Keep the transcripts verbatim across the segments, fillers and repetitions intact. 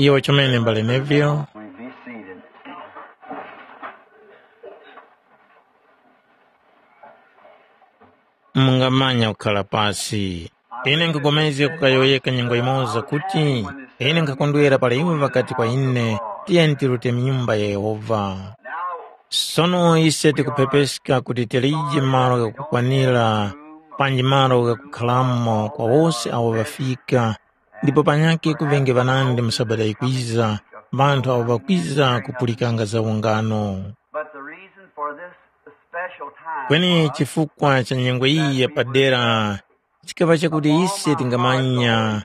Iyo chomene mbale Neville. Mungamanya kukhala pasi. Ine nkugomezga kukayowoyeka nyengo yimoza kuti, ine nkhakondwera para iwo ŵakati kwa ine, tiyeni tirute mu nyumba ya Yehovha. Sono ise tikuphepeska kuti tilije malo ghakukwanira panji malo ghakukhalamo kwa wose awo ŵafika, ndipo panyakhe kuvenge ŵanandi mu Sabata yikwiza, ŵanthu awo ŵakwiza kupulikanga za ungano. But the reason for this special time Kweni was chifukwa cha nyengo iyi yapadera chikaŵa chakuti ise tingamanya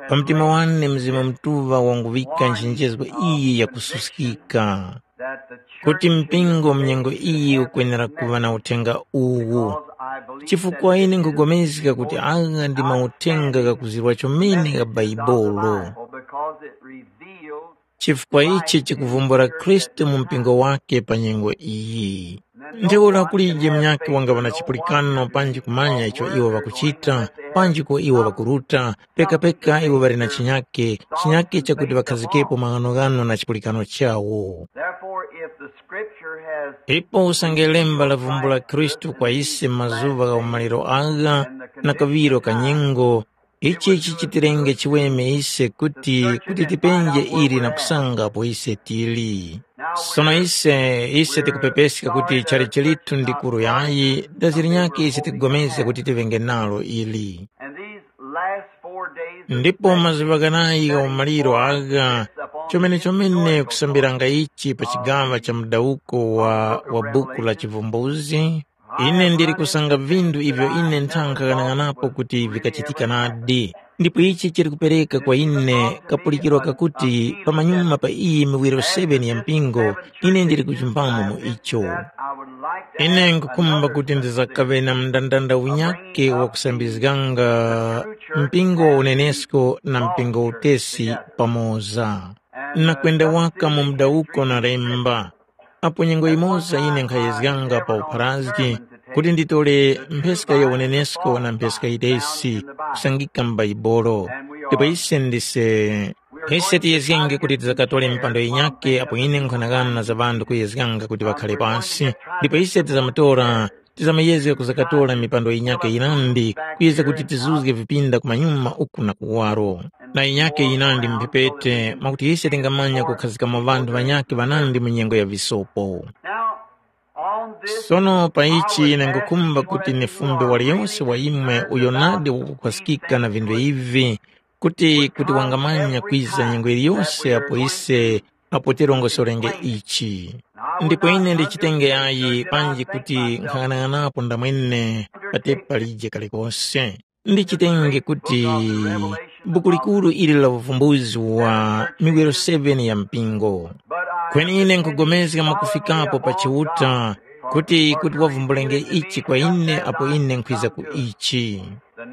pa mtima wane Mzimu Mutuŵa wanguŵika nchenjezgo iyi yakususkika, that the kuti church mpingo mu nyengo iyi ukwenera kuŵa na uthenga uwu. Because I believe Chifukwa that ine nkugomezga kuti agha ndi mauthenga ghakuzirwa chomene gha Bhaibuli. Because it reveals Chifukwa ichi chikuvumbula Khristu mu mpingo wake pa nyengo iyi. Ntheura kulije munyakhe wangaŵa na chipulikano panji kumanya icho iwo ŵakuchita, panji ko iwo ŵakuruta, pekapeka iwo ŵali na chinyakhe, chinyakhe chakuti ŵakhazikepo maghanoghano na chipulikano chawo. Therefore, if the scripture has Ipo usange lemba lavumbula Khristu kwa ise m'mazuŵa gha umaliro agha na kaŵiro ka nyengo, ichi chichitirenge chiweme ise kuti, kuti tipenje ili na kusanga apo ise tili. Sono ise, ise tikupepeska kuti chali chilitu ndi kuru yayi, daziri nyakhe ise tikupulikana kuti tiŵenge nalo ili. And these last four days of Ndipo mazuŵa ghanayi gha umaliro agha, chomene chomene kusambiranga ichi pa chigaŵa cha mudawuko wa, wa buku la Chivumbuzi, ine ndili kusanga vinthu ivyo ine nthankha ghanang'anapo kuti vikachitika nadi. Ndipo ichi chili kupereka kwa ine kapulikiro kakuti pamanyuma pa iyi miwiro seven ya mpingo, ine ndili kuchimbamo mu icho. Ine nkukhumba kuti ndizakaŵe na mndandanda unyakhe wa kusambizganga mpingo wa unenesko na mpingo wa utesi pamoza. Nakwenda waka mu mudawuko na lemba. Apo nyengo yimoza ine nkhayezganga pa upharazgi kuti nditole mpheska ya unenesko na mpheska yitesi kusangika m'Baibulo. Ndipo ise ndise, ise tiyezgenge kuti tizakatole mipando yinyakhe apo ine nkhanang'ana za ŵanthu kuyezganga kuti ŵakhale pasi, ndipo ise tizamutora, tizamayezga kuzakatora mipando yinyakhe yirandi kuyezga kuti tizuzge vipinda kumanyuma uku na kuwaro. Na yinyakhe yinandi mphepete mwakuti ise tingamanya kukhazikamo ŵanthu ŵanyakhe ŵanandi mu nyengo ya visopo. Now, on this Sono pa ichi ine ngukhumba kuti nifumbe waliyonse wa imwe uyo nadi wakukhwaskika na vinthu ivi, kuti kuti wangamanya kwiza nyengo yiliyose apo ise apo tirongosorenge ichi. Ndipo ine ndichitenge ayi panji kuti nkhang'anang'anapo ndamwene patepi palije kalikose. Ndichitenge kuti buku likuru ili la uvumbuzi wa miwiro seven ya mpingo. Kweni ine nkugomezga mwakufikapo pa Chiuta kuti kuti wavumbulenge ichi kwa ine apo ine nkhwiza ku ichi.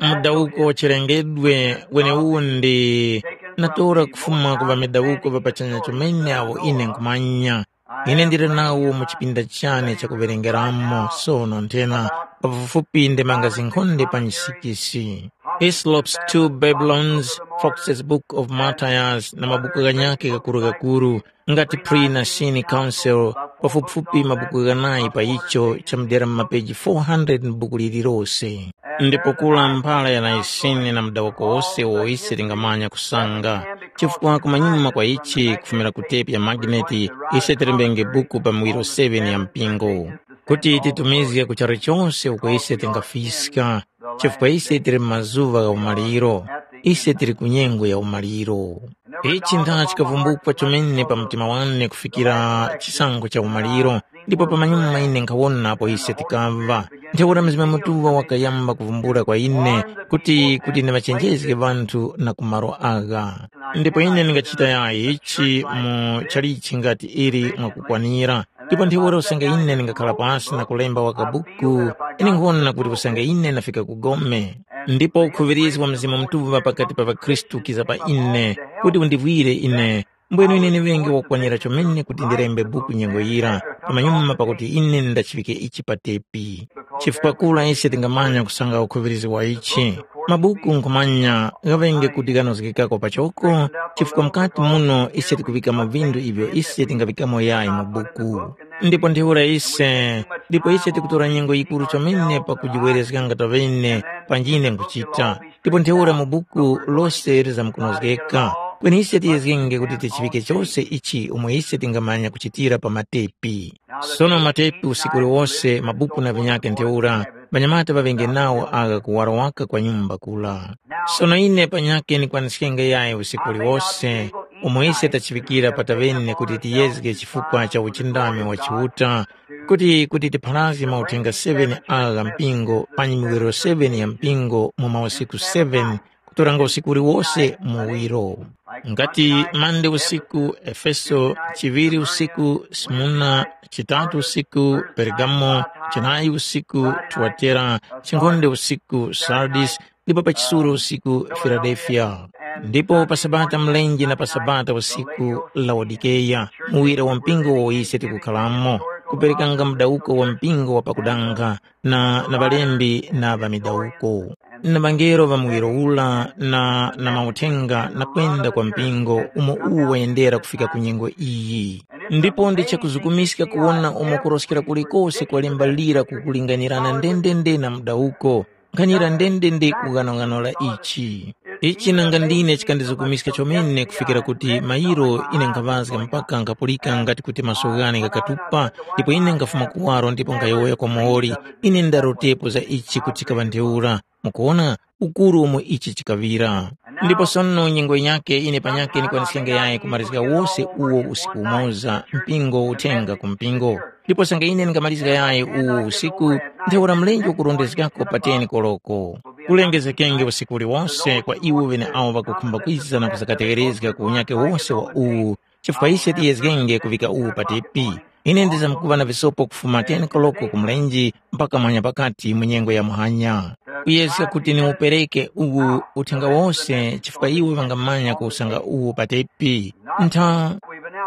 Mudawuko wa chilengedwe weneuwu ndi natora kufuma ku ŵamidawuko ŵa pachanya chomene awo ine nkhumanya. Ine ndili nawo mu chipinda chane chakuwerengeramo sono nthena pafupifupi ndemanga zinkhonde pa nsikisi. Hislop's Two Babylons, Fox's Book of Martyrs na mabuku ghanyakhe ghakurughakurugha ngati Pre-Nicene Council, pafupifupi mabuku ghanayi pa icho chamudera mu mapeji four hundred m'buku lililose. Ndipo kula mphala ya Nicene na mudawako wose uwo ise tingamanya kusanga, chifukwa kumanyuma kwa ichi kufumira ku tepi ya magneti, ise tilembenge buku pa miwiro seven ya mpingo, kuti titumizge ku charu chose uko ise tingafiska, chifukwa ise tili mu mazuŵa gha umaliro, ise tili ku nyengo ya umaliro. Ichi ntha chikavumbukwa chomene pa mtima wane kufikira chisankho cha umaliro, ndipo pamanyuma ine nkhawona apo ise tikamva. Ntheura Mzimu Mutuŵa wakayamba kuvumbula kwa ine kuti kuti ndiŵachenjezge ŵanthu na ku malo agha. Ndipo ine ndingachita yayi ichi mu chalichi ngati ili mwakukwanira. Ndipo ntheura usange ine ndingakhala pasi na kulemba waka buku, ine nkhona kuti usange ine ndafika ku gome. Ndipo ukhuŵirizgi wa Mzimu Mutuŵa pakati pa ŵakhristu kiza pa ine, kuti undivwire ine, Mbwenu ine ndiŵenge wakwanira chomene kuti ndilembe buku nyengo yira, pamanyuma pakuti ine ndachiŵike ichi pa tepi. Chifukwa kura ise tingamanya kusanga ukhuŵirizi wa ichi. Mabuku nkhumanya ghaŵenge kuti ghanozgekako pachoko, chifukwa mukati muno ise tikuŵikamo vindu ivyo ise tingaŵikamo yayi mu buku. Ndipo ntheura ise, ndipo ise tikutora nyengo yikuru chomene pakujiwerezganga taŵene panjine nkuchita. Ndipo ntheura mu buku lose lizamkunozgeka. Kweni ise tiyezgenge kuti tichiŵike chose ichi umo ise tingamanya kuchitira pa matepi. Sono matepi usiku uliwose mabuku na vinyakhe ntheura, ŵanyamata ŵaŵenge nawo agha kuwaro waka kwa nyumba kula. Sono ine panyakhe nikwaniskenge yayi usiku uliwose, umo ise tachiŵikira pataŵene kuti tiyezge chifukwa cha uchindami wa Chiuta, kuti kuti tipharazge mauthenga seven agha mpingo panyi miwerero seven ya mpingo mu mausiku seven, kutoranga usiku uliwose muwiro. Ngati mande usiku Efeso, chiŵiri usiku Smurna, chitatu usiku Pergamo, chinayi usiku Tuatera, chinkhonde usiku Sardis, ndipo pa chisuro usiku Filadelfiya. Ndipo pa Sabata mlenje na pa Sabata usiku Laodikeya, muwira wa mpingo wo ise tikukhalamo, kuperekanga mudawuko wa mpingo wa pakudanga, na na ŵalembi na ŵa midawuko, na ŵangelo ŵa muwiro ula, na na mauthenga na kwenda kwa mpingo umo uwu wayendera kufika ku nyengo iyi. Ndipo ndi chakuzukumiska kuwona umo kuroskera kulikose kwa lemba lira kukulinganirana ndendende na mudawuko, nkhanira ndendende kughanoghano la ichi. Ichi nanga ndine chikandizukumiska chomene kufikira kuti mayiro ine nkhaŵazga mpaka nkhapulika ngati kuti maso ghane ghakatupa, ndipo ine nkhafuma kuwaro ndipo nkhayowoya kwa muwoli, ine ndarotepo za ichi kuti chikaŵa ntheura. Mukuwona ukuru umo ichi chikaŵira. Ndipo sono nyengo yinyakhe ine panyakhe ndikwaniskenge yayi kumalizga wose uwo usiku umoza mpingo uthenga ku mpingo. Ndipo sanga ine ndingamarizga yayi uwu usiku, ntheura mlenje ukurondezgako pa ten koloko. Kulengezgekenge usiku uliwose kwa iwo ŵeneawo ŵakukhumba kwiza na kuzakategherezga ku unyakhe wose wa uwu, chifukwa ise tiyezgenge kuvika uwu pa tepi. Ine ndizamkuŵa na visopo kufuma ten koloko ku mlenje mpaka muhanya pakati mu nyengo ya muhanya. Kuyezga kuti niwupereke uwu uthenga wose chifukwa iwo ŵangamanya kuwusanga uwu pa tepi. Ntha,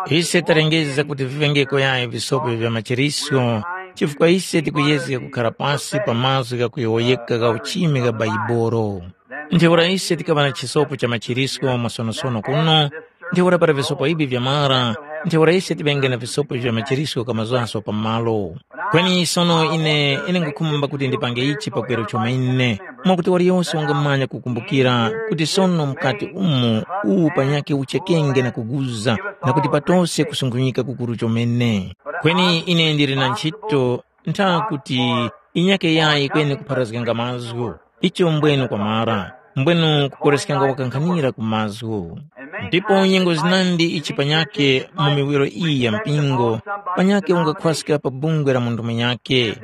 ise talengeza kuti vivengeko yayi visopo vya machiriso, chifukwa ise tikuyezga kukhara pasi pa mazgu ghakuyowoyeka gha uchimi gha Baibolo. Ntheura ise tikaŵa na chisopo cha machiriso masonosono kuno, ntheura para visopo ivi vyamara, ntheura ise tiŵenge na visopo vya machiriso kamazaso pa malo. Kweni sono ine, ine nkhukhumba kuti ndipange ichi pakweru chomene, mwakuti waliyose wangamanya kukumbukira kuti sono mukati umu uwu panyakhe uchekenge na kuguza, na kuti patose kusunghunyika kukuru chomene. Kweni ine ndili na nchito ntha kuti inyake yayi kweni kupharazganga mazgu. Icho mbwenu kwamara, mbwenu kukoreskanga wakankhanira ku mazgu. Ndipo nyengo zinandi ichi panyakhe mu miwiro iyi ya mpingo, panyakhe ungakhwaska pa bungwe la munthu munyakhe.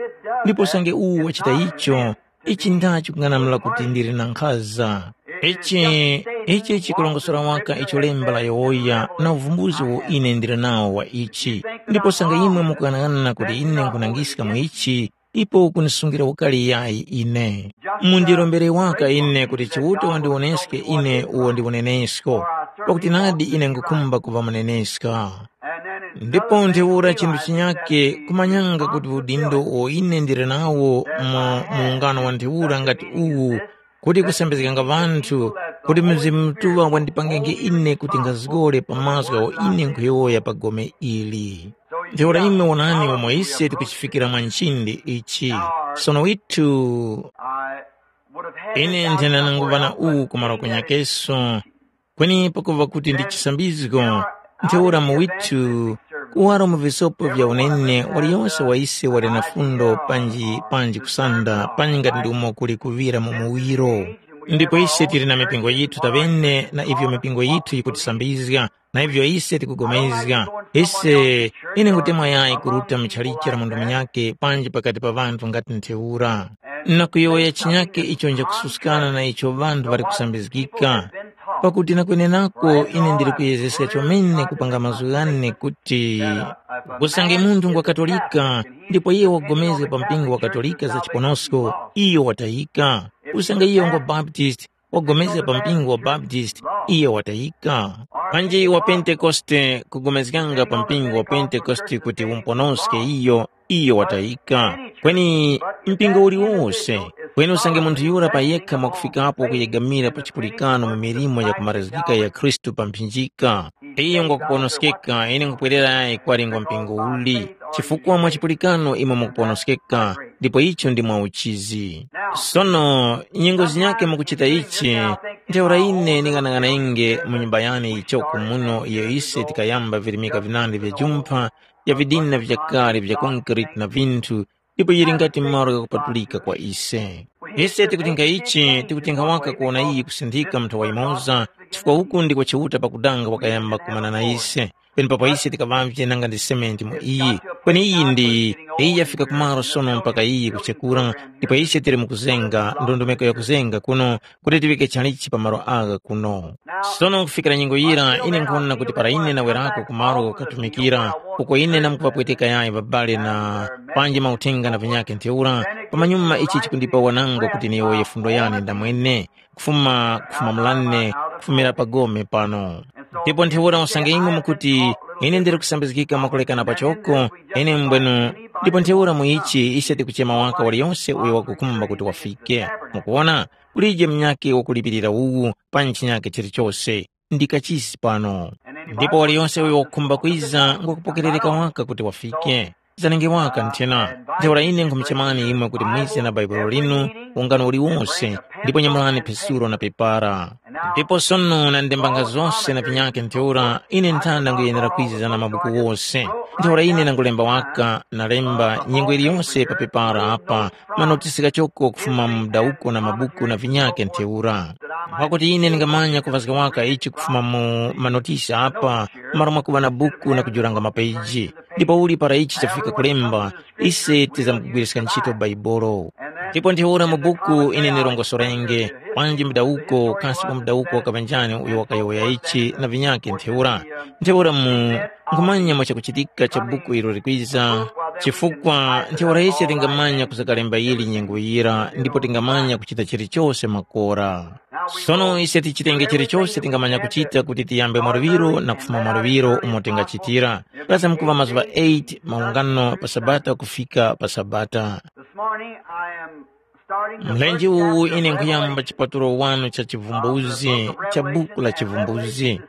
Ndipo usange uwu wachita icho, ichi ndachi kung'anamula kuti ndili na nkhaza. Ichi, ichi chikulongosora waka icho lemba layowoya na uvumbuzi uwo ine ndili nawo wa ichi. Ndipo usange imwe mukughanaghanana kuti ine nkhunangiska mu ichi, ipo ukunisungira ukali yayi ine. Mundirombere waka ine kuti Chiuta wandiwoneske ine uwo ndi unenesko, pakuti nadi ine nkhukhumba kuŵa muneneska. Ndipo ntheura chinthu chinyake kumanyanga kuti udindo uwo ine ndili nawo mu muungano wa ntheura ngati uwu, kuti kusambizganga ŵanthu, kuti Mzimu Mutuŵa wandipangenge ine kuti nkhazgore pa mazgu agho ine nkhuyowoya pa gome ili. Ntheura imwe wonani umo ise tikuchifikira mwa nchindi ichi. Sono withu, ine nthena nanguŵa na uwu ku malo kunyakeso, kweni pakuva kuti ndi chisambizgo, ntheura mu withu, kuwaro mu visopo vya unene waliyose wa ise wali na fundo panji panji kusanda panji ngati ndi umo kuli kuŵira mu muwiro. Ndipo ise tili na mipingo yithu taŵene na ivyo mipingo yithu yikutisambizga, na ivyo ise tikugomezga. Ise, ine ngutemwa yayi kuruta mu chalichi la munthu munyakhe panji pakati pa ŵanthu ngati ntheura. Na kuyowoya chinyakhe icho njakususkana na icho ŵanthu ŵali kusambizgika. Pakuti na kwenenako ine ndili kuyezeska chomene kupanga mazgu ghane kuti, usange munthu ngwa Katolika, ndipo iyo wapulikana pa mpingo wa Katolika za chiponosko, iyo watayika. Usange iyo ngwa Baptist, wapulikana pa mpingo wa Baptist, iyo watayika. Panji wa Pentekoste kupulikana pa mpingo wa Pentekoste kuti umponoske iyo, iyo watayika. Kweni mpingo uliwose, kweni usange munthu yura pa yekha mwakufikapo kuyegamira pa chipulikano mu milimo yakumarazgika ya Khristu pa mphinjika, iyo ngwakuponoskeka. Ine nkhupwerera yayi kwali ngwa mpingo uli, chifukwa mwa chipulikano imwe mukuponoskeka, ndipo icho ndi mwa uchizi. Sono nyengo zinyakhe mukuchita ichi, ntheura ine nding'anang'anenge mu nyumba yane yichoko muno iyo ise tikayamba virimika vinandi vya jumpha, ya vidina vyakale vya konkrete na vinthu, ndipo yili ngati malo ghakupatulika kwa ise. Ise tikutinga ichi, tikutinga waka kuwona iyi kusinthika mu nthawa yimoza, chifukwa uku ndiko Chiuta pakudanga wakayamba kumana na ise. Penepapo ise tikaŵavye nanga ndi sementi mu iyi. Kweni iyi ndi, iyi yafika kumaro sono mpaka iyi kuchekura, ndipo ise tili mukuzenga, ndondomeko yakuzenga kuno, kuti tiŵike chalichi pa malo agha kuno. Sono kufikira nyengo yira, ine nkhwona kuti para ine nawerako ku malo ghakutumikira, uko ine namkupapweteka yayi ŵabale na panji mauthenga na vinyakhe ntheura, pamanyuma ichi chikundipa wanangwa kuti niyowoye fundo yane ndamwene, kufuma kufuma mulane, kufumira pa gome pano. Ndipo ntheura usange imwe mukuti, ine ndiri kusambizgika mwakulekana pachoko, ine mbwenu, ndipo ntheura mu ichi ise tikuchema waka waliyonse uyo wakukhumba kuti wafike. Mukuwona, kulije munyakhe wakulipirira uwu, panji chinyakhe chilichose, ndi kachisi pano. Ndipo waliyonse uyo wakukhumba kwiza ngwakupokerereka waka kuti wafike. Zanenge waka nthena. Ntheura ine nkhumuchemani imwe kuti mwize na Baibulo linu, ungano uliwonse, ndipo nyamulani phesulo na pepara. Ndipo sono na ndembanga zose na vinyakhe ntheura, ine nthanda nguyenera kwiza na mabuku wose. Ntheura ine nangulemba waka, nalemba nyengo iliyonse pa pepara apa, manotisi ghachoko kufuma mu mdawuko na mabuku na vinyakhe ntheura. Mwakuti ine ndingamanya kuvazga waka ichi kufuma mu manotisi apa, malo mwakuŵa na buku na kujuranga mapeji. Ndipo uli para ichi chafika kulemba, ise tizamkugwiriska ntchito Bhaibuli. Ndipo ntheura mu buku ine ndirongosorenge, panji mdawuko, kasi pa mdawuko wakaŵa njani uyo wakayowoya ichi na vinyakhe ntheura. Ntheura mu nkhumanya mwa chakuchitika cha buku ilo likwiza, chifukwa ntheura ise tingamanya kuzakalemba yili nyengo yira ndipo tingamanya kuchita chilichose makora. Sono ise tichitenge chilichose tingamanya kuchita kuti tiyambe mwaluŵiro na kufuma mwaluŵiro umo tingachitira. Pasi mkuŵa mazuŵa eight maungano pa Sabata kufika pa Sabata. This morning I am starting the Mlenje first uwu chapter ine of nkuyamba Revelation. Chipatulo wanu cha chivumbuzi cha buku la chivumbuzi.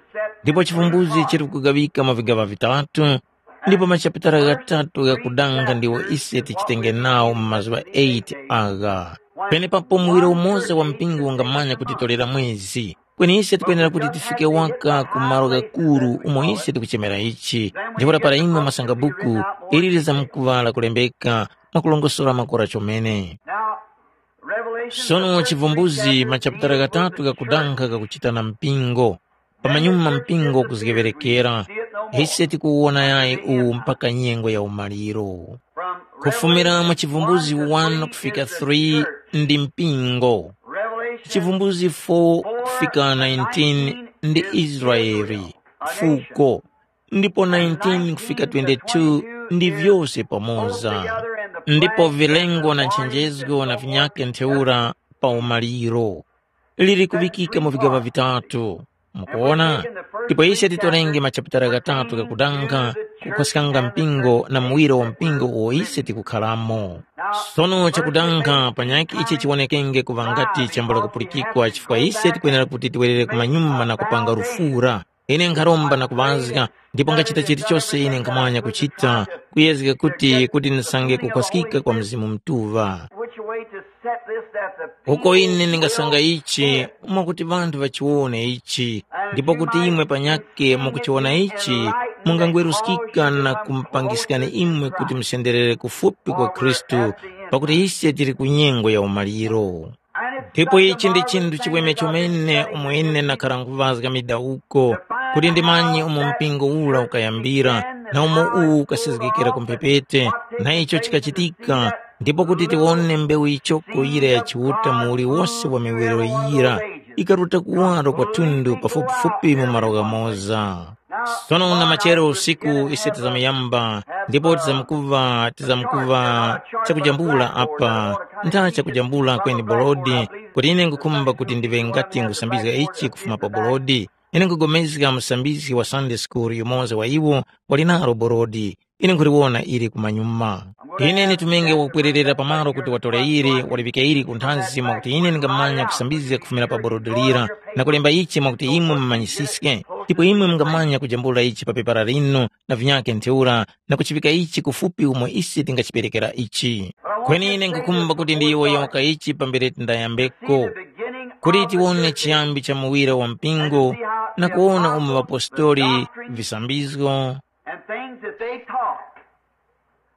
Ndipo chivumbuzi chiri kugawika mu vigaŵa vitatu, ndipo machapitala ghatatu ghakudanga ndiwo ise tichitenge nawo mu mazuŵa eight agha. Penepapo muwiro umoza wa mpingo ungamanya kuti tolera mwezi, kweni ise tikwenera kuti tifike waka ku malo ghakuru umo ise tikuchemera ichi. Ndipo para imwe mwasanga buku, ili lizamkuŵa lakulembeka mwakulongosora makora chomene. Now, Revelation, sono the first chivumbuzi three machapitala chapters gatatu ghakudankha ghakuchita na mpingo. Pamanyuma mpingo kuzgeŵerekera, ise tikuwona yayi uwu mpaka nyengo ya umaliro. Kufumira mu chivumbuzi one kufika three ndi mpingo. Chivumbuzi four kufika nineteen ndi Israeli, fuko, ndipo nineteen kufika twenty-two ndi vyose pamoza. Ndipo vilengo na nchenjezgo na vinyakhe ntheura pa umaliro liri kuŵikika mu vigaŵa vitatu. Mukuona? Ndipo ise titorenge machapitala ghatatu ghakudankha kukhoskanga mpingo na muwiro wa mpingo uwo ise tikukharamo. Sono chakudankha panyakhe ichi chiwonekenge kuŵa ngati chambula kupulikikwa chifukwa ise tikwenera kuti tiwerere kumanyuma na kupanga lufura. Ine nkharomba na kuŵazga, ndipo ngachita chilichose ine nkhamanya kuchita, kuyezga kuti kuti ndisange kukhwaskika kwa Mzimu Mutuŵa. Which way to set this that the uko ine ndingasanga ichi mwakuti ŵanthu ŵachiwone ichi, ndipo kuti imwe panyake mukuchiwona ichi, mungangweruskika na kumupangiskani imwe kuti musenderere kufupi kwa Khristu, pakuti ise tili ku nyengo ya umaliro. Ndipo ichi ndi chinthu chiweme chomene umo ine ndakhara nkuvazga midawuko, kuti ndimanye umo mpingo ura ukayambira, na umo uwu ukasezgekera ku mphepete, na icho chikachitika, ndipo kuti tiwone mbewu yichoko yira ya Chiuta mu uliwose wa miwiro yira, ikaruta kuwaro kwa thundu pafupifupi mu malo ghamoza. Sono na machero usiku ise tizamuyamba, ndipo tizamkuva tizamkuva chakujambula apa, ntha chakujambula kweni bolodi, kuti ine nkukhumba kuti ndiŵe ngati ngusambizga ichi kufuma pa bolodi. Ine nkugomezga musambizgi wa Sunday school yumoza wa iwo wali nalo borodi. Ine nkhuliwona ili kumanyuma. Ine nditumenge wakupwererera pamalo kuti watore ili, waliŵike ili ku nthanzi mwakuti ine ndingamanya kusambizga kufumira pa borodi lira, na kulemba ichi mwakuti imwe mumanyisiske, ndipo imwe mungamanya kujambula ichi pa pepara linu na vinyakhe ntheura, na kuchiŵika ichi kufupi umo ise tingachiperekera ichi. Kweni ine nkhukhumba kuti ndiyowoyoka ichi pambere tindayambeko. Kuti tiwone chiyambi cha muwira wa mpingo, na kuwona umo ŵapostoli, visambizgo, and things that they taught,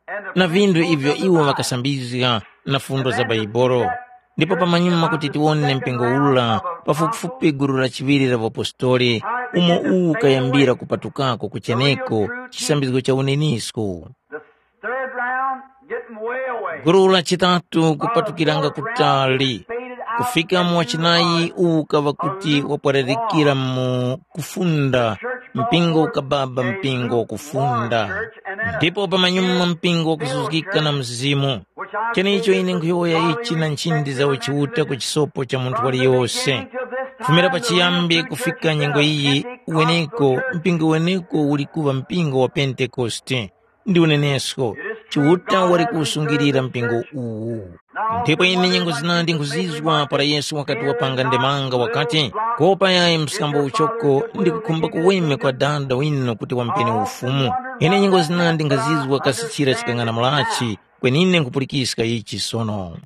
and the na vinthu ivyo iwo ŵakasambizga, na fundo za Baibolo. Ndipo pamanyuma kuti tiwone mpingo ula, pafupifupi gulu la chiŵiri la ŵapostoli, umo uwu ukayambira kupatukako kucheneko, chisambizgo cha unenisko. The third round, getting way away. Gulu la chitatu kupatukiranga kutali, kufika mu wachinayi uwu ukaŵa kuti wapwararikira mu kufunda, mpingo ukababa mpingo wa kufunda. Ndipo pamanyuma mpingo wakuzuzgika na mzimu. Chenicho ine nkhuyowoya ichi na nchindi za uchiuta ku chisopo cha munthu waliyose. Kufumira pachiyambi kufika nyengo iyi, weneko, mpingo weneko uli kuŵa mpingo wa Pentekoste. Ndi unenesko, Chiuta wali kuwusungilira mpingo uwu. Ndipo ine nyengo zinandi nkhuzizwa para Yesu wakati wapanga ndemanga wakati, kopa yayi msambo uchoko ndi kukhumba kuweme kwa dada winu kuti wampeni ufumu. Ine nyengo zinandi nkhazizwa kasi chira chikang'ana mulachi, kweni ine nkhupulikiska ichi sono.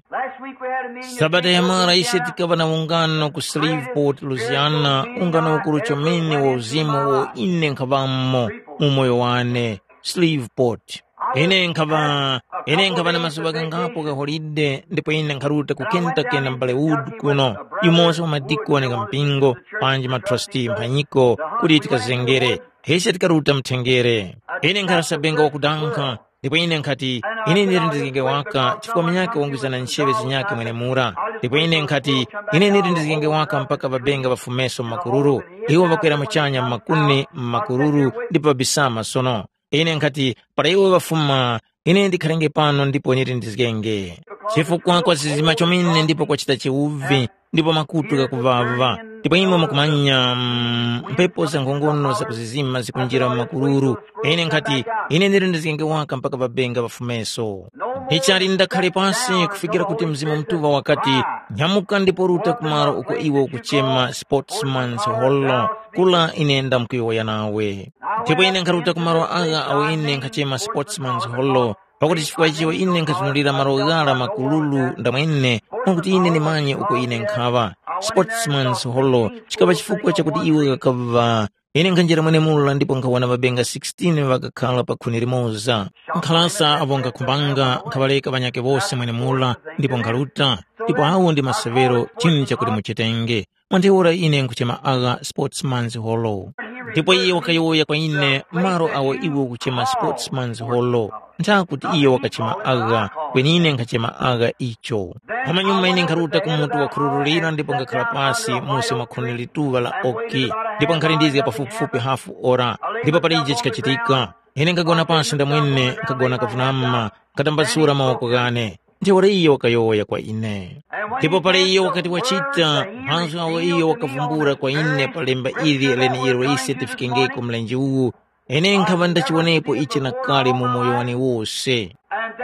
Sabata yamara ise tikaŵa na ungano ku Shreveport, Louisiana, ungano ukuru chomene wa uzimu wo ine nkhaŵamo mu moyo wane. Shreveport. Ine nkhaŵa ine nkhaŵa na mazuŵa ghangapo gha holide ndipo ine nkharuta ku Kentucky na m'bale Wood kuno, yumoza wa madikoni gha mpingo, panji matrasiti mphanyiko kuti tikazengere. Ise tikaruta mthengere. Ine nkhali sabenga wakudankha, ndipo ine nkhati, ine ndili ndizgenge waka chifukwa munyakhe wangwiza na ncheŵe zinyakhe mwenemura. Ndipo ine nkhati, ine ndili ndizgenge waka mpaka ŵabenga ŵafumeso mu makururu. Iwo ŵakwera muchanya mu makuni mu makururu ndipo ŵabisama sono. Ine nkhati, para iwo ŵafuma, ine ndikharenge pano ndipo niti ndizgenge. Chifukwa kwazizima chomene ndipo kwachita chiwuvi, ndipo makutu ghakuŵaŵa. Ndipo imwe mukumanya, mm, mphepo za nkhongono zakuzizima zikunjira mu makururu. Ine nkhati, ine niti ndizgenge waka mpaka ŵabenga ŵafumeso. Ndichali ndakhale pasi kufikira kuti Mzimu Mutuŵa wakati, nyamuka ndipo ruta kumalo uko iwe ukuchema Sportsman's Hollow, kula ine ndamkuyowoya nawe. Ndipo ine nkharuta ku malo agha awo ine nkhachema Sportsman's Hollow, pakuti chifukwa icho ine nkhazunulira malo ghara makululu ndamwene, mwakuti ine ndimanye uko ine nkhaŵa. Sportsman's Hollow chikaŵa chifukwa chakuti iwe ghakaŵa. Ine nkhanjira mwenemura ndipo nkhawona ŵabenga sixteen ŵakakhala pa khuni limoza. Nkhalasa apo nkhakhumbanga nkhaŵareka ŵanyakhe wose mwenemura, ndipo nkharuta, ndipo awo ndi maseŵero chinu chakuti muchitenge. Mwa ntheura ine nkhuchema agha Sportsman's Hollow. Ndipo iye wakayowoya kwa ine, malo awo iwe ukuchema Sportsman's Hollow, ntha kuti iye wakachema agha, kweni ine nkhachema agha icho. Pamanyuma ine nkharuta ku mutu wakhururulira ndipo nkhakhala pasi musi mwa khuni lituŵa la oki, ndipo nkhalindizga pafupifupi hafu ora, ndipo palije chikachitika. Ine nkhagona pasi ndamwene, nkhagona kavunama, nkhatambasula mawoko ghane. Ntheura iyo wakayowoya kwa ine. Ndipo para iyo wakati wachita, mazgu agho iyo wakavumbula kwa ine pa lemba ili leneiyo ise tifikengeko mlenje uwu, ine nkhaŵa ndachiwonepo ichi na kale mu moyo wane wose.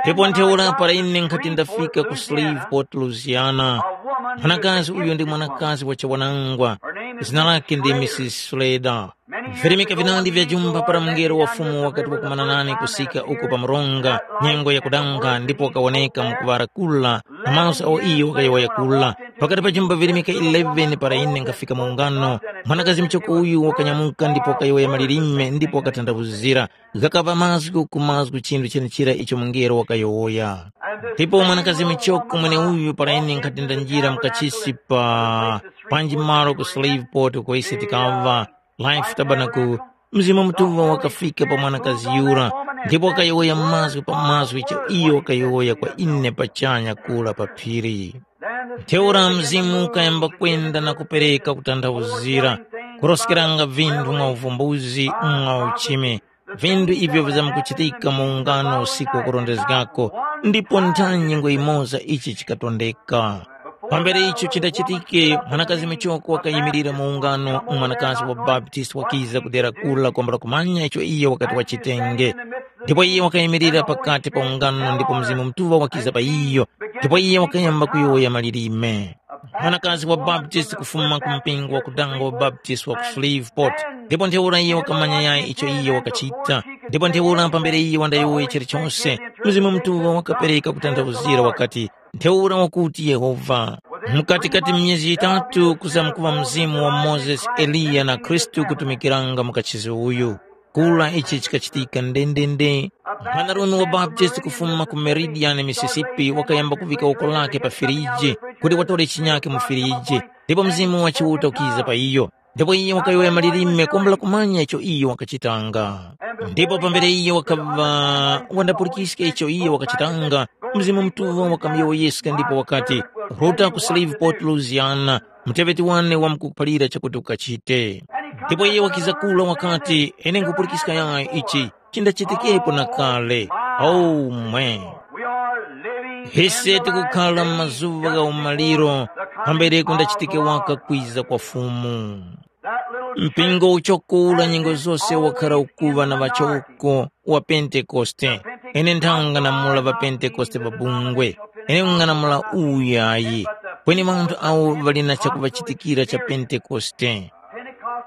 Ndipo ntheura para ine nkhati ndafika ku Shreveport, Louisiana, mwanakazi uyu ndi mwanakazi wa chiwanangwa, zina lake ndi Misisi Slater. Virimika vinandi vya jumba para mungelo wa Fumu wakati wakumana nane kusika uko pa mronga, nyengo yakudanga ndipo wakawoneka mu kuŵara kula, na maso awo iyo wakayowoya kula. Pakati pa jumba virimika eleven para ine nkhafika mu ungano, mwanakazi muchoko uyu wakanyamuka ndipo wakayowoya malilime ndipo wakatandawuzira. Ghakaŵa mazgu ku mazgu chinthu chenechira icho mungelo wakayowoya. Ndipo mwanakazi muchoko mweneuyu para ine nkhati ndanjira mukachisi pa panji malo ku Shreveport uko ise tikaŵa, Life Tabernacle, Mzimu Mutuŵa wakafika pa mwanakazi yura, ndipo wakayowoya mazgu pa mazgu icho iyo wakayowoya kwa ine pachanya kura pa phiri. Ntheura Mzimu ukayamba kwenda na kupereka kutanthauzira. kuroskeranga vinthu mwa uvumbuzi mwa uchimi, vinthu ivyo vizamkuchitika mu ungano usiku wakurondezgako, ndipo ntha nyengo yimoza ichi chikatondeka. Pambere icho chindachitike, mwanakazi michoko wakayimirira mu ungano, mwanakazi wa Baptist wakiza kudera kula kwambula kumanya icho iyo wakati wachitenge. Ndipo iye wakayimirira pakati pa ungano ndipo Mzimu Mutuŵa wakiza pa iyo, ndipo iye wakayamba kuyowoya malilime. Mwanakazi wa Baptist kufuma ku mpingo wa kudanga wa Baptist wa ku Shreveport, ndipo ntheura iye wakamanya yayi icho iye wakachita. Ndipo ntheura pambere iye wandayowoya chilichonse, Mzimu Mutuŵa wakapereka kutanthauzira wakati, ntheura wakuti Yehova. Mukatikati myezi yitatu kuzamkuŵa mzimu wa Mozesi, Eliya na Khristu kutumikiranga mu kachisi uyu. Kura ichi chikachitika ndendende. Mwanarume wa Baptist kufuma ku Meridian, Mississippi, wakayamba kuvika woko lake pa firiji kuti watore chinyake mu firiji, ndipo Mzimu wa Chiuta ukiza pa iyo. Ndipo iye wakayowoya malilime kumbula kumanya icho iyo wakachitanga. Ndipo pambere iye wakaŵa wandapulikiska icho iyo wakachitanga, Mzimu Mutuŵa wakamuyowoyeska ndipo wakati, “Ruta ku Shreveport, Louisiana, muteŵeti wane wamkukuphalira chakuti ukachite.” Ndipo iye wakiza kula wakati, “Ine nkhupulikiska yayi ichi chindachitikepo na kale. Omwe, ise tikukhala mu mazuŵa gha umaliro pambere kundachitike waka kwiza kwa Fumu.” Mpingo uchoko ula nyengo zose wakhara ukuŵa na ŵachoko wa Pentekoste. Ine nthang'anamula ŵa Pentekoste ŵa bungwe. Ine nkung'anamula uyu yayi. Kweni ŵanthu awo ŵali na chakuŵachitikira cha Pentekoste.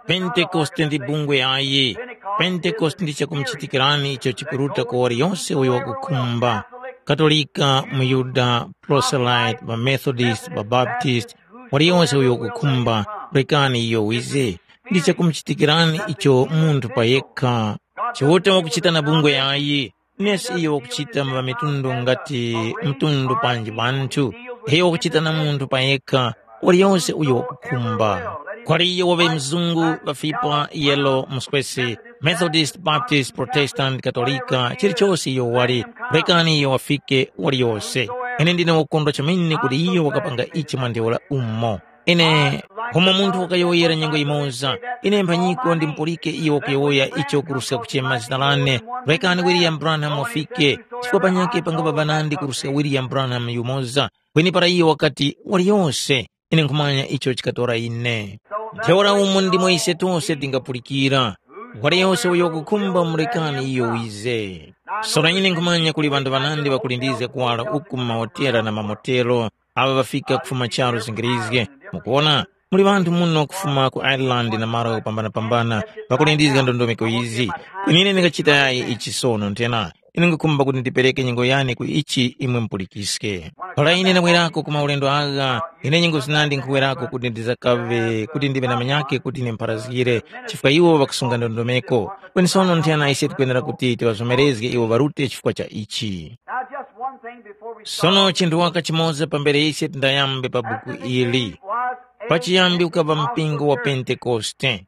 Pentekoste ndi bungwe yayi. Pentekoste ndi chakumuchitikirani icho chikuruta kwa waliyonse uyo wakukhumba. Katolika, muYuda, Proselyte, ŵaMethodist, ŵaBaptist, waliyonse uyo wakukhumba, rekani iyo wize. Ndi chakumuchitikirani icho munthu pa yekha. Chiuta wakuchita na bungwe yayi, nesi iyo wakuchita mu ŵamitundu ngati mtundu panji wanthu. Iyo wakuchita na munthu pa yekha, waliyonse uyo wakukhumba. Kwali iyo waŵe mzungu, ŵafipa, yelo, muswesi, Methodist, Baptist, Protestant, Katolika, chilichose iyo wali, rekani iyo wafike waliyose. Ine ndine wokondwa chomene kuti iyo wakapanga ichi mwa ntheura umo. Ine, umo munthu wakayowoyera nyengo yimoza, ine mphanyiko ndimupulike iyo wakuyowoya icho kuruska kuchema zina lane, rekani William Branham wafike, chifukwa panyakhe pangaŵa ŵanandi kuruska William Branham yumoza, kweni para iyo wakati, waliyose, ine nkhumanya icho chikatora ine. Ntheura umo ndimo ise tose tingapulikira, waliyose uyo wakukhumba murekani iyo wize. Sono ine nkhumanya kuli ŵanthu ŵanandi ŵakulindizga kuwala uku mu mahotela na mamotelo, awo ŵafika kufuma charu zingirizge. Mukuwona, muli ŵanthu muno kufuma ku Ireland na malo kupambanapambana ŵakulindizga ndondomeko izi. Kweni ine ndingachita yayi ichi sono nthena? Ine ndingakhumba kuti ndipereke nyengo yane ku ichi imwe mupulikiske. Para ine ndabwerako ku maulendo agha, ine nyengo zinandi nkhuwerako kuti ndizakaŵe kuti ndiŵe na manyake kuti ine mpharazgire, chifukwa iwo ŵakusunga ndondomeko. Kweni sono nthena ise tikwenera kuti tiŵazomerezge iwo ŵarute chifukwa cha ichi. Now, just one thing before we start. Sono chinthu waka chimoza pambere ise tindayambe pa buku ili. Pachiyambi ukaŵa mpingo wa Pentekoste.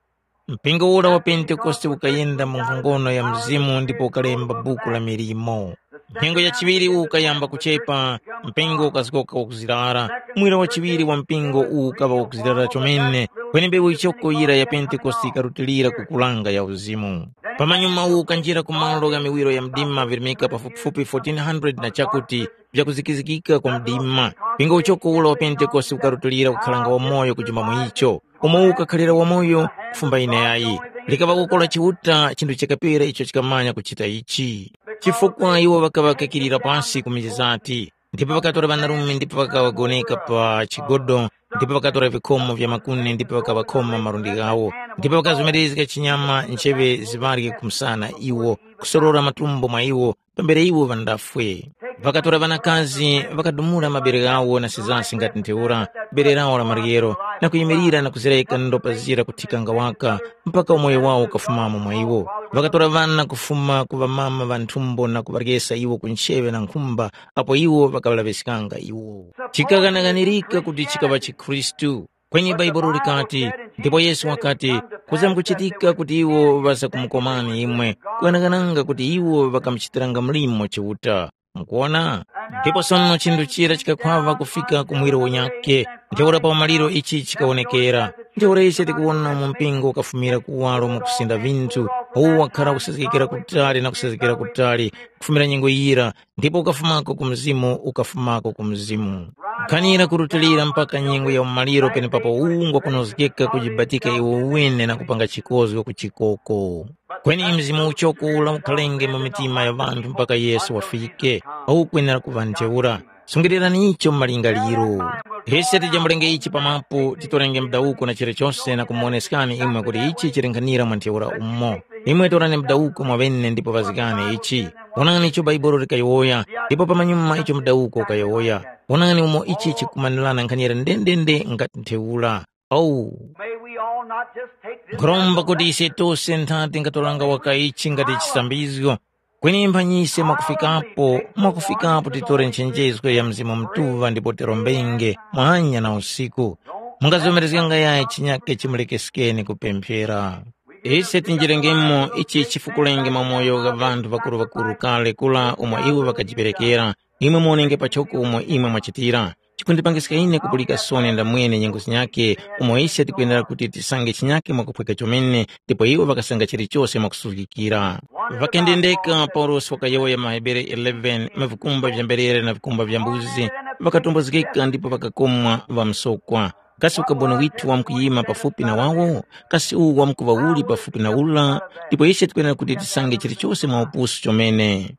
Mpingo ura wa Pentekoste ukayenda mu nkhongono ya Mzimu ndipo ukalemba buku la milimo. Nyengo ya chiŵiri ukayamba kuchepa, mpingo ukazgoka wakuzirara. Mwira wa chiŵiri wa mpingo uwu ukaŵa wakuzirara chomene, kweni mbewu yichoko yira ya Pentekoste ikarutilira ku kulanga ya uzimu. Pamanyuma uwu ukanjira ku malo gha miwiro ya mdima virimika pafupifupi fourteen hundred na chakuti vyakuzikizikika kwa mdima. Mpingo uchoko ula wa Pentekoste ukarutilira kukhalanga wamoyo kujuma mu icho, umo ukakhalira wamoyo kufumba ine yayi. Likaŵa kukora Chiuta chinthu chakapera icho chikamanya kuchita ichi. Chifukwa iwo ŵakaŵa kakirira pasi ku mizati, ndipo ŵakatora ŵanarume ndipo ŵakaŵagoneka pa chigodo, ndipo ŵakatora vikhomo vya makuni ndipo ŵakaŵakhoma malundi ghawo, ndipo ŵakazomerezga chinyama ncheŵe ziŵarye ku msana iwo, kusorora matumbo mwa iwo, pambere iwo ŵandafwe. Ŵakatora ŵanakazi, ŵakadumula mabere ghawo na sizasi ngati ntheura, bere lawo la maryero, na kuyimirira na kuzereka ndopa zira kuthikanga waka, mpaka umoyo wawo ukafumamo mwa iwo. Ŵakatora ŵana kufuma ku ŵamama ŵa nthumbo na kuŵaryesa iwo ku ncheŵe na nkhumba, apo iwo ŵakaŵalaŵiskanga iwo. Chikaghanaghanirika kuti chikaŵa chikhristu. Kweni Bhaibuli likati, ndipo Yesu wakati, kuzamkuchitika kuti iwo ŵazakumukomani imwe, kughanaghananga kuti iwo ŵakamuchitiranga mlimo Chiuta. Mukuwona? Ndipo sono chinthu chira chikakhwava kufika ku muwiro unyakhe, ntheura pa umaliro ichi chikawonekera. Ntheura ise tikuwona mu mpingo ukafumira kuwaro mwakusinda vinthu, uwu wakhara kusazgekera kutali na kusazgekera kutali, kufumira nyengo yira, ndipo ukafumako ku Mzimu, ukafumako ku Mzimu. Kukhanira kurutilira mpaka nyengo ya umaliro penepapo ungwa kunozgeka kujibatika iwo wene na kupanga chikozgo ku chikoko. Kweni mzimu uchoko ula ukhalenge mu mitima ya ŵanthu mpaka Yesu wafike, awu ukwenera kuŵa ntheura. Sungilirani icho mu malingaliro. Ise tijambulenge ichi pamapu, titorenge mudawuko na chilichose na kumuwoneskani imwe kuti ichi chili nkhanira mwa ntheura umo. Imwe torani mudawuko mwaŵene ndipo ŵazgani ichi. Wonani icho Bhaibuli likayowoya, ndipo pamanyuma icho mudawuko ukayowoya. Wonani umo ichi chikumanirana nkhanira ndendende ngati ntheura. Owu. May we all not just take this Nkhuromba kuti ise tose nthati tingatoranga waka ichi ngati chisambizgo, kweni mphanyise mwakufikapo, mwakufikapo titore nchenjezgo ya Mzimu Mutuŵa ndipo tirombenge mwanya na usiku. Mungazomerezganga yayi chinyake chimulekesekeni kupemphera. Ise tinjirengemo ichi chifukulenge mwa moyo gha ŵanthu ŵakuru-ŵakuru kale kula umo iwo ŵakajiperekera, imwe muwonenge pachoko umo imwe mwachitira. Chikundipangiska ine kupulika soni ndamwene nyengo zinyakhe, umo ise tikwenera kuti tisange chinyakhe mwakuphweka chomene, ndipo iwo ŵakasanga chilichose mwakusuzgikira. Ŵakendendeka Paulosi wakayowoya maHebere eleven, mavikumba vya mberere na vikumba vya mbuzi, ŵakatombozgeka ndipo ŵakakomwa ŵamsokwa. Kasi ukaboni withu wamkuyima pafupi na wawo? Kasi uwu wamkuŵa uli pafupi na ula? Ndipo ise tikwenera kuti tisange chilichose mwa upusu chomene.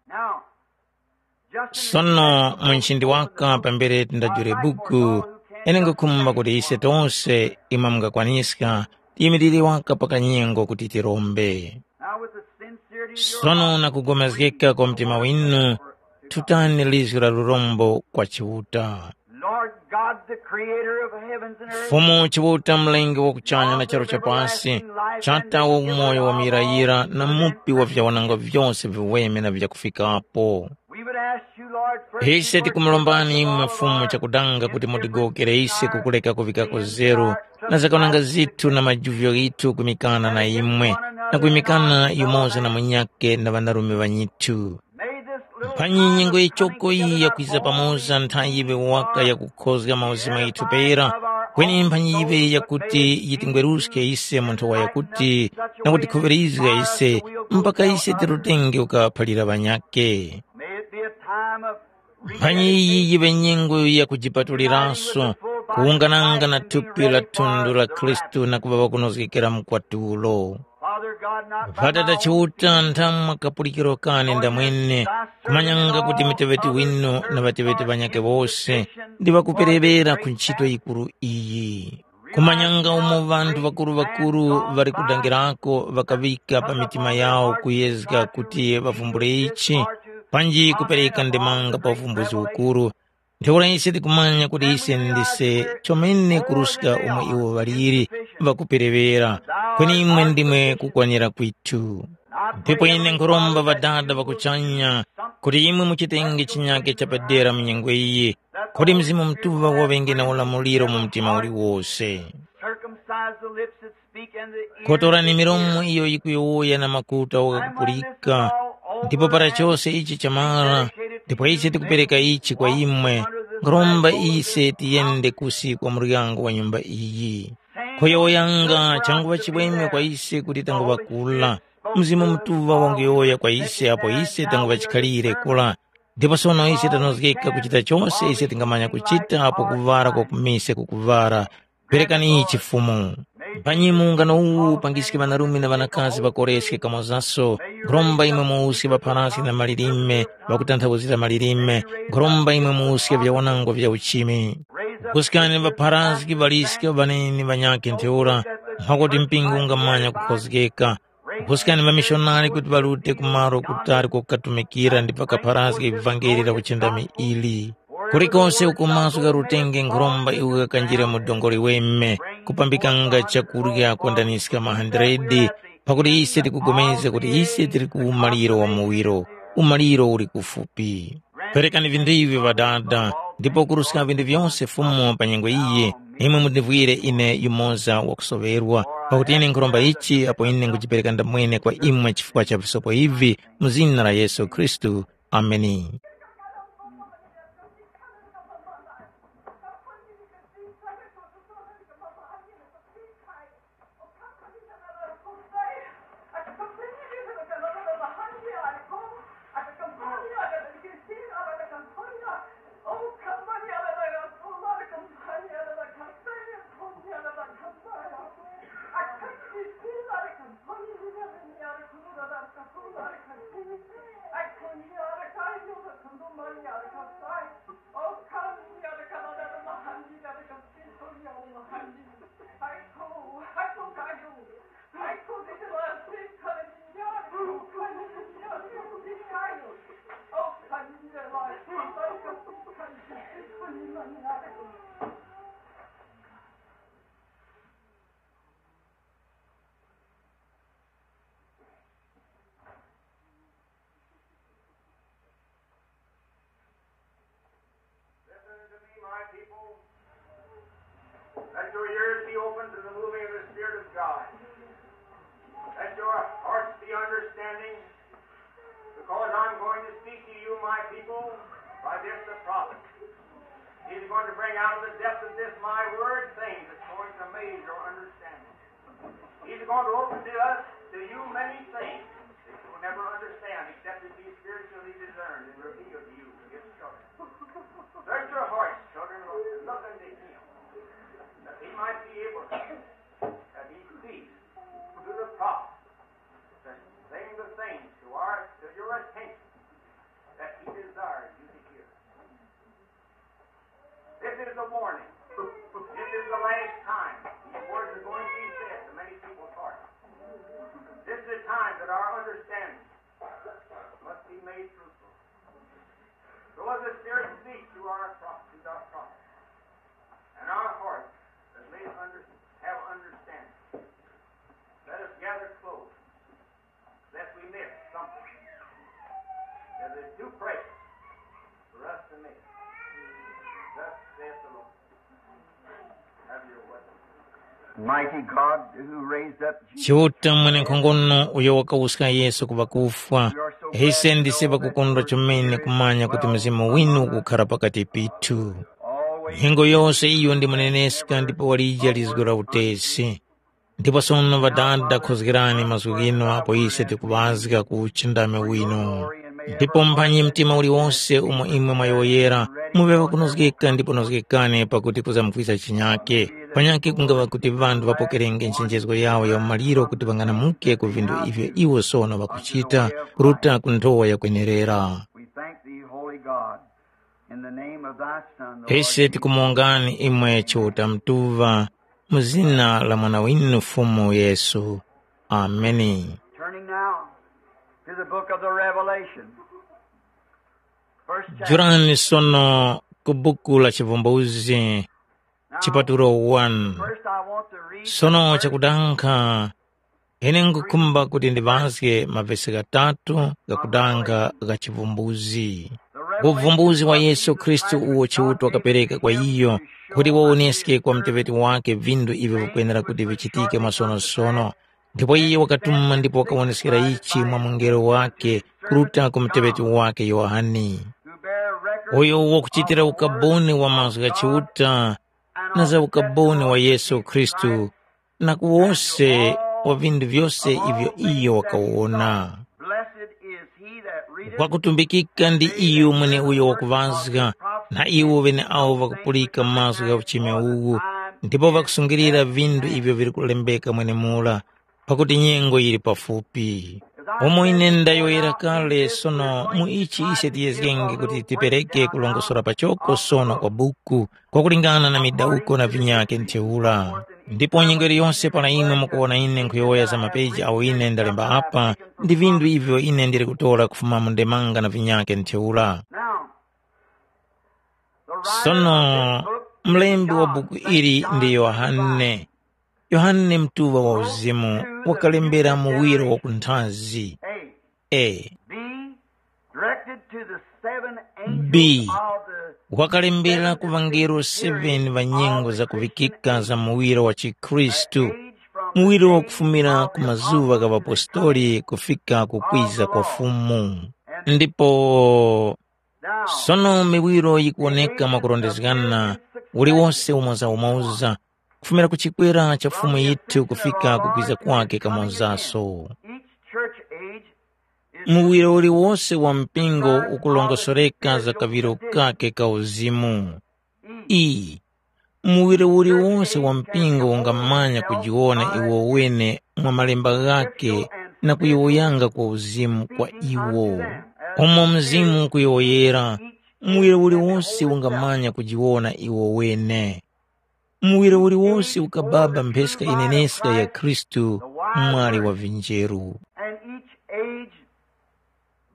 Sono mu nchindi waka pambere tindajule buku, ine ngukhumba kuti ise tose imwe mungakwaniska tiyimilire waka pa kanyengo kuti tirombe. Sono na kugomezgeka kwa mtima winu, tutani lizgu la lurombo kwa Chiuta. Lord God, the creator of heavens and earth, Fumu Chiuta, mlengi wa kuchanya na charu cha pasi, chata wa umoyo wa muyirayira na mupi wa vyawananga vyose viweme na vyakufikapo. We would ask you, Lord, first Ise tikumulombani imwe Fumu chakudanga kuti mutigowokere ise kukureka kuvikako zeru na zakananga zithu na majuvyo ghithu kwimikana na imwe na kwimikana yumoza na munyakhe na ŵanarume ŵanyithu. May this little Mphanyi nyengo yichoko iyi yakwiza pamoza nthayi yiŵe waka yakukhozga mauzimu ghithu pera, kweni mphanyi yiŵe yakuti yitingweruske ise mu nthowa yakuti na kutikhuŵirizga ise mpaka ise tirutenge ukaphalira ŵanyakhe. May it be a time of Mphanyi iyi yiŵe nyengo ya kujipatuliranso, kuwungananga na thupi la thundu la Khristu na kuŵa ŵakunozgekera mkwatulo. Father God, not by Ŵatata my own Chiuta, nthamwa kapulikiro kane ndamwene, kumanyanga kuti muteŵeti winu na ŵateŵeti ŵanyakhe wose ndi ŵakuperewera ku nchito yikuru iyi. Kumanyanga umo ŵanthu ŵakuru-ŵakuru ŵali kudangirako ŵakaŵika pa mitima yawo kuyezga kuti ŵavumbule ichi, panji kupereka ndemanga pa uvumbuzi ukuru, ntheura ise tikumanya kuti ise ndise chomene kuruska umo iwo ŵaliri ŵakupereŵera, kweni imwe ndimwe kukwanira kwithu. Ndipo ine nkhuromba Ŵadada ŵa kuchanya kuti imwe muchitenge chinyake chapadera mu nyengo iyi, kuti Mzimu Mutuŵa waŵenge na ulamuliro mu mtima uliwose. Circumcise the lips that speak and the ears Kotorani that milomo hear. Iyo yikuyowoya na makutu awo ghakupulika, ndipo para chose ichi chamara, ndipo ise tikupereka ichi kwa imwe, nkhuromba ise tiyende kusi kwa muryango wa nyumba iyi. Kuyowoyanga changuŵa chimwemwe kwa ise kuti tanguŵa kula. Mzimu Mutuŵa wanguyowoya kwa ise apo ise tanguŵa chikhalire kula. Ndipo sono ise tanozgeka kuchita chose ise tingamanya kuchita apo kuvara kwa kumise kukuvara. Perekani ichi Fumu. Mpanyi mungano uwu upangiske ŵanarume na ŵanakazi ŵakoreske kamozaso. Nkhuromba imwe muuske ŵapharasi na malilime, ŵakutanthauzira malilime. Nkhuromba imwe muuske vyawanangwa vya uchimi. Kuskani ŵapharasi ŵaliske ŵaneni ŵanyakhe ntheura, mwakuti mpingo ungamanya kukhozgeka. Kuskani ŵamishonari kuti ŵarute ku malo kutali kokatumikira ndipo ŵakapharazge ivangeli la kuchindami ili. Kulikose uko maso gharutenge nkhuromba iwo ghakanjire mu dongoli weme, kupambikanga chakurya kwandaniska mahandiredi, pakuti ise tikupulikana kuti ise tili ku umaliro wa muwiro, umaliro uli kufupi. Perekani vinthu ivi Ŵadada, ndipo kuruska vinthu vyose Fumu pa nyengo iyi, imwe mundivwire ine yumoza wakusoŵerwa, pakuti ine nkhuromba ichi apo ine nkhujipereka ndamwene kwa imwe chifukwa cha visopo ivi, mu zina la Yesu Khristu. Ameni. Listen to me, my people. Let your ears be open to the moving of the Spirit of God. Let your hearts be understanding, because I'm going to speak to you, my people, by this the prophet. He's going to bring out of the depth of this my word things that's going to amaze your understanding. He's going to open to us, to you, many things that you will never understand except it be spiritually discerned and revealed to you, his children. Search your hearts, children, and look unto him, that he might be able to, that he speaks through the prophet, to bring the things to our, to your attention that he desires you to hear. This is the warning. This is the last time. These words are going to be said to many people's hearts. This is the time that our understanding must be made fruitful. So as the Spirit speaks to our pro- to our prophets, and our hearts that may under, have understanding, let us gather close, lest we miss something that is too precious for us to miss. Thus saith the Lord. Have your way. Mighty God, who raised up Jesus. Chiuta mwenenkhongono uyo wakawuska Yesu ku ŵakufwa, ise ndise ŵakukondwa chomene kumanya kuti Mzimu winu ukukhara pakati pithu. Nyengo yose iyo ndi muneneska ndipo walija lizgo la utesi. Ndipo sono Ŵadada, khozgerani mazgu ghinu apo ise tikuŵazga ku uchindami winu. Ndipo mphanyi mtima uliwose umo imwe mwayowoyera, muŵe ŵakunozgeka ndipo nozgekani pakuti kuzamkwiza chinyake. Panyakhe kungaŵa kuti ŵanthu ŵapokerenge nchenjezgo yawo ya umaliro kuti ŵang'anamuke ku vinthu ivyo iwo sono ŵakuchita, kuruta ku nthowa yakwenerera. We thank thee, Holy God, in the name of thy Son, the Lord Ise Jesus. Tikumongani imwe Chiuta Mutuŵa, mu zina la Mwana winu Fumu Yesu. Ameni. Turning now to the book of the Revelation. First chapter. Jurani sono ku buku la Chivumbuzgi, Now, chipatulo one. First I want to read Sono the first chakudankha, ine ngukhumba kuti ndiŵazge mavesi ghatatu ghakudankha gha Chivumbuzgi. Uvumbuzi wa Yesu Khristu uwo Chiuta wakapereka kwa iyo, kuti wawoneske kwa muteŵeti wake vinthu ivyo vikwenera kuti vichitike mwasonosono. Ndipo iye wakatuma ndipo wakawoneskera ichi mwa mungelo wake kuruta ku muteŵeti wake Yohane. Uyo wakuchitira ukaboni wa mazgu gha Chiuta na za ukaboni wa Yesu Khristu, na ku wose wa vinthu vyose ivyo iyo wakawona. Blessed is he that readeth. Wakutumbikika ndi iyo mweneuyo wakuŵazga, na iwo ŵeneawo ŵakupulika mazgu gha uchime uwu, ndipo ŵakusungilira vinthu ivyo vili kulembeka mwenemura, pakuti nyengo yili pafupi. Umo ine ndayowoyera kale, sono mu ichi ise tiyezgenge kuti tipereke kulongosora pachoko sono kwa buku, kwakulingana na midawuko na vinyakhe ntheura. Ndipo nyengo iliyonse para imwe mukuwona ine nkhuyowoya za mapeji awo ine ndalemba apa, ndi vinthu ivyo ine ndili kutora kufuma mu ndemanga na vinyakhe ntheura. Now, the writer Sono, of this book mlembi wa buku ili ndi Yohane. Yohane mtuŵa wa uzimu wakalembera muwiro wa kunthazi. A. A. B. Directed to the seven angels B. Of the Wakalembera ku vangelo seven va nyengo za kuvikika za muwiro wa chikhristu, muwiro wakufumira ku mazuŵa gha ŵapostoli kufika ku kwiza kwa Fumu. Ndipo sono miwiro yikuwoneka mwakurondezgana, uliwose umoza-umoza, kufumira ku chikwera cha Fumu yithu kufika ku kwiza kwake kamonzaso. Each church age is Muwiro uliwose wa mpingo ukulongosoreka za kaŵiro kake ka uzimu. Iyi, muwiro uliwose wa mpingo ungamanya kujiwona iwo wene mwa malemba ghake na kuyowoyanga kwa uzimu kwa iwo. Umo Mzimu ukuyowoyera, muwiri uliwose ungamanya kujiwona iwo wene. Muwiri uliwose ukababa mpheska ineneska ya Khristu, mwali wa vinjeru. And each age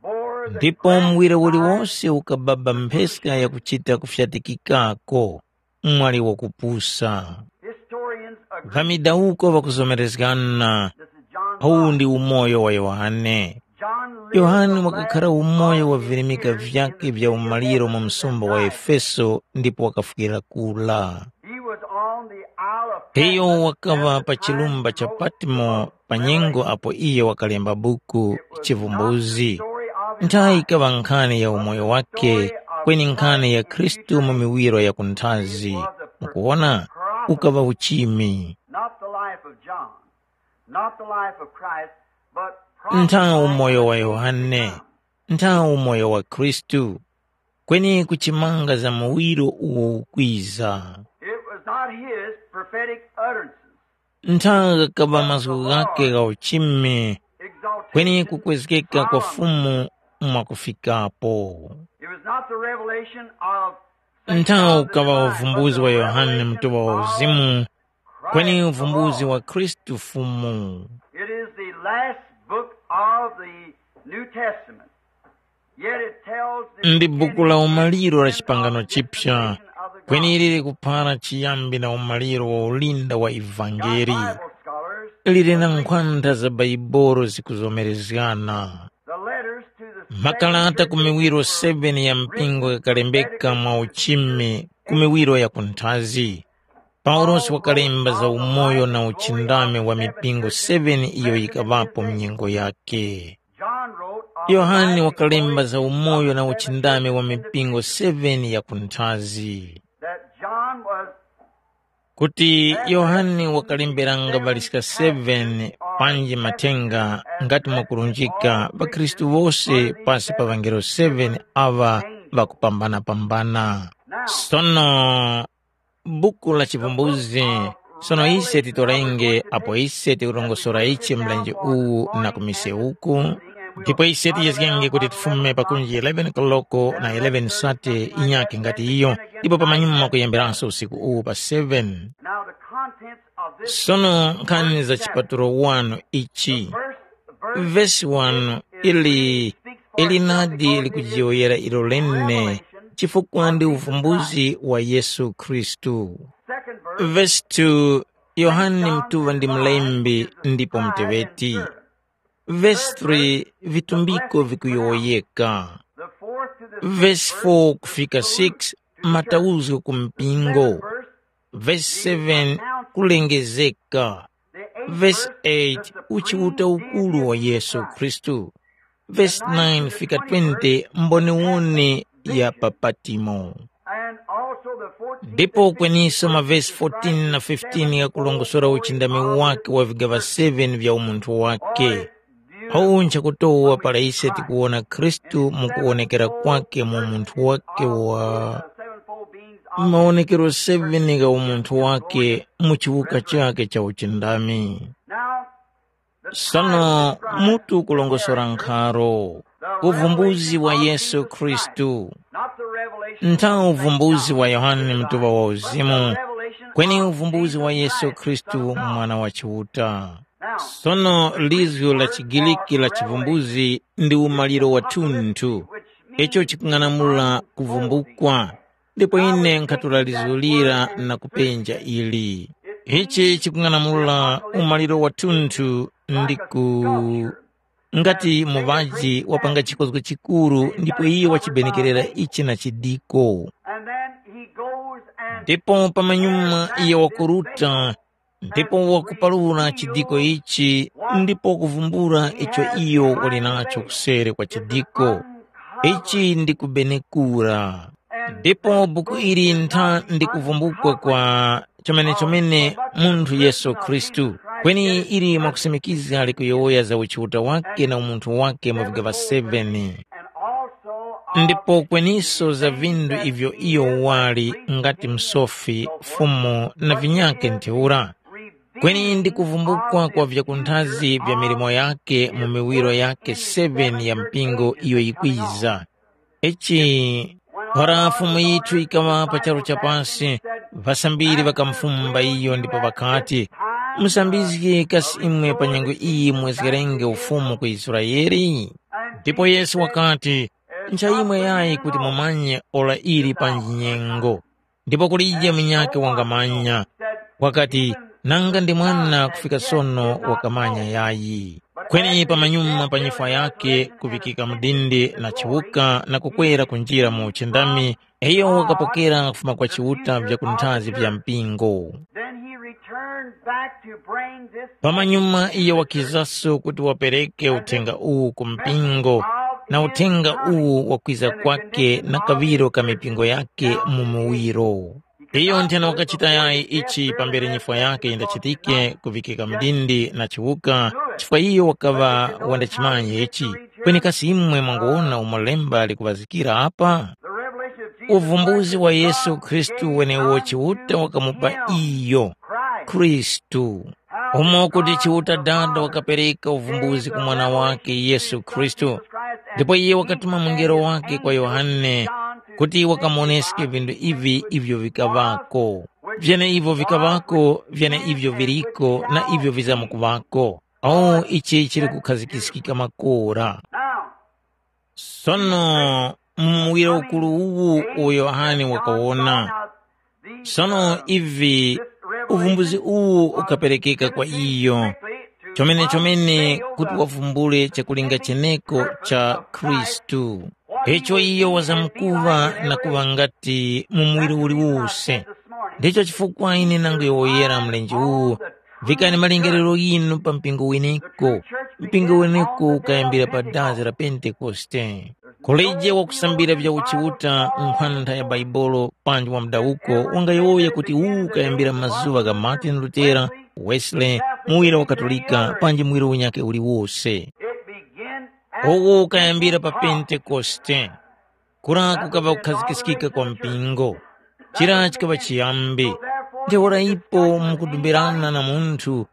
bore the Ndipo muwiri uliwose ukababa mpheska yakuchita kufyatikikako, mwali wakupusa. Historians agree. Ŵamidawuko ŵakuzomerezgana, this is John uwu ndi umoyo wa Yohane. John lived Yohane the wakakhala last umoyo wa of his virimika years vyake in the vya umaliro mu msumba wa Efeso ndipo wakafwira kula. He was on the Isle of Iyo Patmos wakaŵa at the pa time chilumba cha most Patmo pa nyengo apo iye wakalemba buku Chivumbuzi. Nthawi ikaŵa nkhani ya umoyo wake, kweni nkhani ya Khristu mu miwiro ya kunthazi. Mukuwona, ukaŵa uchimi. Not the life of John, not the life of Christ, but Nthawi umoyo wa Yohane, nthawi umoyo wa Khristu, kweni kuchimanga za muwiro uwo ukwiza. It was not his prophetic utterances. Nthawi ghakaŵa mazgu ghake gha uchimi, kweni kukwezgeka kwa Fumu mwakufikapo. It was not the revelation of Nthawi ukaŵa uvumbuzi wa Yohane Mutuŵa wa Uzimu, kweni uvumbuzi wa Khristu Fumu. It is the last book of the New Testament. Yet it tells the Ndi buku la umaliro la chipangano chipya, kweni ili likuphara chiyambi na umaliro wa ulinda wa ivangeli. Bible scholars Lili na nkhwanda za Baibolo zikuzomerezgana. The letters to the Makalata ku miwiro seven ya mpingo ghakalembeka mwa uchimi ku miwiro ya kunthazi. Paulosi wakalemba za umoyo na uchindami wa mipingo seven iyo yikaŵapo mu nyengo yake. John wrote of Yohane wakalemba za umoyo na uchindami wa mipingo seven ya kunthazi. That John was Kuti Yohane wakalemberanga ŵaliska seven panji mathenga ngati mwakulunjika ŵakhristu wose pasi pa ŵangelo seven aŵa ŵakupambana-pambana. Sono buku la Chivumbuzgi, sono ise titorenge apo ise tikurongosora ichi mlenje uwu na ku mise uku, ndipo ise tiyezgenge kuti tifume pakunji eleven koloko na eleven sate inyakhe ngati iyo, ndipo pamanyuma kuyemberanso usiku uwu pa seven. Now the contents of this Sono nkhani za chipatulo wanu ichi. First verse Vesi wanu ili ili nadi likujiyoyera ilo lene chifukwa ndi uvumbuzi wa Yesu Khristu. Second verse Vesi two, Yohane Mtuŵa ndi mlembi ndipo mteŵeti. Vesi three, vitumbiko vikuyowoyeka. The fourth to the Vesi four kufika six, matauzgo ku mpingo. Verse Vesi seven, kulengezeka. Vesi eight, uchiuta ukuru wa Yesu Khristu. Vesi nine fika twenty, mboniwoni ya pa Patimo. And also the fourteenth Ndipo kweniso mavesi fourteen na fifteen ghakulongosora uchindami wake wa vigaŵa seven vya umunthu wake. Awu nchakutowa para ise tikuwona Khristu mu kuwonekera kwake mu umunthu wake wa mawonekero seven gha umunthu wake mu chiwuka chake cha uchindami. Sono mutu kulongosora nkharo, uvumbuzi wa Yesu Khristu. Ntha uvumbuzi wa Yohane Mtuŵa wa Uzimu, kweni uvumbuzi wa Yesu Khristu Mwana wa Chiuta. Sono lizgu la chiGiriki la chivumbuzi ndi umaliro wathunthu, icho chikung'anamula kuvumbukwa. Ndipo ine nkhatolalizulira na kupenja ili. Ichi chikung'anamula umaliro wathunthu ndi ku ngati muŵaji wapanga chikozgo chikuru ndipo iye wachibenekerera ichi na chidiko. And then he goes and ndipo pamanyuma iye wakuruta ndipo wakupalula chidiko ichi ndipo kuvumbula icho iyo wali nacho kuseri kwa chidiko. Ichi ndi kubenekura. Ndipo buku ili ntha ndi kuvumbukwa kwa chomene-chomene munthu Yesu Khristu, kweni ili mwakusimikiza likuyowoya za uchiuta wake na umunthu wake mu vigaŵa seven. Ndipo kweniso za vindu ivyo iyo wali ngati msofi, fumu na vinyakhe ntheura. Kweni ndi kuvumbukwa kwa vyakunthazi vya milimo yakhe mu miwiro yakhe seven ya mpingo iyo yikwiza. Ichi para Fumu yithu yikaŵa pa charu cha pasi, ŵasambiri ŵakamufumba iyo ndipo ŵakati, “Musambizgi kasi imwe pa nyengo iyi mwezgerenge ufumu ku Israele?” Ndipo Yesu wakati, “Ncha imwe yayi kuti mumanye ora ili panji nyengo, ndipo kulije munyakhe wangamanya.” Wakati, “Nanga ndi mwana kufika sono wakamanya yayi.” Kweni pamanyuma pa nyifwa yakhe kuŵikika mudindi na chiwuka na kukwera kunjira mu uchindami, iyo wakapokera kufuma kwa Chiuta vyakunthazi vya mpingo. Then he returned back to bring this Pamanyuma iyo wakizaso kuti wapereke uthenga uwu ku mpingo, na uthenga uwu wakwiza kwake na kaŵiro ka mipingo yake mu muwiro. Iyo nthena wakachita yayi ichi pambere nyifwa yake yindachitike kuvikika mdindi na chiwuka, chifukwa iyo wakaŵa wandachimanya ichi. Kweni kasi imwe mwangowona umo lemba likuŵazikira apa? Uvumbuzi wa Yesu Khristu wenewo Chiuta wakamupa iyo, Khristu. Umo kuti Chiuta Dada wakapereka uvumbuzi ku Mwana wakhe Yesu Khristu, ndipo iye wakatuma mungelo wake kwa Yohane kuti wakamuwoneske vinthu ivi ivyo vikaŵako. Vyeneivyo vikaŵako, vyeneivyo viriko na ivyo vizamkuŵako. O, ichi chili kukhazikiskika makora. Sono mu muwiro ukuru uwu uwo Yohane wakawona. Sono ivi, uvumbuzi uwu ukaperekeka kwa iyo, chomene-chomene kuti wavumbule chakulinga cheneko cha Khristu. Icho iyo wazamkuŵa na kuŵa ngati mu muwiri uliwose. Ndicho chifukwa ine nanguyowoyera mlenje uwu, vikani malingaliro ghinu pa mpingo weneko. Mpingo weneko ukayambira pa dazi la Pentekoste. Kulije wakusambira vya uchiuta nkhwantha ya Bhaibuli panji wa mudawuko wangayowoya kuti uwu ukayambira mazuŵa gha Martin Lutera, Wesley, muwira wa Katolika panji muwira unyakhe uliwose. Uwu ukayambira pa Pentekoste. Kura kukaŵa kukhazikiskika kwa mpingo. Chira chikaŵa chiyambi. Ntheura ipo mukudumbirana na munthu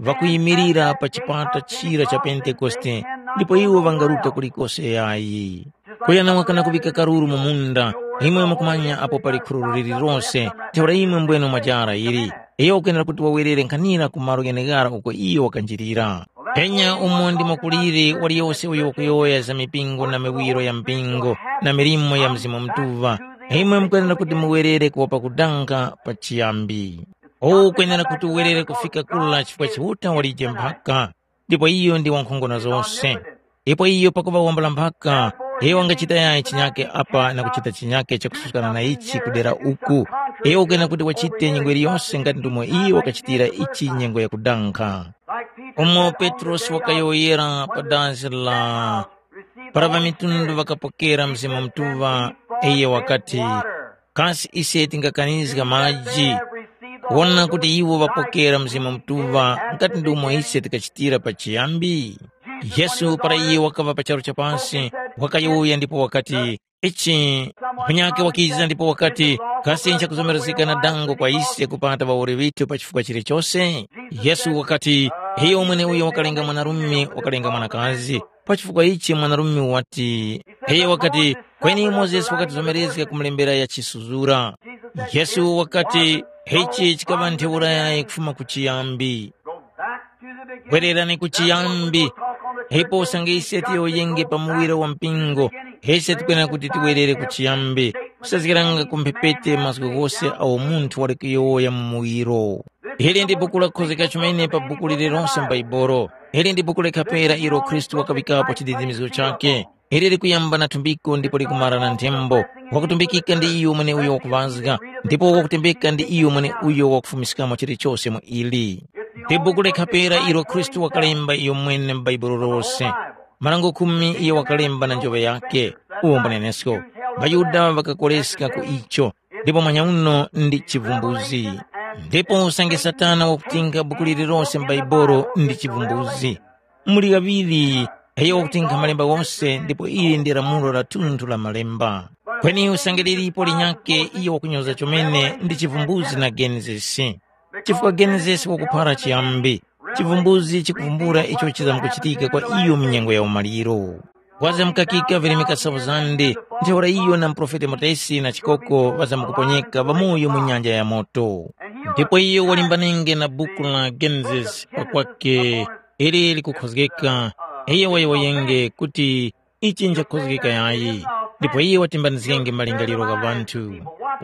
ŵakuyimirira pa chipata chira cha Pentekoste, ndipo iwo ŵangaruta kulikose yayi. Kuyana wakana kuŵika karuru mu munda, imwe mukumanya apo pali khururu lililose, ntheura imwe mbwene mwajara ili. Iyo ukwenera kuti wawerere nkhanira ku malo gheneghara uko iyo wakanjirira. Penya umo ndi mwakulire waliyose uyo wakuyowoya za mipingo na miwiro ya mpingo na milimo ya Mzimu Mutuŵa, imwe mukwenera kuti muwerere kuwopa kudankha pa chiyambi. Uwu ukwenera kuti uwerere kufika kula chifukwa Chiuta walije mphaka, ndipo iyo ndi wankhongono zose. Ipo iyo pakuŵa wambula mphaka, iyo wangachita yayi chinyake apa na kuchita chinyake chakususkana na ichi kudera uku. Iyo ukwenera kuti wachite nyengo yiliyose ngati ndomwe iyo wakachitira ichi nyengo yakudankha. Umo Petrosi wakayowoyera pa dazi la para ŵamitundu ŵakapokera Mzimu Mutuŵa, iyo wakati, Kasi ise tingakanizga maji? Wona kuti iwo ŵapokera Mzimu Mutuŵa ngati ndi umo ise tikachitira pachiyambi? Yesu para iye wakaŵa pa charu cha pasi, wakayowoya ndipo wakati, ichi, mphanyake wakiza ndipo wakati, kasi nchakuzomerezgeka na dango kwa ise kupata ŵawoli ŵithu pa chifukwa chilichose? Yesu wakati, iyo mweneuyo wakalenga mwanarume wakalenga mwanakazi, pa chifukwa ichi mwanarume wati, iyo wakati, kweni Mozesi wakatizomerezga kumulembera ya chisuzura. Yesu wakati, ichi chikaŵa ntheura yayi kufuma ku chiyambi. Bwererani ku chiyambi. Ipo usange ise tiyowoyenge pa muwiro wa mpingo, ise tikwenera kuti tiwerere ku chiyambi, kusazgiranga ku mphepete mazgu ghose agho munthu wali kuyowoya mu muwiro. Ili ndi buku lakhozgeka chomene pa buku lililonse m'Baibulo. Ili ndi buku lekhapera ilo Khristu wakaŵikapo chididimizo chakhe. Ili likuyamba na thumbiko ndipo likumara na nthembo. Wakutumbikika ndi iyo mweneuyo wakuŵazga, ndipo wakutembeka ndi iyo mweneuyo wakufumiskamo chilichose mu ili. Ndi buku lekhapera ilo Khristu wakalemba iyo mwene m'Baibulo lose. Marango khumi iyo wakalemba na njoŵe yakhe. Uwo mbunenesko. ޣaYuda ŵakakoleska ku icho, ndipo mwanyauno ndi chivumbuzi. Ndipo usange Satana wakutinkha buku lililose m'Baibulo ndi chivumbuzi. Muli ghaŵiri, iyo wakutinkha malemba ghose ndipo ili ndi lamulo lathunthu la malemba. Kweni usange lilipo linyakhe iyo wakunyoza chomene ndi chivumbuzi na Genesis. Chifukwa Genesis wakuphara chiyambi, chivumbuzi chikuvumbula icho chizamkuchitika kwa iyo mu nyengo ya umaliro. Wazamkakika virimika safu zande, ntheura iyo na muprofeti Motesi na chikoko ŵazamkuponyeka ŵamoyo mu nyanja ya moto. Ndipo iyo walimbanenge na buku la Genesis pakwake, ili likukhozgeka. Iyo wayowoyenge kuti ichi nchakhozgeka yayi, ndipo iye watimbanizgenge malingaliro gha ŵanthu.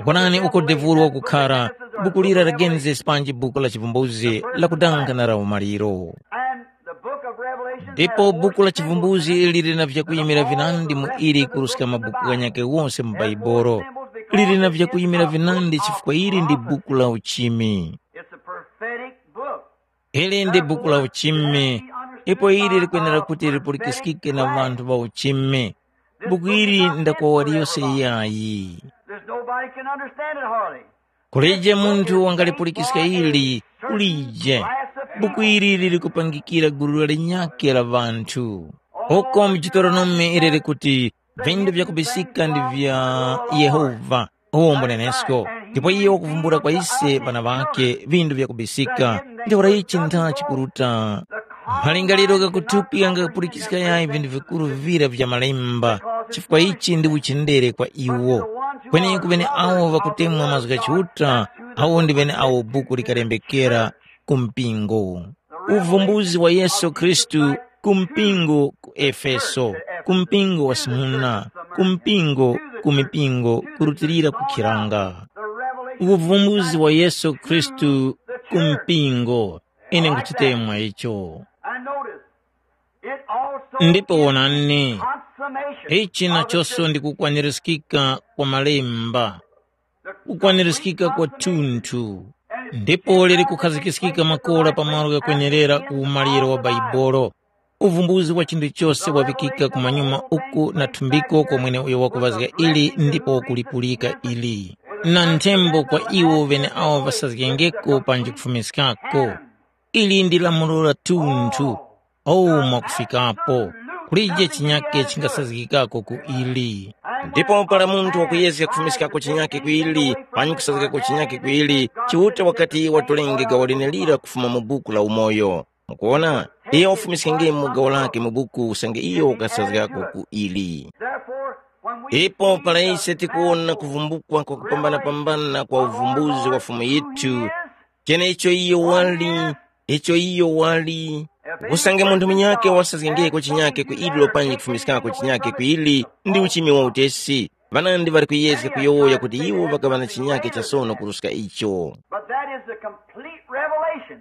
Wonani uko devulu wakukhara, buku lira la Genesis panji buku la chivumbuzi lakudanga na la umaliro. And the book of Revelation ndipo has buku la more symbols chivumbuzi lili na vyakuyimira vinandi mu ili kuruska mabuku ghanyake wose mu Bhaibolo. Lili na vyakuyimira vinandi chifukwa ili ndi buku la uchimi. It's a prophetic book. Ili ndi buku la uchimi, ipo ili likwenera kuti lipulikiskike na ŵanthu ŵa uchimi. Buku ili ndakwa waliyose yayi. There's nobody can understand it hardly. Kulije munthu wangalipulikiska ili, kulije. Buku ili lili kupangikira gulu linyakhe la ŵanthu. Uko mu Deuteronome ili likuti, vindu vyakubisika ndi vya Yehova, uwo mbunenesko. Ndipo iye wakuvumbula kwa ise ŵana ŵakhe vindu vyakubisika. Ntheura ichi ntha chikuruta. Malingaliro ghakuthupi ghangakapulikiska yayi vindu vikuru vira vya malemba, chifukwa ichi ndi uchendere kwa iwo. Kweni ku ŵeneawo ŵakutemwa mazgu gha Chiuta, awo ndi ŵeneawo buku likalembekera ku mpingo. Uvumbuzi wa Yesu Khristu ku mpingo ku Efeso, ku mpingo wa Simuna, ku mpingo ku mipingo kurutilira ku khiranga. Uvumbuzi wa Yesu Khristu ku mpingo, ine nkuchitemwa icho. And notice, it also ndipo is wonani, consummation ichi of the nachonso scripture. Ndi kukwanirizikika kwa malemba, kukwanirizikika kwathunthu. Ndipo lili kukhazikikika makora pa malo ghakwenerera ku umaliro wa Baibolo. Uvumbuzi wa chinthu chose wavikika kumanyuma uku na thumbiko kwa mweneuyo wakuŵazga ili ndipo wakulipulika ili. Na nthembo kwa iwo ŵeneawo ŵasazgengeko panji kufumiskako. Ili ndi lamulo la thunthu. Ou mwakufikapo, kulije chinyake chingasazgikako ku ili. Ndipo para munthu wakuyezga kufumiskako chinyake ku ili, panyi kusazgikako chinyake ku ili, Chiuta wakati watolenge gawo lenelira kufuma mu buku la umoyo. Mukuona, iyo wafumiskengemo gawo lake mu buku usange iyo ukasazgikako ku ili. Ndipo para ise tikuwona kuvumbukwa kwakupambana-pambana kwa uvumbuzi wa Fumu yithu, chenecho iyo wali, icho iyo wali. Usange munthu munyakhe wasazgengeko chinyakhe ku ilo panji kufumiskako chinyakhe ku ili, ndi uchimi wa utesi. Ŵanandi ŵali kuyezga kuyowoya kuti iwo ŵakaŵa na chinyakhe chasono kuruska icho. But that is the complete revelation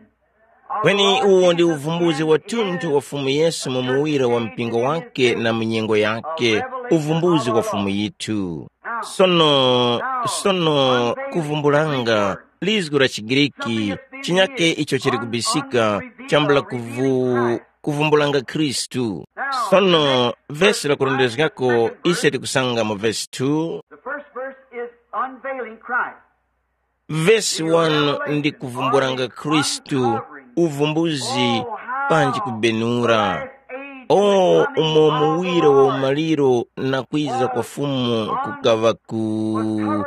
of the kweni Lord uwo ndi Jesus uvumbuzi in wathunthu his wa Fumu Yesu mu muwira wa mpingo wake na mu nyengo yake, uvumbuzi wa Fumu yithu. Sono, sono kuvumbulanga lizgu la chiGriki, chinyake icho chili kubisika, chambula kuvu, kuvumbulanga Khristu. Sono vesi lakurondezgako ise tikusanga mu vesi two. The first verse is unveiling Christ. Vesi one ndi kuvumbulanga Khristu, uvumbuzi, panji kubenura. O umo muwiro wa umaliro na kwiza kwa Fumu kukaŵa ku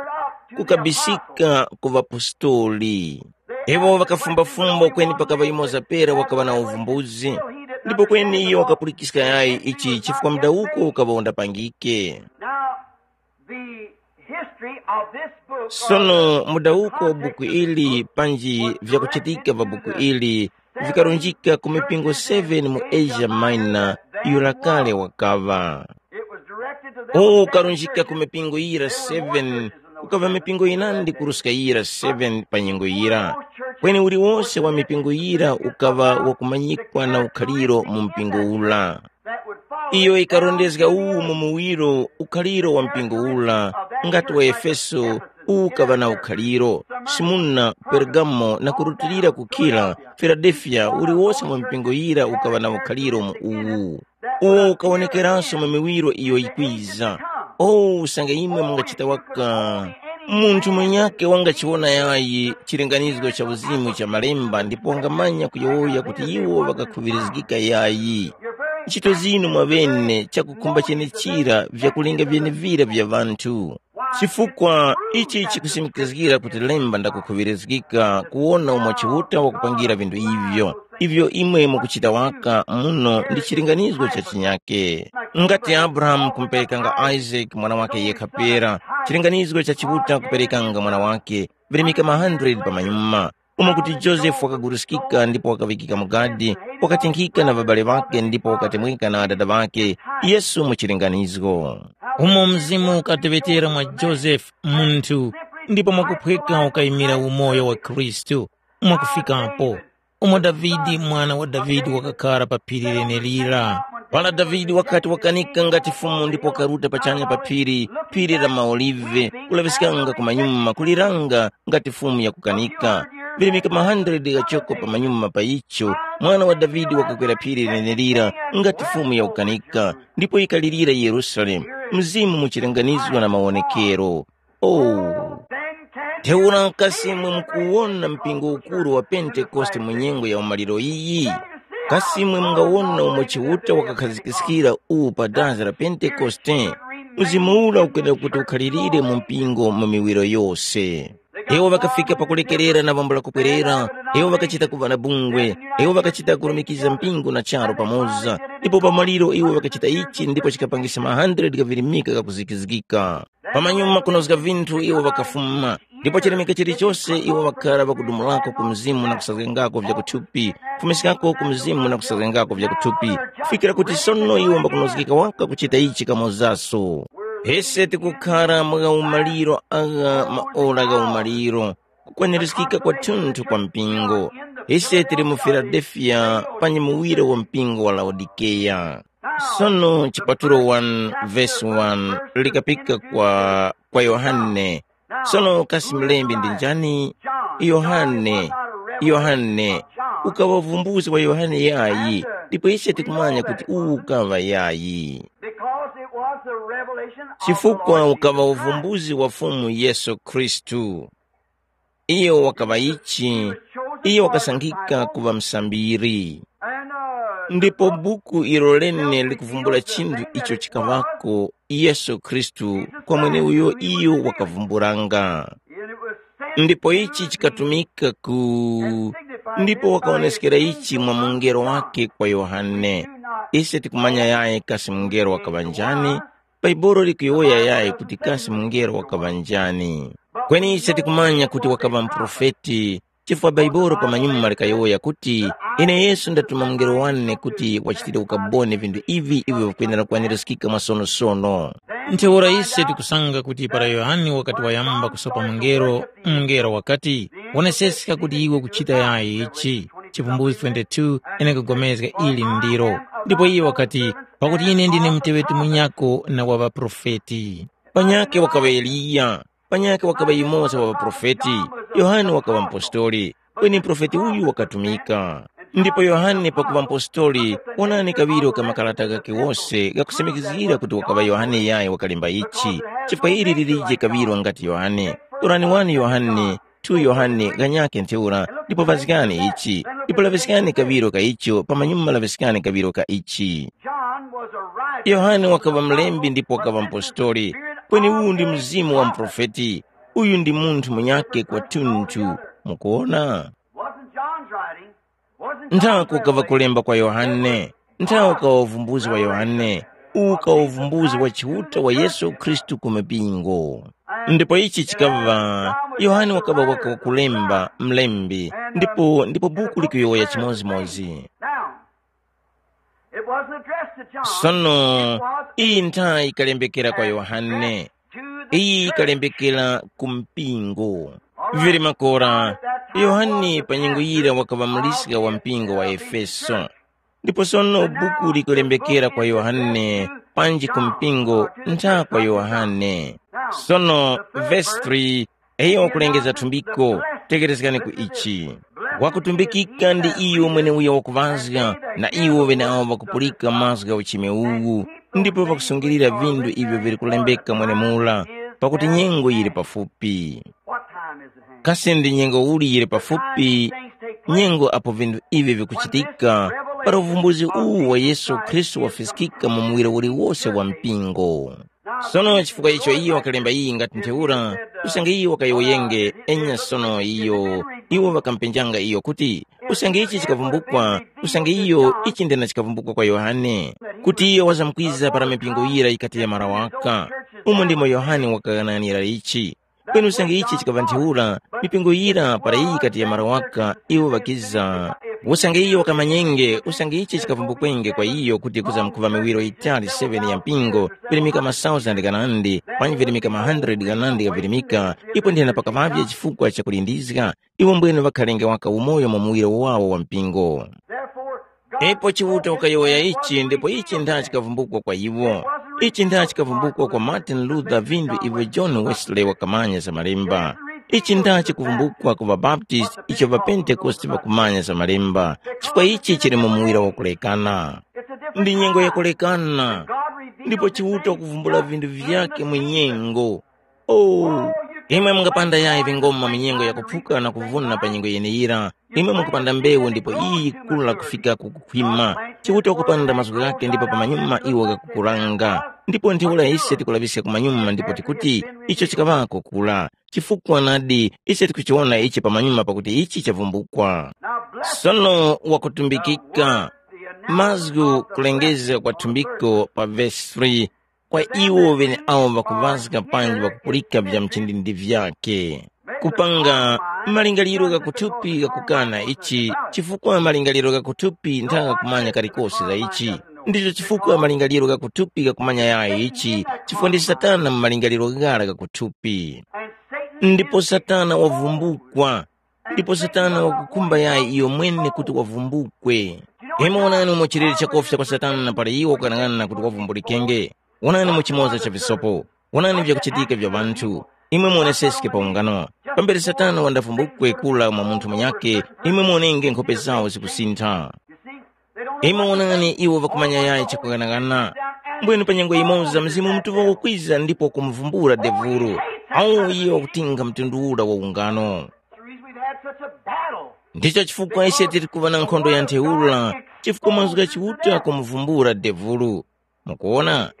kukabisika ku ŵapostoli. Iwo ŵakafumbafumba kweni pakaŵa yumoza pera wakaŵa na uvumbuzi, ndipo kweni iyo wakapulikiska yayi ichi chifukwa mudawuko ukaŵa undapangike. Now, the history of this book, sono mudawuko wa buku ili panji vyakuchitika va buku ili vikarunjika ku mipingo seven mu Asia Minor, yura kale wakaŵa. It was directed to them. Uwu ukarunjika ku mipingo yira seven, kukaŵa mipingo yinandi kuruska yira seven pa nyengo yira. Kweni uliwose wa mipingo yira ukaŵa wakumanyikwa na ukhaliro mu mpingo ula. Iyo ikarondezga uwu mu muwiro ukhaliro wa mpingo ula, ngati wa Efeso uwu ukaŵa na ukhaliro, Simuna, Pergamo na kurutilira kukhira, Filadelfiya, uliwose mwa mipingo yira ukaŵa na ukhaliro mu uwu. Uwo ukawonekeranso mu miwiro iyo yikwiza. O usange imwe mungachita waka, munthu mwenyake wangachiwona yayi chilinganizgo cha uzimu cha malemba ndipo wangamanya kuyowoya kuti iwo ŵakakhuŵirizgika yayi. Ntchito zinu mwaŵene chakukhumba chenechira vyakulinga vyenevira vya ŵanthu. Chifukwa ichi chikusimikizgira kuti lemba ndakukhuŵirizgika kuwona umo Chiuta wakupangira vinthu ivyo, ivyo imwe mukuchita waka muno ndi chilinganizgo cha chinyake. Ngati Abrahamu kumuperekanga Isaac mwana wake yekha pera, chilinganizgo cha Chiuta kuperekanga mwana wake, virimika ma hundred pamanyuma. Umo kuti Josefe wakaguruskika ndipo wakaŵikika mu gadi, wakatinkhika na ŵabale ŵakhe ndipo wakatemweka na adada ŵakhe, Yesu mu chilinganizgo. Umo Mzimu ukateŵetera mwa Josefe munthu, ndipo mwakuphweka ukayimira umoyo wa Khristu, mwakufikapo. Umo Davide mwana wa Davide wakakhara pa phiri lenelira. Para Davide wakati wakanika ngati Fumu ndipo wakaruta pachanya pa phiri, phiri la maolive, kulaŵiskanga kumanyuma kuliranga ngati Fumu yakukanika. Virimika ma hundred ghachoko pamanyuma pa icho, mwana wa Davide wakakwera phiri lenelira ngati Fumu yakukanika, ndipo yikalirira Yerusalemu, Mzimu muchilinganizwa na mawonekero. Oh! Ntheura kasi imwe mukuwona mpingo ukuru wa Pentekoste mu nyengo ya umaliro iyi? Kasi imwe mungawona umo Chiuta wakakhazikiskira uwu pa dazi la Pentekoste? Mzimu ura ukwenera kuti ukhalirire mu mpingo mu miwiro yose. Iwo ŵakafika pakulekerera na pambula kupwerera, iwo ŵakachita kuŵa na bungwe, iwo ŵakachita kurumikiza mpingo na charu pamoza, ndipo pamaliro iwo ŵakachita ichi ndipo chikapangisa ma hundred ghavirimika ghakuzikizgika. Pamanyuma kunozga vinthu iwo ŵakafuma, ndipo chilemeka chilichose iwo ŵakhala ŵakudumulako ku mzimu na kusazgengako vya kuthupi, kufumiskako ku mzimu na kusazgengako vya kuthupi, kufikira kuti sono iwo mbakunozgeka waka kuchita ichi kamozaso. Ise tikukhara mwa umaliro agha maora gha umaliro, kukwanirizgika kwathunthu kwa mpingo. Ise tili mu Filadelfiya pa nyimuwiro wa mpingo wa Laodikeya. Sono chipatulo one vesi one likapika kwa, kwa Yohane. Sono kasi mlembi ndi njani? Yohane. Yohane ukaŵa uvumbuzi wa Yohane yayi, ndipo ise tikumanya kuti uwu ukaŵa yayi. Because it was the revelation of the chifukwa Lord ukaŵa Jesus Christ. Uvumbuzi wa Fumu Yesu Khristu. Iyo wakaŵa ichi, iyo wakasankhika kuŵa msambiri. Ndipo buku ilo lene likuvumbula chinthu icho chikaŵako Yesu Khristu kwa mweneuyo iyo wakavumbulanga. Ndipo ichi chikatumika ku ndipo wakaoneskera ichi mwa mungelo wake kwa Yohane. Ise tikumanya yaye kasi mungelo wakaŵa njani, Baibolo likuyowoya yayi kuti kasi mungelo wakaŵa njani. Kweni ise tikumanya kuti wakaŵa muprofeti, chifukwa Baibolo pamanyuma likayowoya kuti, “Ine Yesu ndatuma mungelo wane kuti wachitire ukaboni vinthu ivi ivyo vikwenera kwanirizgika mwasonosono.” Ntheura ise tikusanga kuti para Yohane wakati wayamba kusopa mungelo, mungelo wakati, “Woneseska kuti iwe ukuchita yayi ichi.” Chivumbulutso twenty-two, ine nkupulikana ili ndilo. Ndipo iye wakati, “Pakuti ine ndine muteŵeti munyako na wa ŵaprofeti.” Panyakhe wakaŵa Eliya, panyakhe wakaŵa yumoza wa ŵaprofeti, Yohane wakaŵa mpostoli, kweni muprofeti uyu wakatumika. Ndipo Yohane pakuŵa mpostoli, wonani kaŵiro ka makarata ghakhe wose ghakusimikizgira kuti wakaŵa Yohane yayo wakalemba ichi, chifukwa ili lilije kaŵiro ngati Yohane. Torani wani Yohane, two Yohane ghanyakhe ntheura, ndipo vazgani ichi, ndipo laŵiskani kaŵiro ka icho, pamanyuma laŵiskani kaŵiro ka ichi. John was a writer. Yohane wakaŵa mlembi ndipo wakaŵa mpostoli, kweni uwu ndi mzimu wa muprofeti. Uyu ndi munthu munyakhe kwathunthu. Mukuona? Wasn't John's writing? Wasn't Nthawi John's kukaŵa revelation? Kulemba kwa Yohane, nthawi ukaŵa uvumbuzi wa Yohane, uwu ukaŵa uvumbuzi wa Chiuta wa Yesu Khristu ku mipingo. Ndipo ichi chikaŵa, Yohane wakaŵa waka wakulemba, mlembi, ndipo ndipo buku likuyowoya chimodzimodzi. Now, it wasn't addressed to John. Sono, iyi nthayi ikalembekera kwa Yohane, iyi ikalembekera ku mpingo. Vili makora, Yohane pa nyengo yira wakaŵa muliska wa mpingo wa Efeso. Ndipo sono buku likulembekera kwa Yohane, panji ku mpingo ntha kwa Yohane. Sono, vesi three, iyo wakulengeza thumbiko, tekerezgani ku ichi. Wakutumbikika ndi iyo mweneuyo wakuŵazga, na iwo ŵeneawo ŵakupulika mazgu gha uchime uwu, ndipo ŵakusungilira vinthu ivyo vili kulembeka mwenemura, pakuti nyengo yili pafupi. What time is at hand? Kasi ndi nyengo uli yili pafupi? Nyengo apo vinthu ivi vikuchitika, para uvumbuzi uwu wa Yesu Khristu wafiskika mu muwiro uliwose wa mpingo. Sono chifukwa icho iyo wakalemba iyi ngati ntheura, usange iyo wakayowoyenge, enya sono iyo, iwo ŵakampenjanga iyo kuti, usange ichi chikavumbukwa, usange iyo ichi ndena chikavumbukwa kwa Yohane, kuti iyo wazamkwiza para mipingo yira yikati yamara waka, umo ndimo Yohane wakaghananira ichi. Kweni usange ichi chikaŵa ntheura, mipingo yira para iyi yikati yamara waka, iwo ŵakiza. Usange iyo wakamanyenge, usange ichi chikavumbukenge kwa iyo kuti kuzamkuŵa miwiro yitali seven ya mpingo, virimika masauzandi ghanandi, panji virimika ma hundred ghanandi ghavirimika, ipo nthena pakaŵavye chifukwa cha kulindizga, iwo mbwene ŵakhalenge waka umoyo mu muwiro wawo wa mpingo. Ipo Chiuta wakayowoya ichi ndipo ichi ndha chikavumbukwa kwa iwo. Ichi ndha chikavumbukwa kwa Martin Luther vindu ivyo John Wesley wakamanya za malemba. Ichi ndha chikuvumbukwa ku ŵaBaptist icho ŵaPentekoste ŵakumanya za malemba, chifukwa ichi chili mu muwira wakulekana. Ndi nyengo yakulekana, ndipo Chiuta wakuvumbula vindu vyake mu nyengo. Oh, imwe mungapanda yayi vingoma mu nyengo yakuphuka na kuvuna pa nyengo yeneyira, imwe mukupanda mbewu ndipo iyi yikula kufika ku kukhwima, Chiuta wakupanda mazgu ghake ndipo pamanyuma iwo ghakukuranga. Ndipo ntheura ise tikulaŵiska kumanyuma ndipo tikuti, icho chikaŵako kula, chifukwa nadi ise tikuchiwona ichi pamanyuma pakuti ichi chavumbukwa. Sono wakutumbikika mazgu kulengezga kwa thumbiko pa vesi three, kwa iwo ŵeneawo ŵakuŵazga panji ŵakupulika vya mchindindi vyake. Kupanga malingaliro gha kuthupi ghakukana ichi, chifukwa malingaliro gha kuthupi ntha ghakumanya kalikose za ichi. Ndicho chifukwa malingaliro gha kuthupi ghakumanya yayi ichi, chifukwa ndi Satana mu malingaliro ghara gha kuthupi. Ndipo Satana wavumbukwa, ndipo Satana wakukhumba yayi iyo mwene kuti wavumbukwe. Imwe wonani umo chilere chakofya kwa Satana pali iwo kukanang'ana kuti wavumbulike. Wonani mu chimoza cha visopo, wonani vyakuchitika vya ŵanthu. Imwe muoneseske pa ungano. Pambere Satana wandavumbukwe kula mwa munthu munyakhe, imwe muonenge nkhope zawo zikusintha. Imwe wonani iwo ŵakumanya yayi chakughanagana. Mbwene pa nyengo yimoza Mzimu Mutuŵa wakwiza ndipo kumuvumbula devulu, awu iye wakutinga mtundu ura wa ungano. That's the reason we've had such a battle. Ndicho chifukwa ise tiri kuva na nkhondo ya ntheura, chifukwa mazgu gha Chiuta kumuvumbula devulu. Mukuona?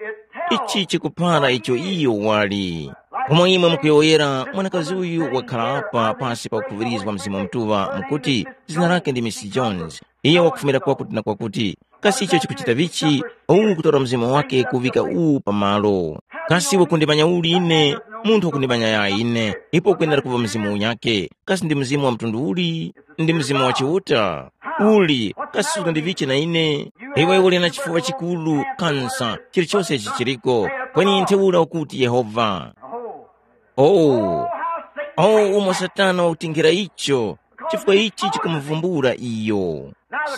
Ichi chikuphara icho iyo wali. Pomwe imwe mukuyowoyera, mwanakazi uyu wakhala apa pasi pa kukhuŵirizwa Mzimu Mutuŵa mukuti zina lake ndi Miss Jones. Iye wakufumira kwakuti na kwakuti. Kasi icho chikuchita vichi? Uwu kutora mzimu wake kuŵika uwu pamalo. Kasi wakundimanya uli ine? Munthu wakundimanya yayi ine, ipo kwenera kuŵa mzimu unyakhe. Kasi ndi mzimu wa mtundu uli? Ndi mzimu wa Chiuta. Uli, kasi sukandiviche na ine? Iwe uli na chifuwa chikulu, kansa, chilichose ichi chiliko. Kweni ntheura ukuti Yehova. Oh, oh, umo Satana wakutinkhira icho, chifukwa ichi chikumuvumbula iyo.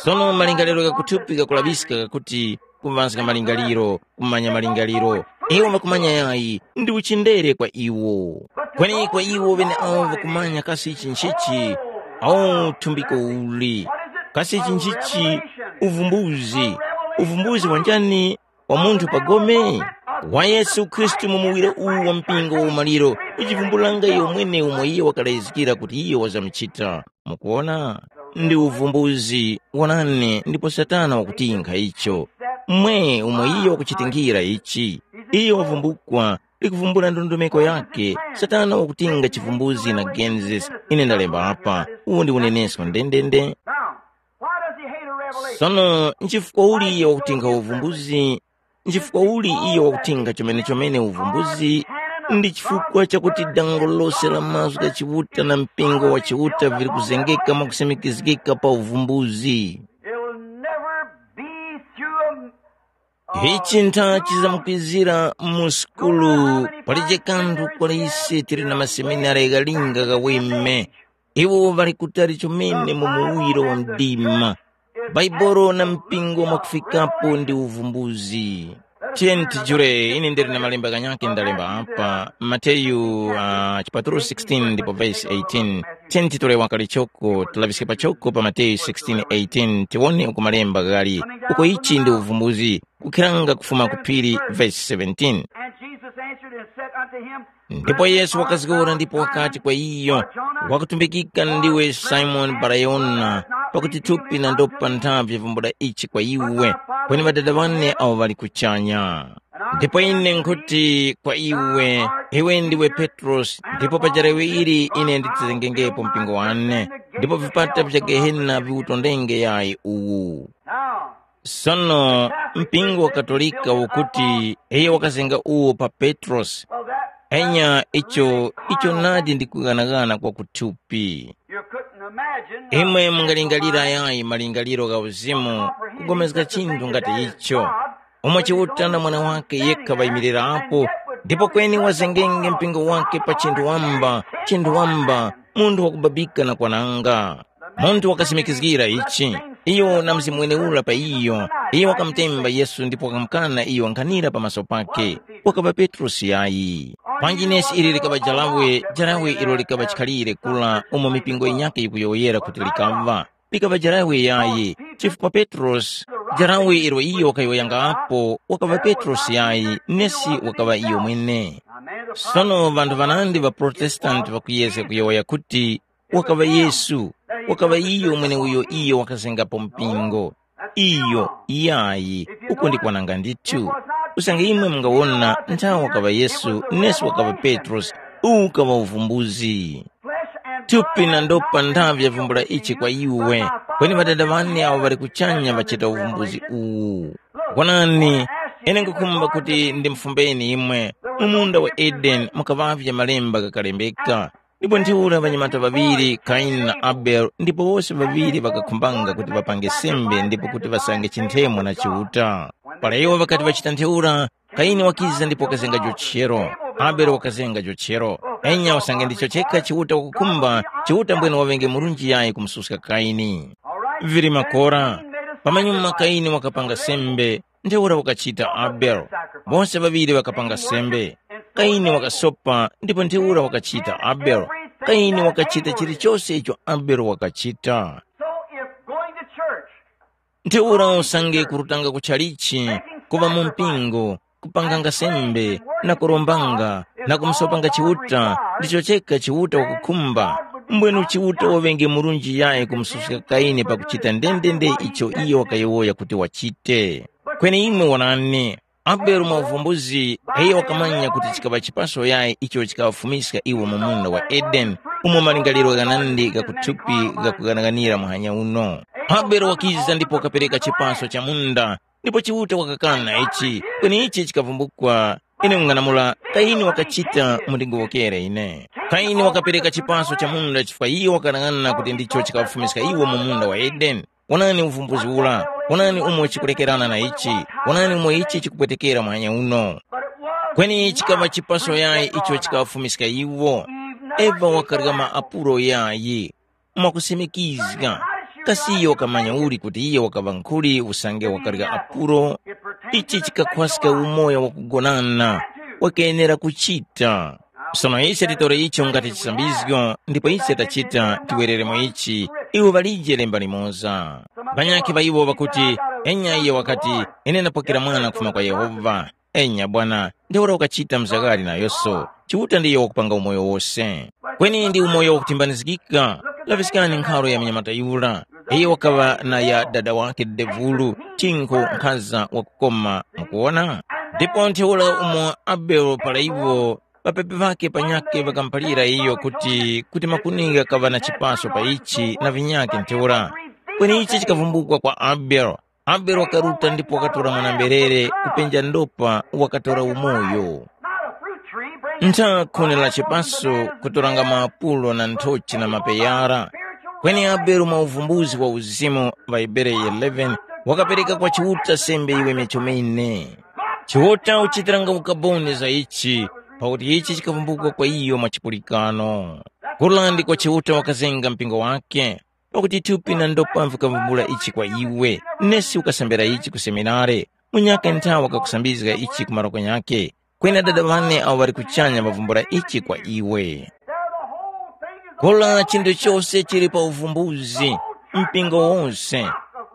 Sono malingaliro ghakuthupi ghakulaŵiska ghakuti kuŵaska malingaliro, kumanya malingaliro. Iwo ŵakumanya yayi, ndi uchindere kwa iwo. Kweni kwa iwo ŵeneawo ŵakumanya kasi ichi nchichi, awo thumbiko uli. Kasi ichi nchichi, uvumbuzi. Uvumbuzi wanjani? Wa munthu pa gome? Wa Yesu Khristu mu muwiro uwu wa mpingo wa umaliro, kuchivumbulanga iyo mwene umo iye wakalayizgira kuti iyo wazamuchita. Mukuona? Ndi uvumbuzi, wonani, ndipo Satana wakutinkha icho. Mwe umo iyo wakuchitingira ichi. Iyo wavumbukwa, likuvumbula ndondomeko yake. Satana wakutinga chivumbuzi na Genesis. Ine ndalemba apa. Uwu ndi unenesko ndendende. Now, why does he hate a revelation? Sono nchifukwa uli iyo wakutinga uvumbuzi? Nchifukwa uli iyo wakutinga chomene-chomene uvumbuzi? Ndi chifukwa chakuti dango lose la mazgu gha Chiuta na mpingo wa Chiuta vili kuzengeka mwakusimikizgika pa uvumbuzi. It'll never be through a Ichi ntha chizamukwizira mu sukulu, palije kanthu kwa ise tili na maseminari ghalinga ghaweme. Iwo ŵali kutali chomene mu muwiro wa mdima. Baibolo na mpingo mwakufikapo ndi uvumbuzi. Tiyeni tijule, ine ndili na malemba ghanyakhe ndalemba apa, Mateyu uh, chipatulo sixteen ndipo vesi eighteen. Tiyeni titole wakali choko, tilaŵiske pachoko pa Mateyu sixteen eighteen, tiwone uko malemba ghali, uko ichi ndi uvumbuzi. Kukhiranga kufuma ku phiri, vesi seventeen. And Jesus answered and said unto him, Ndipo Yesu wakazgora ndipo wakati kwa iyo, wakutumbikika ndiwe Simoni Barayona, pakuti thupi na ndopa ntha vyavumbula ichi kwa iwe, kweni Ŵadada ŵane awo ŵali kuchanya. Ndipo ine nkhuti kwa iwe, iwe ndiwe Petrosi, ndipo pa jarawe ili ine nditizengengepo mpingo wane, ndipo vipata vya Gehena viwutondenge yayi uwu. Sono mpingo wa Katolika ukuti iyo wakazenga uwo pa Petrosi. Enya icho icho nadi ndi kughanaghana kwa kuthupi. Imwe mungalingalira yayi malingaliro gha uzimu kugomezga chinthu ngati icho, umo Chiuta na Mwana wake yekha ŵayimirirapo, ndipo kweni wazengenge mpingo wake pa chinthu wamba, chinthu wamba, munthu wakubabika na kwananga. Munthu wakasimikizgira ichi, iyo na mzimu weneura pa iyo, iyo wakamutemba Yesu ndipo wakamukana iyo nkhanira pamaso pake. Wakaŵa Petrosi yayi. Panji nesi ili likaŵa jarawe, jarawe ilo likaŵa chikhalire kula umo mipingo yinyakhe yikuyowoyera kuti likaŵa. Likaŵa jarawe yayi, chifukwa Petrosi, jarawe ilo iyo wakayowoyangapo wakaŵa Petrosi yayi, nesi wakaŵa iyo mwene. Sono ŵanthu ŵanandi ŵa Protestanti ŵakuyezga kuyowoya kuti wakaŵa Yesu, wakaŵa iyo mweneuyo iyo wakazengapo mpingo. Iyo, yayi, uko ndi kwananga ndithu. Usange imwe mungawona nthawi wakaŵa Yesu nesi wakaŵa Petrosi, uwu ukaŵa uvumbuzi. Thupi na ndopa ndavyavumbula ichi kwa iwe, kweni Ŵadada ŵane awo ŵali kuchanya ŵachita uvumbuzi uwu. Wonani, ine nkhukhumba kuti ndimufumbeni imwe. Mu munda wa Edeni mukaŵavye malemba ghakalembeka, ndipo ntheura ŵanyamata ŵaŵiri, Kaini na Abele, ndipo wose ŵaŵiri ŵakakhumbanga kuti ŵapange sembe ndipo kuti ŵasange chinthemwa na Chiuta. Para iwo ŵakati ŵachita ntheura, Kaini wakiza ndipo wakazenga jochero, Abele wakazenga jochero. Enya usange ndicho chekha Chiuta wakukhumba, Chiuta mbwene waŵenge murunji yayi kumususka Kaini. Vili makora, pamanyuma Kaini wakapanga sembe, ntheura wakachita Abele. Bose ŵaŵiri ŵakapanga sembe. Kaini wakasopa ndipo ntheura wakachita Abele. Kaini wakachita chilichose icho Abele wakachita. So if going to church Ntheura usange kurutanga ku chalichi, kuŵa mu mpingo, kupanganga sembe, na kurombanga, na kumusopanga Chiuta, ndicho chekha Chiuta wakukhumba. Mbwenu Chiuta waŵenge murunji yayi kumususka Kaini pakuchita ndendende icho iyo wakayowoya kuti wachite. Kweni imwe wonani, Abele mwa uvumbuzi, iyo wakamanya kuti chikaŵa chipaso yayi icho chikaŵafumiska iwo mu munda wa Edeni, umo malingaliro ghanandi gha kuthupi ghakughanaganira muhanya uno. Abele wakiza ndipo wakapereka chipaso cha munda, ndipo Chiuta wakakana ichi, kweni ichi chikavumbukwa. Ine nkung'anamula, Kaini wakachita mundingowokere ine. Kaini wakapereka chipaso cha munda chifukwa iyo wakanang'ana kuti ndicho chikawafumiska iwo mu munda wa Edeni. Wonani uvumbuzi ura, wonani umo chikulekerana na ichi, wonani umo ichi chikupwetekera muhanya uno. Kweni chikaŵa chipaso yayi icho chikawafumiska iwo. Eva wakarya ma apulo yayi. Mwakusimikizga, kasi iyo wakamanya uli kuti iyo wakaŵa nkhuli usange wakarya apuro? Ichi chikakhwaska umoyo wakugonana wakenera kuchita. Sono ise titore icho ngati chisambizgo ndipo ise tachita tiwereremo ichi. Iwo ŵalije lemba limoza. Ŵanyakhe ŵa iwo ŵakuti, enya iye wakati, ine ndapokera mwana kufuma kwa Yehova. Enya bwana, ntheura ukachita mzaghali nayoso. Chiuta ndiyo wakupanga umoyo wose. Kweni ndi umoyo wakutimbanizgika. Laŵiskani nkharo ya mnyamata yura. Iyo wakaŵa na ya dada wake devulu, chinkho nkhaza wakukoma. Mukuwona? Ndipo ntheura umo Abele para iwo ŵapepi ŵake panyakhe ŵakamuphalira iyo kuti kuti makuni ghakaŵa na chipaso pa ichi na vinyakhe ntheura. Kweni ichi chikavumbukwa kwa Abele. Abele wakaruta ndipo wakatora mwana-mberere kupenja ndopa wakatora umoyo. Ntha khuni la chipaso kutoranga maapulo na nthochi na mapeyara. Kweni Abele mwa uvumbuzi wa uzimu ŵa Hebere eleven wakapereka kwa Chiuta sembe iwe mechomene. Chiuta uchitiranga ukaboni za ichi, pakuti ichi chikavumbukwa kwa iyo mwa chipulikano. Kula ndiko Chiuta wakazenga mpingo wake. Pakuti thupi na ndopa vikavumbula ichi kwa iwe, nesi ukasambira ichi ku seminare, munyaka nthawa kakusambizga ichi ku maroko nyakhe, kweni Dada wane awo ŵali kuchanya ŵavumbula ichi kwa iwe. Kola chinthu chose chili pa uvumbuzi, mpingo wose.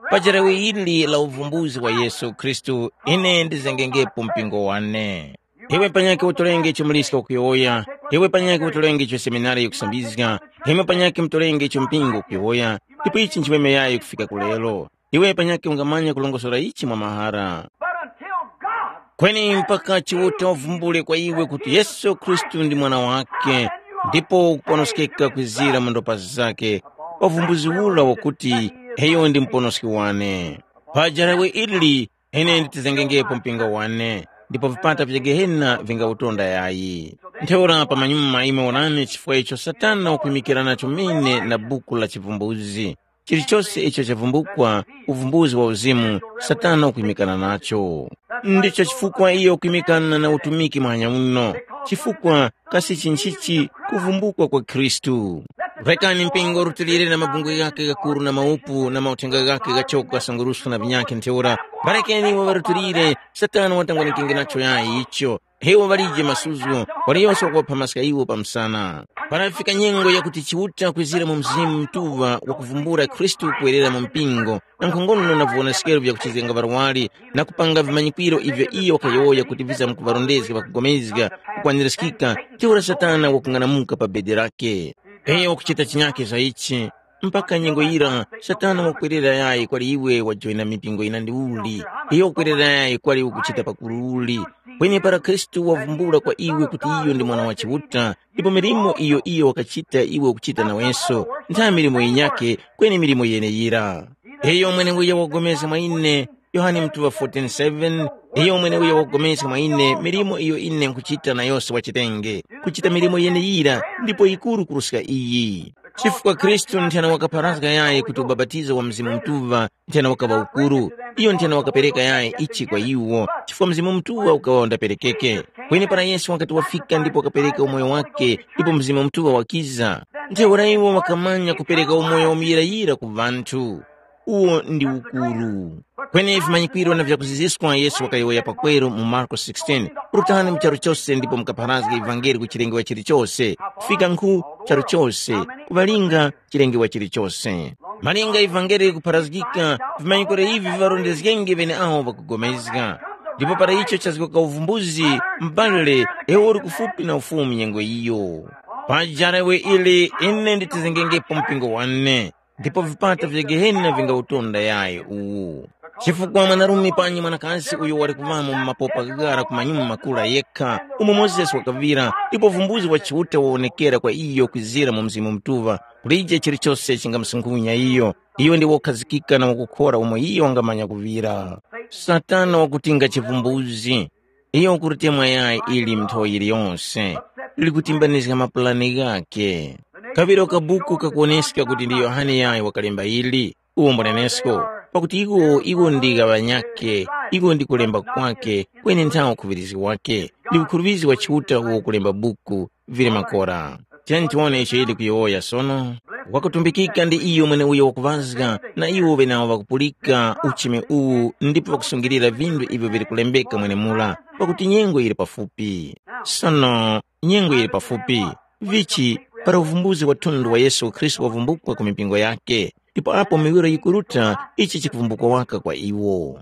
Pa jarawe ili la uvumbuzi wa Yesu Khristu, ine ndizengengepo mpingo wane. Iwe panyakhe utolenge icho muliska ukuyowoya, iwe panyakhe utolenge icho seminari yikusambizga, imwe panyakhe mutolenge icho mpingo ukuyowoya, ndipo ichi nchimemeyayo kufika ku lero. Iwe panyakhe ungamanya kulongosora ichi mwa mahara. But until God Kweni mpaka Chiuta wavumbule kwa iwe kuti Yesu Khristu ndi Mwana wakhe, ndipo ukuponoskeka kwizira mu ndopa zake, pa uvumbuzi ura wakuti, iyo ndi muponoski wane. Pa jarawe ili, ine nditizengengepo mpingo wane, ndipo vipata vya Gehena vingawutonda yayi. Ntheura pamanyuma imwe wonani chifukwa icho Satana wakwimikira nacho mene na buku la chivumbuzi. Chilichose icho chavumbukwa, uvumbuzi wa uzimu, Satana wakwimikana nacho. Ndicho chifukwa iyo wakwimikana na utumiki muhanya uno, chifukwa kasi chinchichi kuvumbukwa kwa Khristu. Rekani mpingo rutilire na mabungwe ghakhe ghakuru na maupu na mauthenga ghakhe ghachoko kasunguruswa na vinyakhe ntheura, parekeni iwo ŵarutilire, Satana watangwanengenge nacho yayi icho. Iwo ŵalije masuzo, waliyose wakuŵapha maska iwo pa msana. Para yafika nyengo yakuti Chiuta kwizira mu Mzimu Mutuŵa wakuvumbula Khristu kuwerera mu mpingo, na nkhongono na viwonesekero vyakuchizgenga ŵarwari, na kupanga vimanyikwiro ivyo iyo wakayowoya kuti vizamkuŵarondezga ŵakupulikana kukwanirizgika, ntheura Satana wakung'anamuka pa bedi lakhe. Iyo wakuchita chinyakhe za ichi, mpaka nyengo yira Satana wakwerera yayi kwali iwe wajoyina mipingo yinandi uli, iyo wakwerera yayi kwali ukuchita pakuru uli. Kweni para Khristu wavumbula kwa iwe kuti iyo ndi Mwana wa Chiuta, ndipo milimo iyo iyo wakachita iwe ukuchita nawenso, ntha milimo yinyakhe, kweni milimo yeneyira. Iyo mweneuyo wakupulikana mwa ine, Yohane mutuŵa fourteen seven, iyo mweneuyo wakupulikana mwa ine milimo iyo ine nkhuchita na yose wachitenge, kuchita milimo yeneyira ndipo yikuru kuruska iyi. Chifukwa Khristu nthena wakapharazga yayi kuti ubapatizo wa Mzimu Mutuŵa nthena wakaŵa ukuru, iyo nthena wakapereka yayi ichi kwa iwo, chifukwa Mzimu Mutuŵa ukaŵa undaperekeke. Kweni para Yesu wakati wafika ndipo wakapereka umoyo wake, ndipo Mzimu Mutuŵa wakiza, ntheura iwo ŵakamanya kupereka umoyo wa muyirayira ku ŵanthu. Uwo ndi ukuru. Kweni vimanyikwiro na vyakuziziskwa Yesu wakayowoya pakweru mu Marko sixteen, rutani mu charu chose ndipo mukapharazge ivangeli ku chilengewa chilichose, kufika nkhu charu chose, kuŵalinga chilengewa chilichose. Malinga ivangeli likupharazgika, vimanyikwiro ivi viŵarondezgenge ŵeneawo ŵakupulikana. Ndipo para icho chazgoka uvumbuzi, m'bale, iwe uli kufupi na ufumu nyengo iyo. Pa jarawe ili ine nditizengengepo mpingo wane, ndipo vipata vya Gehena vingawutonda yayi uwu. Chifukwa mwanarume panyi mwanakazi uyo wali kuŵamo mu mapopa ghara ku manyuma makula yekha, umo Mozesi wakaŵira, ndipo vumbuzi wa Chiuta wawonekera kwa iyo kwizira mu Mzimu Mutuŵa, kulije chilichose chingamusunkhunya iyo. Iyo ndi wokhazikika na wakukhora umo iyo wangamanya kuŵira. Satana wakutinga chivumbuzi. Iyo ukulitemwa yayi ili nthowa yiliyose, likutimbanizga mapulani ghakhe. Kaŵiro ka buku kakuwoneska kuti ndi Yohane yayi wakalemba ili, uwo mbwanenesko, pakuti iwo iwo ndi gha ŵanyakhe, iwo ndi kulemba kwakhe, kweni nthawo ukhuŵirizgi wakhe, ndi ukhuruvizgi wa Chiuta uwo kulemba buku, vili makora. Tiyeni tiwone icho yili kuyowoya sono. Wakutumbikika ndi iyo mweneuyo wakuŵazga, na iwo ŵenawo ŵakupulika uchimi uwu ndipo ŵakusungilira vinthu ivyo vili kulembeka mwenemura, pakuti nyengo yili pafupi. Sono, nyengo yili pafupi. Vichi, para uvumbuzi wa thundo wa Yesu Khristu wavumbukwa ku mipingo yakhe, ndipo apo miwiro yikuruta, ichi chikuvumbukwa waka kwa iwo.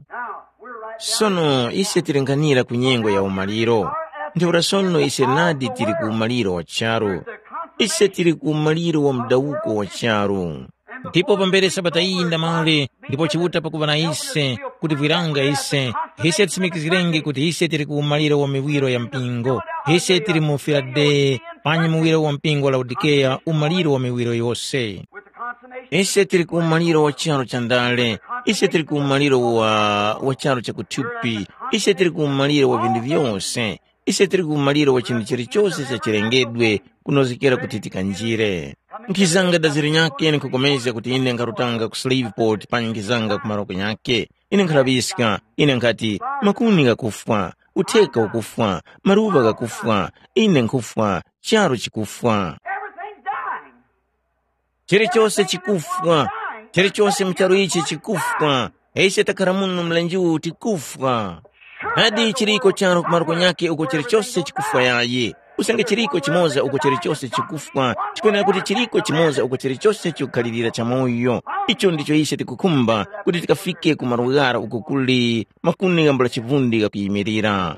Sono ise tilinganira ku nyengo ya umaliro. Ntheura sono ise nadi tili ku umaliro wa charu. Ise tili ku umaliro wa mudawuko wa charu. Ndipo pambere sabata iyi ndamale, ndipo Chiuta pakuva na ise, kuti vwiranga ise, ise tisimikizgirenge kuti ise tili ku umaliro wa miwiro ya mpingo. Ise tili mu Filadeye, panyi muwiro wa mpingo wa Laodikeya, umaliro wa miwiro yose. Ise tili ku umaliro wa charu cha ndale, ise tili ku umaliro wa, wa charu cha kuthupi, ise tili ku umaliro wa vinthu vyose, ise tili ku umaliro wa chinthu chilichose cha chilengedwe kunozgekera kuti tikanjire. Nkhizanga dazi linyakhe nkhukomezga kuti ine nkharutanga ku Shreveport panyi nkhizanga ku maroko nyakhe. Ine nkhalaŵiska, ine nkhati, makuni ghakufwa, utheka ukufwa, maluŵa ghakufwa, ine nkhufwa, charu chikufwa. Everything's dying. Chilichose chikufwa. Chilichose mu charu ichi chikufwa. Ise takhara muno mlenje uwu tikufwa. Nadi chiriko charu ku maluko nyakhe uko chilichose chikufwa yayi. Usange chiriko chimoza uko chilichose chikufwa, chikwenera kuti chiriko chimoza uko chilichose chikukhalirira chamoyo. Icho ndicho ise tikukhumba kuti tikafike ku malo ghara uko kuli makuni ghambula chivundi ghakuyimirira.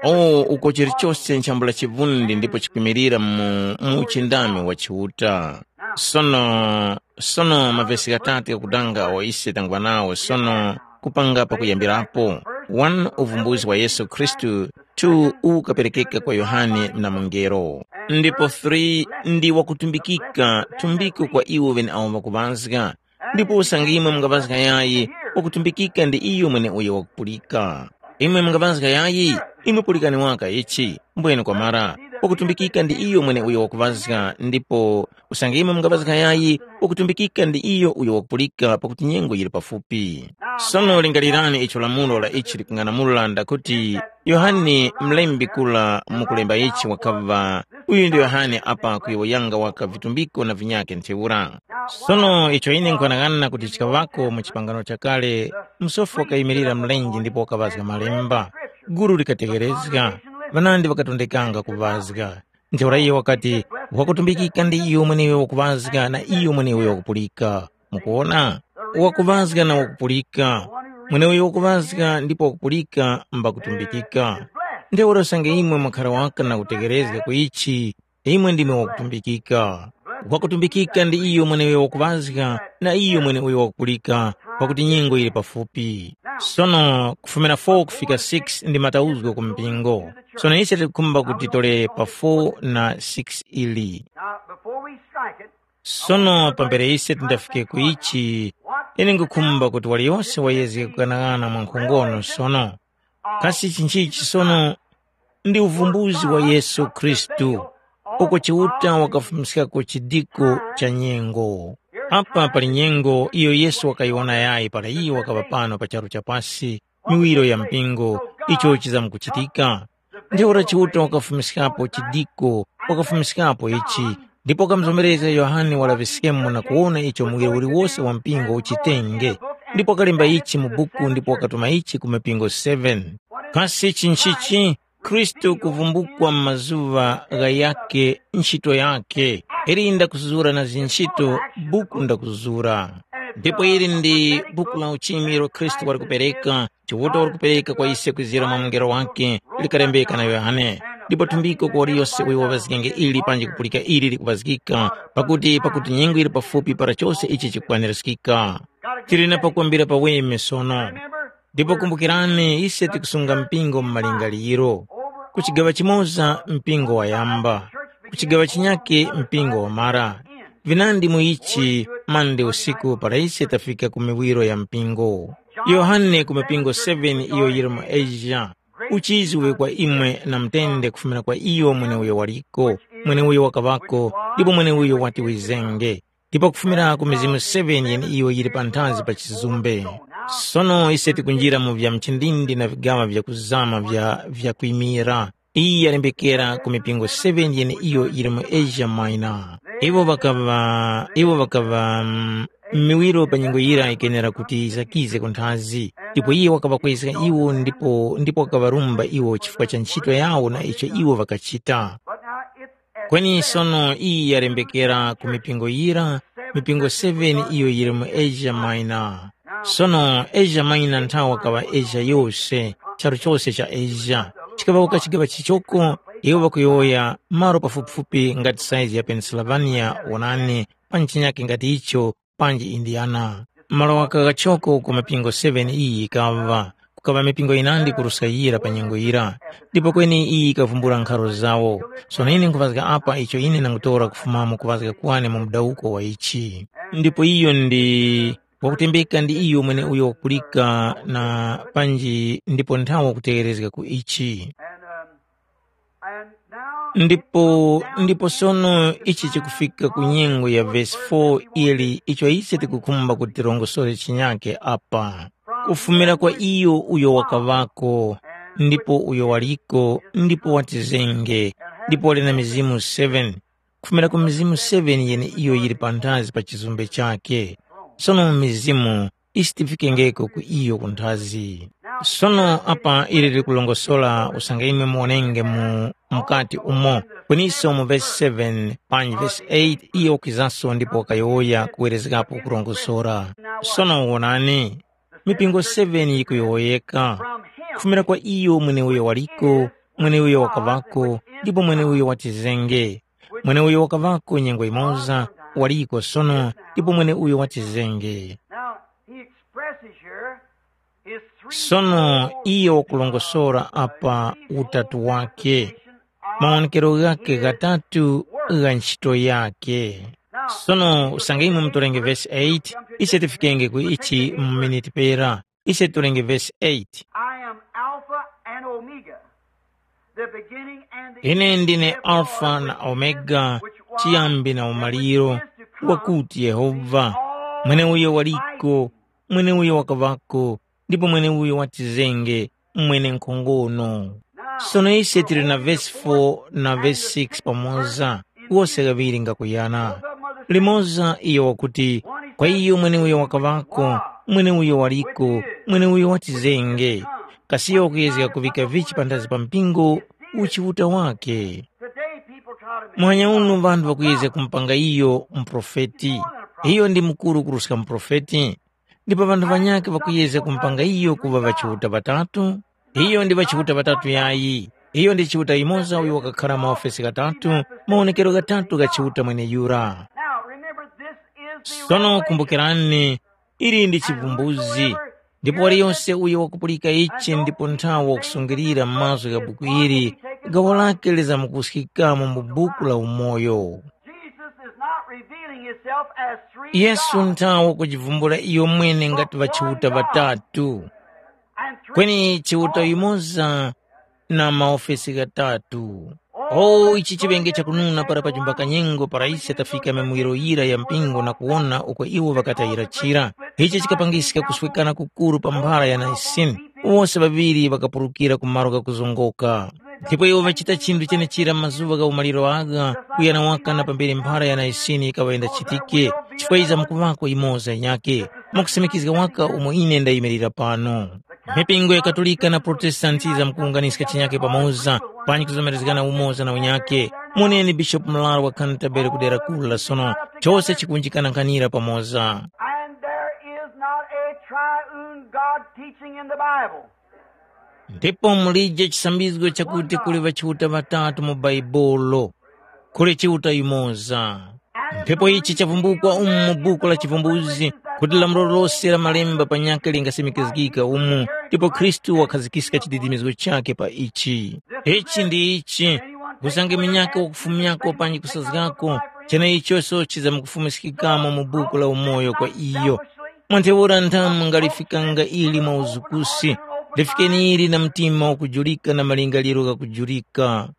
O, uko chilichose nchambula chivundi ndipo chikwimirira mu, mu uchindami wa Chiuta. Sono, sono mavesi ghatatu ghakudanga awo ise tangwa nawo sono kupanga pakuyambirapo. one, uvumbuzi wa Yesu Khristu, two, ukaperekeka kwa Yohane na mungelo, ndipo three, ndi wakutumbikika tumbiko kwa iwo ŵeneawo ŵakuŵazga. Ndipo usange imwe mungaŵazga yayi, wakutumbikika ndi iyo mweneuyo wakupulika. Imwe mungaŵazga yayi, imwe pulikani waka ichi, mbwene kwamara, wakutumbikika ndi iyo mweneuyo wakuŵazga, ndipo usange imwe mungaŵazga yayi, wakutumbikika ndi iyo uyo wakupulika, pakuti nyengo yili pafupi. Sono lingalirani icho lamulo la ichi likung'anamula ndakuti, Yohane mlembi kula mukulemba ichi wakaŵa, uyu ndi Yohane apa kuyowoyanga waka vitumbiko na vinyakhe ntheura. Sono icho ine nkwanang'ana kuti chikaŵako mu chipangano chakale, msofi wakayimirira mlenje ndipo wakaŵazga malemba. Gulu likategherezga, ŵanandi ŵakatondekanga kuŵazga. Ntheura iyo wakati, wakutumbikika ndi iyo mweneuyo wakuŵazga na iyo mweneuyo wakupulika. Mukuwona? Wakuŵazga na wakupulika. Mweneuyo wakuŵazga ndipo wakupulika mbakutumbikika. Ntheura usange imwe mwakhara waka na kutegherezga ku ichi, imwe ndimwe wakutumbikika. Wakutumbikika ndi iyo mweneuyo wakuŵazga na iyo mweneuyo wakupulika, pakuti nyengo yili pafupi. Sono kufumira four kufika six ndi matauzgo ku mpingo. Sono ise tikukhumba kuti tole pa four na six ili. Now, before we strike it, sono pambere ise tindafike ku ichi, ine ngukhumba kuti waliyose wayezge kughanagana mwa nkhongono sono. Kasi chinchichi sono? Ndi uvumbuzi wa Yesu Khristu, uko Chiuta wakafumiskako chidiko cha nyengo. Apa pali nyengo iyo Yesu wakayiwona yayi para iyo wakaŵa pano pa charu cha pasi, miwiro ya mpingo, icho chizamkuchitika. Ntheura Chiuta wakafumiskapo chidiko, wakafumiskapo ichi, ndipo wakamuzomerezga Yohane walaŵiskemo na kuwona icho muwiro uliwose wa mpingo uchitenge, ndipo wakalemba ichi mu buku ndipo wakatuma ichi ku mipingo seven. Kasi ichi nchichi? Khristu kuvumbukwa mu mazuŵa ghayakhe, nchito yakhe. Ili ndakuzura na zinchito, buku ndakuzura. Ndipo ili ndi buku la uchimi ilo Khristu wali kupereka, Chiuta wali kupereka kwa ise kwizira mwa mungelo wakhe, likalembeka na Yohane. Ndipo thumbiko kwa waliyose uyo waŵazgenge ili panji kupulika ili likuŵazgika, pakuti pakuti nyengo yili pafupi para chose ichi chikukwanirizgika. Tili na pakwambira paweme sono. Ndipo kumbukirani, ise tikusunga mpingo mu malingaliro. Ku chigaŵa chimoza mpingo wayamba, ku chigaŵa chinyake mpingo wamara. Vinandi mu ichi mande usiku para ise tafika ku miwiro ya mpingo. Yohane ku mipingo seven iyo yili mu Asia. Uchizi uwe kwa imwe na mutende kufumira kwa iyo mweneuyo waliko, mweneuyo wakaŵako, ndipo mweneuyo wati wizenge. Ndipo kufumira ku mizimu seven yeneiyo yili panthazi pa chizumbe. Sono ise tikunjira mu vya mchindindi na vigaŵa vyakuzama vya vyakwimira. Iyi yalembekera ku mipingo seven yeneiyo yili mu Asia Minor. Iwo ŵakaŵa iwo ŵakaŵa mm, miwiro pa nyengo yira yikenera kuti yizakize ku nthazi. Ndipo iye wakaŵakwezga iwo ndipo ndipo wakaŵarumba iwo chifukwa cha ntchito yawo na icho iwo ŵakachita. Kweni sono iyi yalembekera ku mipingo yira, mipingo seven iyo yili mu Asia Minor. Sono Asia Minor nthawa kaŵa Asia yose, charu chose cha Asia. Chikaŵawuka chigaŵa chichoko, iwo ŵakuyowoya malo pafupifupi ngati saizi ya Pennsylvania, wonani, pa nchinyakke ngati icho, panji Indiana. Malo ghaka ghachoko ku mapingo seven iyi yikaŵa, kukaŵa mipingo yinandi kuruska yira pa nyengo yira, ndipo kweni iyi yikavumbula nkharo zawo. Sono ine nkhuvazga apa icho ine ndangutora kufumamo kuvazga kwane mu mudawuko wa ichi. Ndipo iyo ndi wakutembeka ndi iyo mweneuyo wakulika na panji ndipo nthawe wakutegherezga ku ichi. And, um, and now ndipo ndipo sono ichi chikufika ku nyengo ya vesi four ili icho ise tikukhumba kuti tirongosore chinyake apa. Kufumira kwa iyo uyo wakaŵako, ndipo uyo waliko, ndipo watizenge, ndipo wali na mizimu seven, kufumira ku mizimu seven yeneiyo yili panthazi pa chizumbe chakhe. Sono mu mizimu isi tifikengeko ku iyo kunthazi. Sono apa ili likulongosola usange imwe muwonenge mu mukati umo, kweniso mu vesi seven panji vesi eight iyo wakwizanso ndipo wakayowoya kuwerezgapo kurongosora. Sono wonani, mipingo seven yikuyowoyeka, kufumira kwa iyo mweneuyo waliko, mweneuyo wakaŵako, ndipo mweneuyo watizenge. Mweneuyo wakaŵako nyengo yimoza, waliko sono, ndipo mweneuyo watizenge. Now, he expresses here Sono iyo wakulongosora apa utatu wake, mawonekero ghakhe ghatatu gha ntchito yakhe. Sono usange imwe mutorenge vesi eight, ise tifikenge ku ichi mu miniti pera. Ise titorenge vesi eight. I am Alpha and Omega, the beginning and the Ine end, ndine therefore Alfa na Omega, chiyambi na umaliro, wakuti Yehova, mweneuyo waliko, mweneuyo wakavako, ndipo mweneuyo watizenge, mwenenkhongono. Sono ise tili na vesi four na vesi six pamoza, wose ghaŵiri ngakuyana. Limoza iyo wakuti, kwa iyo mweneuyo wakaŵako, mweneuyo waliko, mweneuyo watizenge. Kasi iyo wakuyezga kuvika vichi panthazi pa mpingo? Uchiuta wake. Muhanya uno ŵanthu ŵakuyezga kumupanga iyo muprofeti. Iyo ndi mukuru kuruska muprofeti. Ndipo ŵanthu ŵanyakhe ŵakuyezga kumupanga iyo kuŵa ŵachiuta ŵatatu. Iyo ndi ŵachiuta ŵatatu yayi. Iyo ndi Chiuta yumoza uyo wakakhara maofesi ghatatu, mawonekero ghatatu gha Chiuta mweneyura. Now remember, this is the Sono revelation. Kumbukirani, ili ndi chivumbuzi. Ndipo waliyonse uyo wakupulika ichi ndipo nthawe wakusungilira mazgu gha buku ili, gawo lake lizamkuskikamo mu buku la umoyo. Jesus is not revealing himself as three Yesu gods. Nthawe kujivumbula iyo mwene ngati ŵachiuta ŵatatu, And three kweni Chiuta yumoza na maofesi ghatatu. O ichi chiŵenge chakununa para pa chumba kanyengo para ise tafika mimuwiro yira ya mpingo na kuwona uko iwo ŵakatayira chira. Ichi chikapangiska kuswekana kukuru pa mphara ya Naisini. Wose ŵaŵiri ŵakapulukira ku malo ghakuzongoka. Ndipo iwo ŵachita chinthu chenechira mazuŵa gha umaliro agha, kuyana waka na pambere mphara ya Naisini yikaŵa yindachitike, chifukwa yizamkuŵako yimoza yinyakhe. Mwakusimikizga waka umo ine ndayimirira pano. Mipingo ya Katolika na Protestanti yizamkuwunganiska chinyakhe pamoza, panji kuzomerezgana umoza na unyakhe. Moneni Bishopu Mularu wa Canterbury ku dera kula sono, chose chikunjikana nkhanira pamoza. And there is not a triune God teaching in the Bible. Ndipo mulije chisambizgo chakuti kuli ŵachiuta ŵatatu mu Baibulo, kuli Chiuta yumoza. Ndipo ichi chavumbukwa umu mu buku la Chivumbuzi, kuti lamulo lose la malemba panyakhe lingasimikizgika umu, ndipo Khristu wakhazikiska chididimizgo chakhe pa ichi. Ichi ndi ichi, usange munyakhe wakufumyako panji kusazgako, cheneichoso chizamukufumiskikamo mu buku la umoyo kwa iyo. Mwa ntheura nthamu ngalifikanga ili mwa uzukusi, lifikeni ili na mtima wakujulika na malingaliro ghakujulika.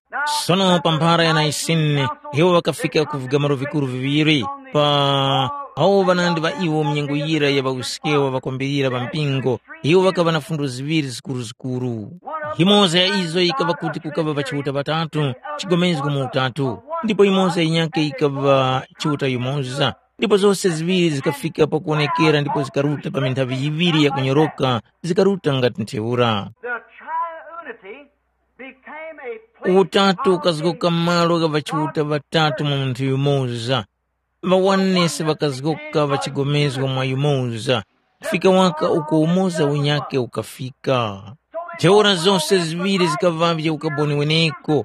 Sono pa mphara ya Naisini, iwo ŵakafika ku vigamaro vikuru viŵiri, pa awo ŵanandi ŵa iwo mnyengo yira ya ŵawisikewa ŵakwambirira ŵa mpingo, iwo ŵakaŵa na fundo ziŵiri zikuruzikuru. Yimoza ya izo yikaŵa kuti kukaŵa ŵachiuta ŵatatu, chigomezgo mu utatu, ndipo yimoza yinyakhe yikaŵa Chiuta yumoza. Ndipo zose ziŵiri zikafika pakuwonekera ndipo zikaruta pa minthavi yiŵiri yakunyoroka, zikaruta ngati ntheura. The triunity became a place Utatu ukazgoka malo gha ŵachiuta ŵatatu mu munthu yumoza. Ŵawanesi ŵakazgoka ŵachigomezgo mwa yumoza, kufika waka uko umoza unyakhe ukafika. Ntheura zose ziŵiri zikaŵavye ukaboni weneko.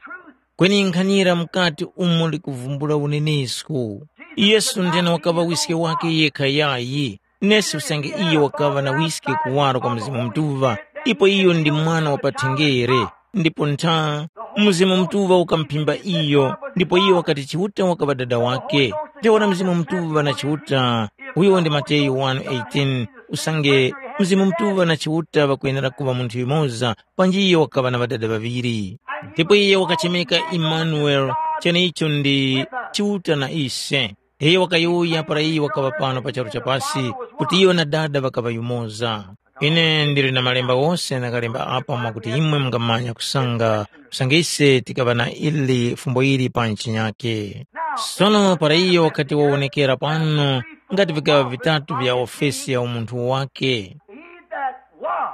Kweni nkhanira mukati umo likuvumbula unenesko. Yesu ndene wakaŵa wiske wake yekha yayi, nesi usange iyo wakaŵa na wiske kuwaro kwa Mzimu Mutuŵa, ipo iyo ndi mwana wa pathenjere, ndipo ntha Mzimu Mutuŵa ukamphimba iyo, ndipo iyo wakati Chiuta wakaŵa dada wake. Ntheura Mzimu Mutuŵa na Chiuta, uyo ndi Mateyu one eighteen, usange Mzimu Mutuŵa na Chiuta ŵakwenera kuŵa munthu yumoza, panji iyo wakaŵa na ŵadada ŵaŵiri. Ndipo iye wakachemeka Imanuele, cheneicho ndi Chiuta na ise. Iyo wakayuya para iyo wakaŵa pano pa charu cha pasi, kuti iyo na Dada ŵakaŵa yumoza. Ine ndili na malemba wose ndakalemba apa mwakuti imwe mungamanya kusanga, kusanga ise tikaŵa na ili fumbo ili pa nchinyake. Sono para iyo wakati wawonekera pano, ngati vikaŵa vitatu vya ofesi ya umunthu wake. He that was,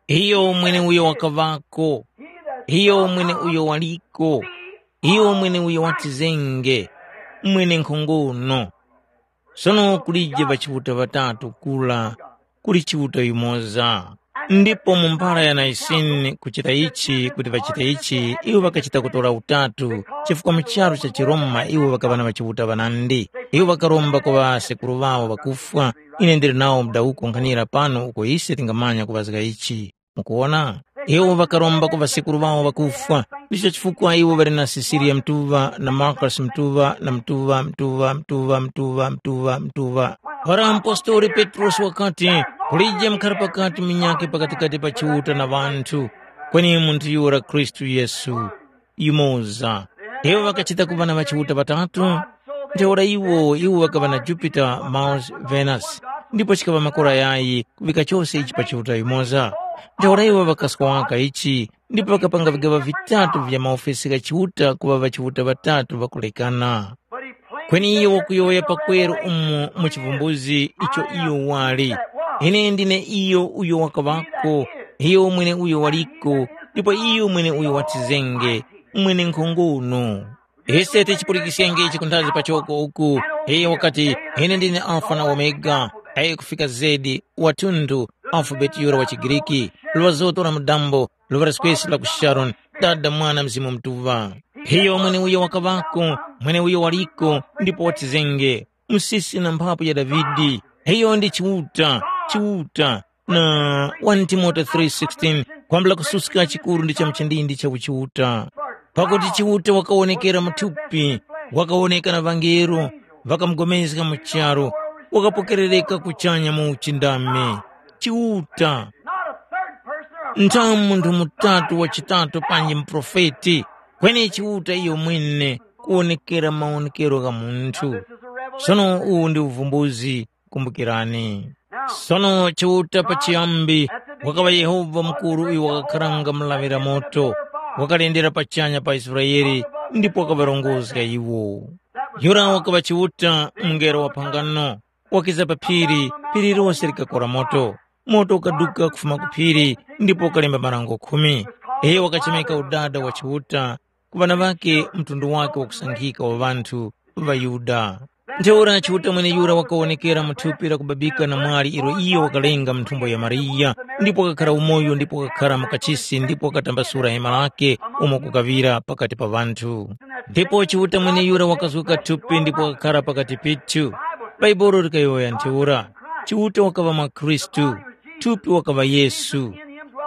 Iyo mwene uyo wakaŵako, iyo mwene uyo waliko, iyo mwene uyo watizenge, mwene nkhongono. Sono kulije ŵachiuta ŵatatu kura, kuli Chiuta yumoza. Ndipo mu mphara ya Naisini kuchita ichi kuti ŵachite ichi, iwo ŵakachita kutora utatu, chifukwa mu charu cha chiRoma iwo ŵakaŵa na ŵachiuta ŵanandi. Iwo ŵakaromba kwa ŵasekuru ŵawo ŵakufwa, Ine ndili nawo mudawuko nkhanira pano uko ise tingamanya kuŵazga ichi. Mukuwona? Iwo ŵakaromba ku ŵasekuru ŵawo ŵakufwa. Ndicho chifukwa iwo ŵali na Sisiliya Mtuŵa na Markosi Mtuŵa na Mtuŵa, Mtuŵa, Mtuŵa, Mtuŵa, Mtuŵa, Mtuŵa. Para mupostori Petrosi wakati, kulije mukhara pakati munyakhe pakatikati pa Chiuta na ŵanthu, kweni munthu yura Khristu Yesu. Yumoza. Iwo ŵakachita kuŵa na ŵachiuta ŵatatu. Ntheura iwo iwo ŵakaŵa na Jupiter, Mars, Venus, ndipo chikaŵa makora yayi kuŵika chose ichi pa Chiuta yumoza. Ntheura iwo ŵakaswaka ichi ndipo ŵakapanga vigaŵa vitatu vya maofesi gha Chiuta kuŵa ŵachiuta ŵatatu ŵakulekana. Kweni iyo wakuyowoya pakweru umo mu chivumbuzi icho iyo wali. Ine ndine iyo uyo wakaŵako, iyo mwene uyo waliko, ndipo iyo mwene uyo watizenge, mwene nkhongono. Ise tichipulikiskenge ichi kunthazi pachoko uku, iyo wakati, ine ndine Alfa na Omega, ayi kufika zedi, wathunthu, alfabeti yura wa chiGriki, lwazoto la mudambo, luŵa la swesi la ku Sharoni, Dada, Mwana, Mzimu Mutuŵa. Iyo mweneuyo wakaŵako, mweneuyo waliko, ndipo watizenge, msisi na mphapu ya Davide. Iyo ndi Chiuta, Chiuta, na one Timote three sixteen, kwambula kususka chikuru ndi cha mchindindi cha uchiuta. Pakuti Chiuta wakawonekera mu thupi, wakawoneka na ŵangelo, ŵakamugomezga mu charu, wakapokerereka kuchanya mu uchindami. Chiuta, nthamu munthu mutatu wachitatu panji muprofeti, kweni Chiuta iyo mwene kuwonekera mawonekero gha munthu. Sono uwu ndi uvumbuzi, kumbukirani. Sono Chiuta pachiyambi wakaŵa Yehova mukuru uyo wakakharanga mulaŵira moto, wakalendera pachanya pa Israele ndipo wakaŵarongozga iwo. Yura wakaŵa Chiuta mungelo wa phangano, wakiza pa phiri, phiri lose likakora moto. Moto ukaduka kufuma ku phiri ndipo ukalemba marango khumi. Iyo wakachemeka udada wa Chiuta ku ŵana ŵakhe mtundu wakhe wakusankhika wa ŵanthu ŵaYuda. Ntheura Chiuta mweneyura wakawonekera mu thupi lakubabika na mwali ilo iyo wakalenga mu nthumbo ya Mariya, ndipo wakakhara umoyo ndipo wakakhara mu kachisi ndipo wakatambasula hema lakhe umo kukaŵira pakati pa ŵanthu. Ndipo Chiuta mweneyura wakazuka thupi ndipo wakakhara pakati pithu. Bhaibuli likayowoya ntheura, Chiuta wakaŵa mwa Khristu, thupi wakaŵa Yesu.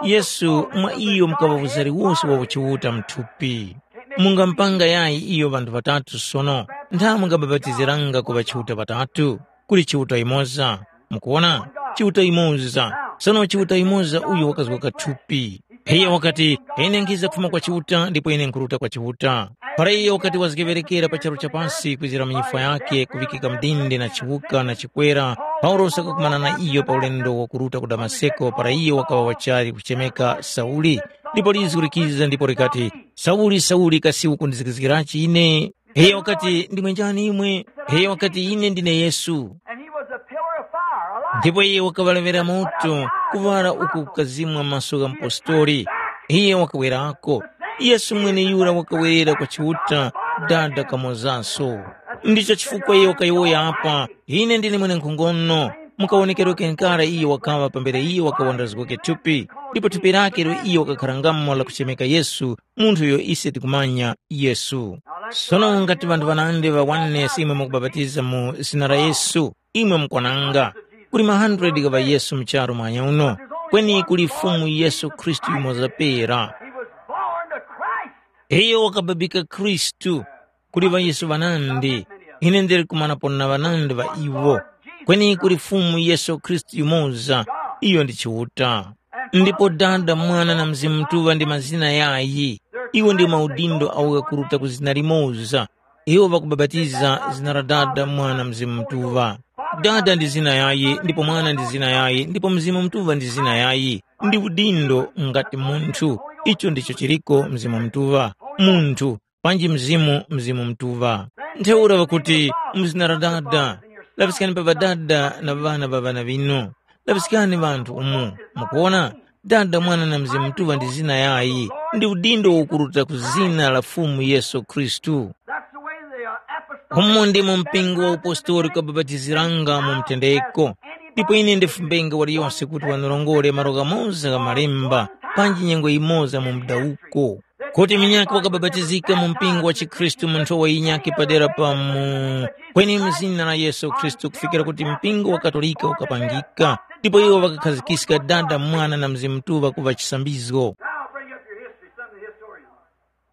Yesu mwa iyo mukaŵa uzari wose wa uchiuta mu thupi. Mungamupanga yayi iyo ŵanthu ŵatatu sono? Ntha mungabapatiziranga ku ŵachiuta ŵatatu? Kuli Chiuta yumoza. Mukuwona? Chiuta yumoza. Sono Chiuta yumoza uyo wakazgoka thupi. Iyo wakati, ine nkhiza kufuma kwa Chiuta ndipo ine nkhuruta kwa Chiuta. Para iyo wakati wazgeŵerekera pa charu cha pasi kwizira mu nyifwa yakhe kuŵikika mdindi na chiwuka na chikwera, Paulosi wakakumana na iyo pa ulendo wakuruta ku Damaseko para iyo wakaŵa wachali kuchemeka Sauli. Ndipo lizgu likiza ndipo likati, Sauli, Sauli, kasi ukundizgizgirachi ine? Iyo wakati, ndimwe njani imwe? Iyo wakati, ine ndine Yesu. And he was a pillar of fire, alive. Ndipo iye wakaŵalevera moto, kuŵala uku kukazimwa maso gha mupostori. Iye wakawerako. Yesu mweneyura wakawerera kwa Chiuta, Dada kamozaso. Ndicho chifukwa iye wakayowoya apa, ine ndine mwenenkhongono. Mukawonekero kenkara iye wakaŵa pambere iye wakawandazgoke thupi, ndipo thupi lake ilo iye wakakharangamo lakuchemeka Yesu, munthu uyo ise tikumanya Yesu. Sono ngati ŵanthu ŵanandi ŵa oneness imwe mukubapatiza mu zina la Yesu, imwe mukwananga. Kuli ma hundred gha ŵaYesu mu charu mwanya uno, kweni kuli Fumu Yesu Khristu yumoza pera. He was born to Christ. Iyo wakababika Khristu. Kuli ŵaYesu ŵanandi, ine ndili kumanapo na ŵanandi ŵa iwo, kweni kuli Fumu Yesu Khristu yumoza, iyo ndi Chiuta. Ndipo Dada, Mwana na Mzimu Mutuŵa ndi mazina yayi. Iwo ndi maudindo awo ghakuruta ku zina limoza. Iwo ŵakubapatiza zina la Dada, Mwana, Mzimu Mutuŵa. Dada ndi zina yayi, ndipo Mwana ndi zina yayi, ndipo Mzimu Mutuŵa ndi zina yayi. Ndi udindo ngati munthu. Icho ndicho chiriko Mzimu Mutuŵa. Munthu, panji Mzimu, Mzimu Mutuŵa. Ntheura ŵakuti, mu zina la Dada, laŵiskani pa ŵadada na ŵana ŵa ŵana ŵinu. Laŵiskani ŵanthu umu. Mukuwona? Dada, Mwana na Mzimu Mutuŵa ndi zina yayi, ndi udindo ukuruta ku zina la Fumu Yesu Khristu. That's the way the uh, apostolic Umo ndimo mpingo wa upostoli ukabapatiziranga mu mtendeko. Ndipo ine ndifumbenga waliyonse kuti wanurongore malo ghamoza gha malemba, panji nyengo yimoza mu mdawuko. Kuti munyakhe wakabapatizika mu mpingo wa chikhristu mu nthowa yinyakhe padera pa mu kweni mu zina la Yesu Khristu kufikira kuti mpingo wa Katolika ukapangika, ndipo iwo ŵakakhazikiska Dada, Mwana na Mzimu Mutuŵa kuŵa chisambizgo. Now bring up your history, some of the historians.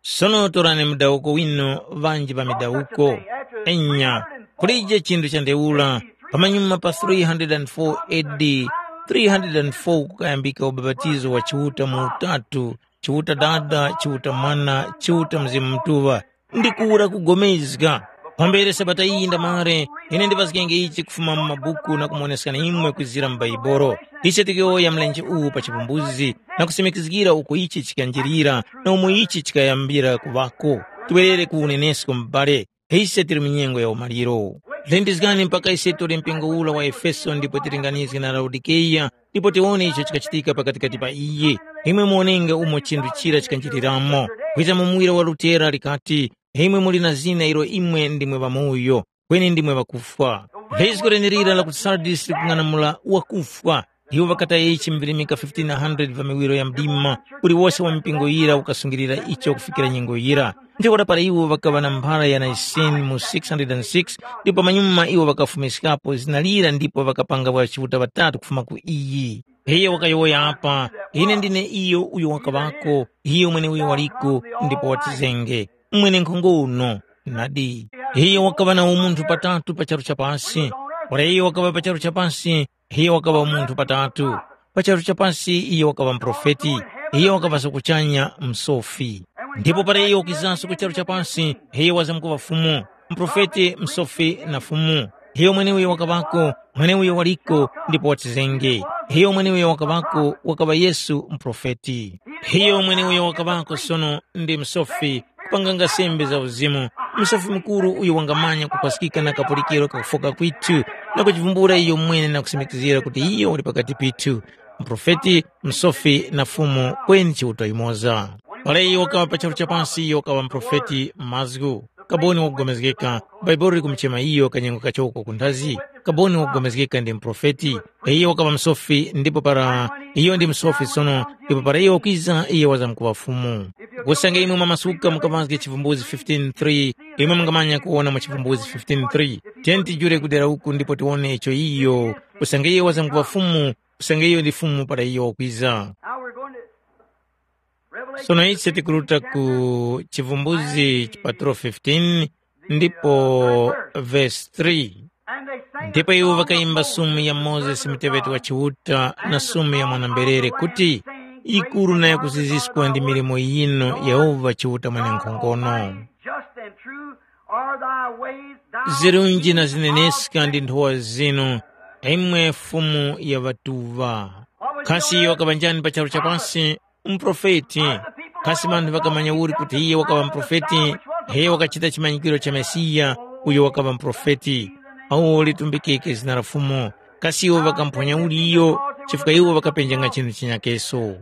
Sono torani mudawuko winu ŵanji ŵa midawuko. Enya, kulije chinthu cha ntheura, pamanyuma pa three hundred and four A D, three hundred and four kukayambika ubapatizo wa Chiuta mu utatu, Chiuta Dada, Chiuta Mwana, Chiuta Mzimu Mutuŵa, ndi kuwura kugomezga. Pambere Sabata iyi ndamare, ine ndipazgenge ichi kufuma mu mabuku na kumoneskani imwe kwizira mu Bhaibuli. Ise tikuyowoya mlenje uwu pa chipumbuzi na kusimikizgira uko ichi chikanjirira na umo ichi chikayambira kuŵako. Tibwerere ku unenesko mubale, ise tili mu nyengo ya umaliro. Lindizgani mpaka ise tole mpingo ura wa Efeso ndipo tilinganizge na Laodikeya, ndipo tiwone icho chikachitika pakatikati pa iye. Imwe muwonenge umo chinthu chira chikanjiriramo. Kwiza mu muwira wa Lutera likati, imwe muli na zina ilo imwe ndimwe ŵamoyo, kweni ndimwe ŵakufwa. Lizgo lenelira la ku Sardis likung'anamula wakufwa. Iwo ŵakataya ichi mu virimika fifteen hundred va miwiro ya mdima, uliwose wa mipingo yira ukasungilira icho kufikira nyengo yira. Ntheura para iwo ŵakaŵa na mphara ya Nicene mu six hundred six, ndipo pamanyuma iwo ŵakafumiskapo zina lira ndipo ŵakapanga ŵachiuta ŵatatu kufuma ku iyi. Iyo wakayowoya apa, ine ndine iyo uyo wakaŵako, iyo mweneuyo waliko, ndipo watizenge. Mwenenkhongo uno, nadi. Iyo wakaŵa na umunthu patatu pa charu cha pasi. Para iyo wakaŵa pa charu cha pasi, iyo wakaŵa umunthu patatu. Pa charu cha pasi iyo wakaŵa muprofeti, iyo wakaŵaso kuchanya msofi. Ndipo para iyo wakizanso ku charu cha pasi, iyo wazamkuŵa Fumu, muprofeti, msofi na Fumu. Iyo mweneuyo wakaŵako, mweneuyo waliko, ndipo watizenge. Iyo mweneuyo wakaŵako wakaŵa Yesu muprofeti. Iyo mweneuyo wakaŵako sono ndi msofi, kupanganga sembe za uzimu, msofi mukuru uyo wangamanya kupaskika na kapulikiro kakufoka kwithu, na kuchivumbula iyo mwene na kusimikizira kuti iyo wali pakati pithu, muprofeti, msofi na Fumu kweni Chiuta yumoza. Para iyo wakaŵa pa charu cha pasi iyo wakaŵa muprofeti mazgu, kaboni wakugomezgeka, Bhaibuli likumuchema iyo kanyengo kachoko kunthazi, kaboni wakugomezgeka ndi muprofeti. Iyo wakaŵa msofi ndipo para iyo ndi msofi sono, ndipo para iyo wakwiza iyo wazamkuŵa Fumu. Usange imwe mwamasuka mukaŵazge chivumbuzi fifteen three, imwe mungamanya kuwona mu chivumbuzi fifteen three. Tiyeni tijule kudera uku ndipo tiwone icho iyo, usange iyo wazamkuŵa Fumu, usange iyo ndi Fumu para iyo wakwiza. Now we're going to Revelation Sono ise tikuruta ku chivumbuzi chipaturo fifteen ndipo verse three. And they sang Ndipo a iwo song of vakayimba Moses, sumu ya the Mozesi servant of muteweti wa God, Chiuta na sumu ya mwana-mberere kuti, "Yikuru na yakuziziskwa ndi milimo yinu Yehova Chiuta Mwenenkhongono." Just and true are thy ways, thou Zirunji na King of zineneska ndi kings. Nthowa zinu, imwe Fumu ya ŵatuŵa. Kasi iyo wakaŵa njani pa charu cha pasi? Muprofeti. Kasi vanthu ŵakamanya uli kuti iye wakaŵa muprofeti? Iye wakachita chimanyikiro cha Mesiya, uyo wakaŵa muprofeti. Awo litumbikike zina la Fumu. Kasi iwo ŵakamphonya uli iyo, chifukwa iwo ŵakapenjanga chinthu chinyakeso.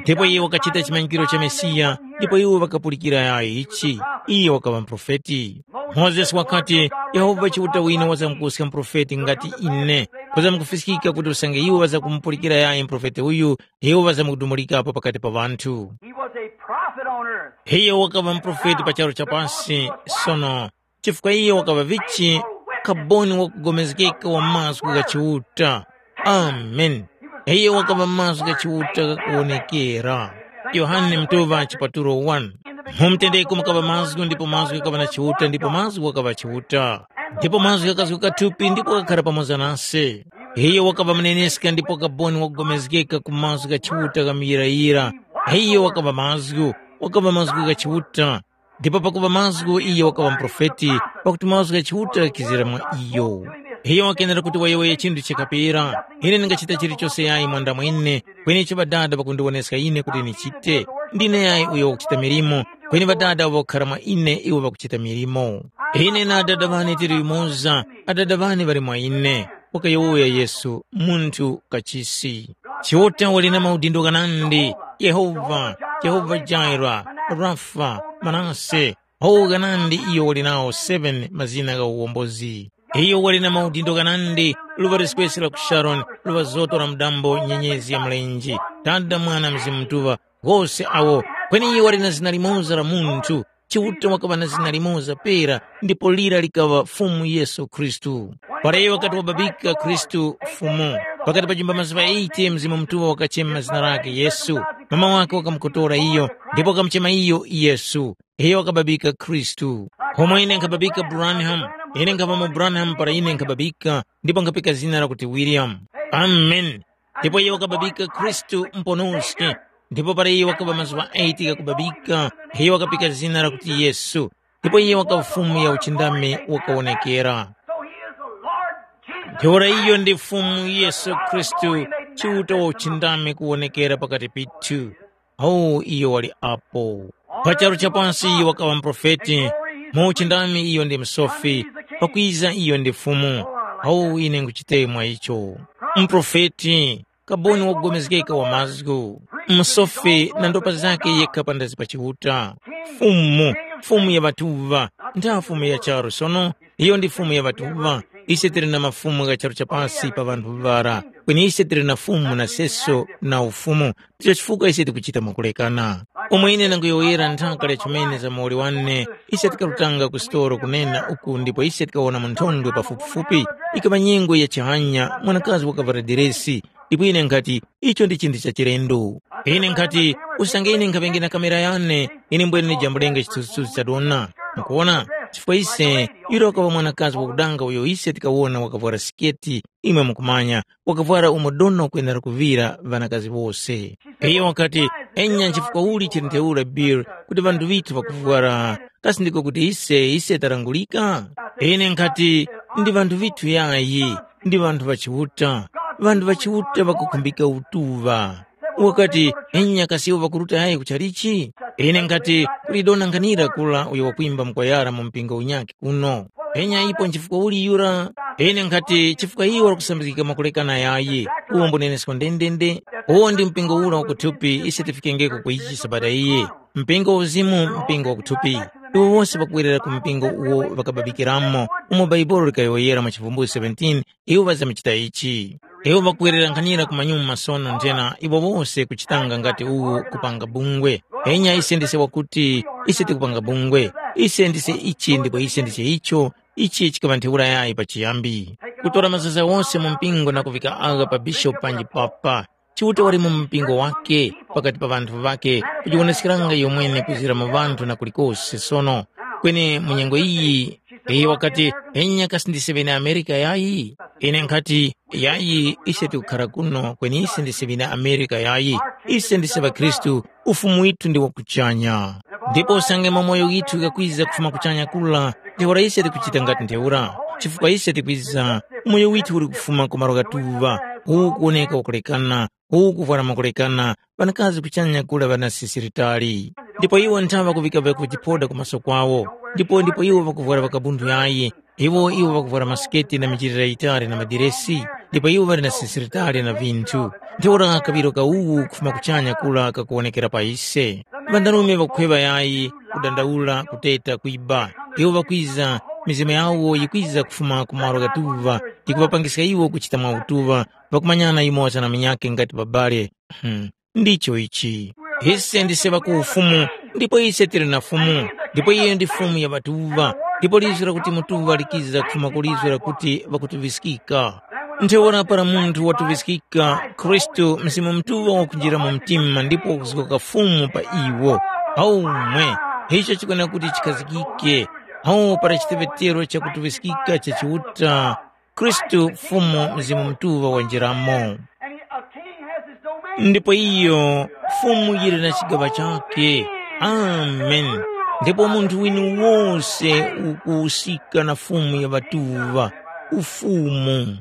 Ndipo iye wakachita chimanyikiro cha Mesiya, ndipo iwo ŵakapulikira yayo ichi. Iye wakaŵa muprofeti. Mozesi wakati, Yehova Chiuta wine wazamkuska muprofeti ngati ine, kuzamkufiskika kuti usange iwo ŵazakumupulikira yayi muprofeti uyu, iwo ŵazamkudumulikapo pakati pa ŵanthu. He was a prophet on earth. Iye wakaŵa muprofeti pa charu cha pasi, sono, chifukwa iye wakaŵa vichi kaboni wakugomezgeka wa mazgu gha Chiuta. Amen. Iye wakaŵa mazgu gha Chiuta ghakuwonekera. Yohane Mutuŵa chipatulo one. Mu mtendeko mukaŵa mazgu ndipo mazgu ghakaŵa na Chiuta ndipo mazgu ghakaŵa Chiuta. Ndipo mazgu ghakazguka thupi ndipo ghakakhara pamoza nase. Iye wakaŵa muneneska ndipo kaboni wakugomezgeka ku mazgu gha Chiuta gha muyirayira. Iye wakaŵa mazgu, wakaŵa mazgu gha Chiuta. Ndipo pakuŵa mazgu iye wakaŵa muprofeti, pakuti mazgu gha Chiuta ghakizira mwa iyo. Iyo wakenera kuti wayowoye chinthu chikapera, ine ndingachita chilichose yayi mwanda mwene, kweni icho Ŵadada ŵakundiwoneska ine kuti ndichite. Ndine yayi uyo wakuchita milimo, kweni Ŵadada awo ŵakukhara mwa ine iwo ŵakuchita milimo. Ine na Adada ŵane tili yumoza, Adada ŵane ŵali mwa ine, wakayowoya Yesu, munthu kachisi. Chiuta wali na maudindo ghanandi, Yehova, Yehova Jaira, Rafa, Manase, awo ghanandi iyo wali nawo seven mazina gha uwombozi. Iyo wali na maudindo ghanandi, luŵa liskwesi la ku Sharoni, luŵa zoto la mudambo, nyenyezi ya mlenje, Dada, Mwana, Mzimu Mutuŵa, ghose awo Kweni iyo wali na zina limoza la munthu, Chiuta wakaŵa na zina limoza pera, ndipo lira likaŵa Fumu Yesu Khristu. Para iyo wakati wababika Khristu Fumu, pakati pa jumba mazuŵa eighty Mzimu Mutuŵa wakachema zina lakhe Yesu. Mama wakhe wakamukotora iyo, ndipo wakamuchema iyo Yesu. Iyo wakababika Khristu. Homwe ine nkhababika Branham, ine nkhaŵamo Branham para ine nkhababika, ndipo nkhapika zina lakuti William. Amen. Ndipo iyo wakababika Khristu mponoske. Ndipo para iyo wakaŵa mazuŵa eighty ghakubabika, iyo wakapika zina lakuti Yesu. Ndipo iyo wakaŵa Fumu ya uchindami wakawonekera. So he is the Lord Jesus. Ntheura iyo ndi Fumu Yesu Khristu, Chiuta wa uchindami kuwonekera pakati pithu. Awu iyo wali apo. Pa charu cha pansi iyo wakaŵa muprofeti, mu uchindami iyo ndi msofi, pakwiza iyo ndi Fumu. Awu ine nkuchite mwa icho. Muprofeti, kaboni wakugomezgeka wa mazgu, msofi na ndopa zakhe yekha pandazi pa Chiuta. Fumu, Fumu ya ŵatuŵa, ntha Fumu ya charu sono, iyo ndi Fumu ya ŵatuŵa. Ise tili na mafumu gha charu cha pasi pa ŵanthu ŵara, kweni ise tili na Fumu na seso na Ufumu. Ndicho chifukwa ise tikuchita mwakulekana. Umo ine ndanguyowoyera nthaka lya chimene za muwoli wane, ise tikarutanga ku sitolo kunena uku ndipo ise tikawona munthondwe pafupifupi. Ikaŵa nyengo ya chihanya, mwanakazi wakavwara diresi, ndipo ine nkhati, icho ndi chinthu cha chilendo. Ine nkhati, usange ine nkhaŵenge na kamera yane, ine mbwene ndijambulenge chithunzithunzi cha dona. Mukuwona? Chifukwa ise, yura wakaŵa mwanakazi wakudanga uyo ise tikawona wakavwara siketi, imwe mukumanya, wakavwara umo dona ukwenera kuŵira ŵanakazi wose. Iyo wakati, enya nchifukwa uli chili ntheura Bill kuti ŵanthu ŵithu ŵakuvwara, kasi ndiko kuti ise, ise tarangulika? Ine nkhati, ndi ŵanthu ŵithu yayi, ndi ŵanthu ŵa Chiuta. Ŵanthu ŵa Chiuta ŵakukhumbika utuŵa. Wakati, enya kasi iwo ŵakuruta yayi kuchalichi? Ine nkhati, kuli dona nkhanira kula uyo wakwimba mkwayara mu mpingo unyakhe kuno. Enya ipo nchifukwa uli yura? Ine nkhati, chifukwa iwo ŵakusambizgika mwakulekana yayi. Uwo mbunenesko ndendende. Uwo ndi mpingo ura wakuthupi ise tifikengeko ku ichi sabata iyi. Mpingo wa uzimu, mpingo wakuthupi. Iwo wose ŵakwerera ku mpingo uwo ŵakababikiramo, umo Bhaibuli likayowoyera mu Chivumbulutso seventeen, iwo ŵazamkuchita ichi. Iwo ŵakwererankhanira ku manyuma sono nthena iwo wose kuchitanga ngati uwu kupanga bungwe. Enya ise ndise wakuti, ise tikupanga bungwe, ise ndise ichi ndipo ise ndise icho, ichi chikaŵa ntheura yayi pachiyambi. Kutora mazaza wose mu mpingo na kuvika agha pa bishopu panji papa. Chiuta wali mu mpingo wake pakati pa ŵanthu ŵake kujiwoneskeranga iyo mwene kuzira mu ŵanthu na kulikose sono. Kweni mu nyengo iyi, iyo wakati, enya kasi ndise ŵene Amerika yayi? Ine nkhati, yayi, ise tikukhara kuno kweni ise ndise ŵene Amerika yayi. Ise ndise ŵakhristu, ufumu withu ndi wa kuchanya. Ndipo usange mamoyo ghithu ghakwiza kufuma kuchanya kula, ntheura ise tikuchita ngati ntheura, chifukwa ise tikwiza, umoyo withu uli kufuma ku malo ghatuŵa, uwu kuwoneka wakulekana, uwu kuvwara mwakulekana, ŵanakazi kuchanya kula ŵana sisiritali. Ndipo iwo nthaŵa kuŵika vyakujiphoda ku maso kwawo, ndipo ndipo iwo ŵakuvwara ŵakabundu yayi, iwo iwo ŵakuvwara masiketi na michilira yitali na madiresi, ndipo iwo ŵali na sisiritali na vinthu. Ntheura kaŵiro ka uwu kufuma kuchanya kula kakuwonekera pa ise. Ŵandarume ŵakukhweŵa yayi, kudandaula, kuteta, kwiba. Iwo ŵakwiza, mizimu yawo yikwiza kufuma ku malo ghatuŵa, yikuŵapangiska iwo kuchita mwa utuŵa, ŵakumanyana yumoza na munyakhe ngati babale. Hmm. Ndicho ichi. Ise ndise ŵa ku ufumu, ndipo ise tili na Fumu, ndipo iyo ndi Fumu ya ŵatuŵa, ndipo lizgu lakuti mutuŵa likiza kufuma ku lizgu lakuti ŵakutuŵiskika. Ntheura para munthu watuŵiskika, Khristu Mzimu Mutuŵa wakunjira mu mtima ndipo wakuzgoka Fumu pa iwo. Aumwe, icho chikwenera kuti chikhazikike. Awo para chiteŵetero cha kutuŵiskika cha Chiuta, Khristu Fumu Mzimu Mutuŵa wanjiramo. And he, a king has his domain. Ndipo iyo Fumu yili na chigaŵa chakhe. Amen. Ndipo munthu wini wose ukuwuskika na Fumu ya ŵatuŵa, ufumu.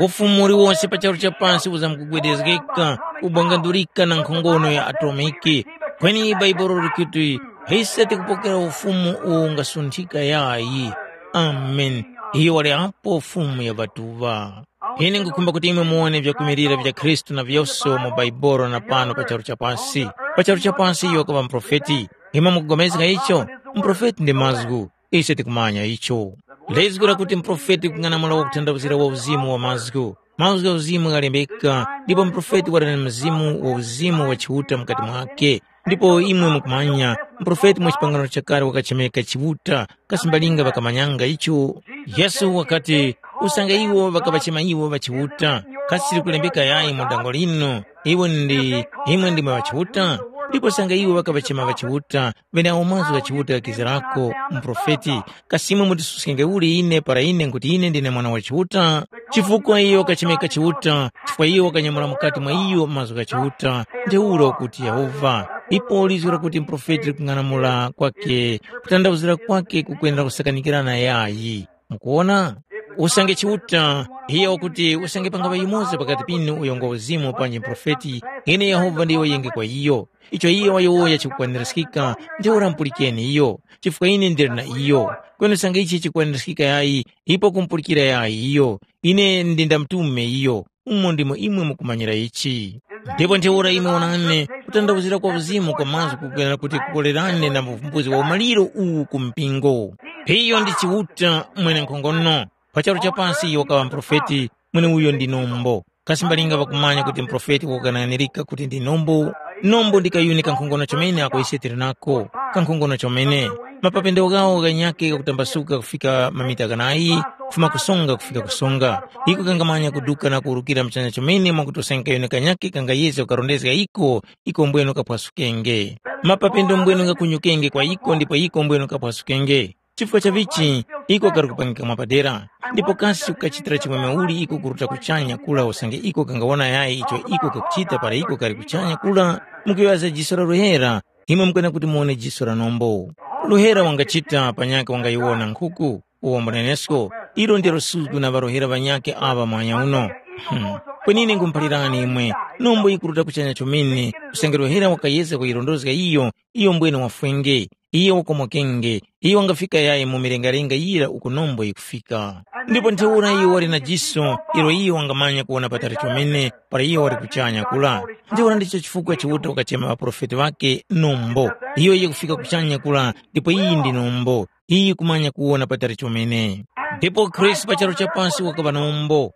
Ufumu uliwonse pa charu cha pansi uzamkugwedezgeka, kubwangandulika na nkhongono ya atomiki. Kweni Bhaibuli likuti, ise tikupokera ufumu uwo ungasunthika yayi. Amen. Iyo wali apo Fumu ya ŵatuŵa. Ine nkhukhumba kuti imwe muwone vyakwimilira vya Khristu na vyose mu Bhaibuli na pano pa charu cha pasi. Pa charu cha pasi iyo wakaŵa muprofeti. Imwe mukupulikana icho? Muprofeti ndi mazgu. Ise tikumanya icho. Lizgu lakuti muprofeti kung'anamula wakutanthauzira wa uzimu wa mazgu. Mazgu gha uzimu ghalembeka, ndipo muprofeti wali na mzimu wa uzimu wa Chiuta mukati mwakhe. Ndipo imwe mukumanya, muprofeti mwa chipangano chakale wakachemeka Chiuta, kasi mbalinga ŵakamanyanga icho? Yesu wakati, usange iwo ŵakaŵachema iwo ŵachiuta, kasi likulembeka yayi mu dango linu, iwe ndi imwe ndimwe ŵachiuta? Ndipo usange iwo ŵakaŵachema ŵachiuta, ŵeneawo mazgu gha Chiuta ghakizirako, muprofeti, kasi imwe mutisuskenge uli ine para ine nkuti ine ndine mwana wa Chiuta? Chifukwa iyo wakachemeka Chiuta, chifukwa iyo wakanyamula mukati mwa iyo mazgu gha Chiuta, ntheura ukuti Yehova. Ipo lizgu lakuti muprofeti likung'anamula kwake, kutandawuzira kwake kukwendera kusakanikirana yayi. Mukuwona? Usange Chiuta, iyo wakuti usange pangaŵa yumoza pakati pinu uyo ngwa uzimu panji muprofeti, ine Yehova ndiyo yenge kwa iyo. Icho iyo wayowoya chikukwaniraskika, ntheura mupulikeni iyo, chifukwa ine ndili na iyo. Kweni usange ichi chikukwaniraskika yayi, ipo kumupulikira yayi iyo. Ine ndindamtume iyo, umo ndimo imwe mukumanyira ichi. Ndipo ntheura imwe wonani, kutandawuzira kwa uzimu kwa mazgu kukwera kuti kukolerane na uvumbuzi wa umaliro uwu ku mpingo. Iyo ndi Chiuta mwenenkhongono. Pa charu cha pasi iyo wakaŵa muprofeti, mweneuyo ndi nombo. Kasi mbalinga ŵakumanya kuti muprofeti wakukananirika kuti ndi nombo? Nombo ndi kayuni kankhongono chomene ako ise tili nako, kankhongono chomene. Mapapendo ghawo ghanyakhe ghakutambasuka kufika mamita ghanayi, kufuma kusonga kufika kusonga. Iko kangamanya kuduka na kuwurukira mchanya chomene mwakuti usange kayuni kanyakhe kangayezga kukarondezga iko, iko mbwenu kaphwasukenge. Mapapendo mbwenu ghakunyukenge kwa iko ndipo iko mbwenu kaphwasukenge. Chifukwa cha vichi, iko kali kupangika mwapadera, ndipo kasi kukachitira chimwemwe uli iko kuruta kuchanya kula usange iko kangawona yayi icho iko kakuchita para iko kali kuchanya kula? Mukuyowoya za jiso la luhera, imwe mukwena kuti muwone jiso la nombo. Luhera wangachita panyakhe wangayiwona nkhuku, uwo mbunenesko, ilo ndilo suzgu na ŵaluhera ŵanyakhe aŵa mwanya uno. Hmm. Kwenine nkhumuphalirani imwe, nombo yikuruta kuchanya chomene, usange luhera wakayezga kuyirondozga iyo, iyo mbwene wafwenge. Iyo wakomokenge, iyo wangafika yayi mu milengalenga yira uko nombo yikufika. Ndipo ntheura iyo wali na jiso ilo iyo wangamanya kuwona patali chomene para iyo wali kuchanya kula. Ntheura ndicho chifukwa Chiuta wakachema ŵaprofeti ŵakhe nombo. Iyo yikufika kuchanya kula ndipo iyi ndi nombo. Iyi yikumanya kuwona patali chomene. Ndipo Khristu pa charu cha pasi wakaŵa nombo.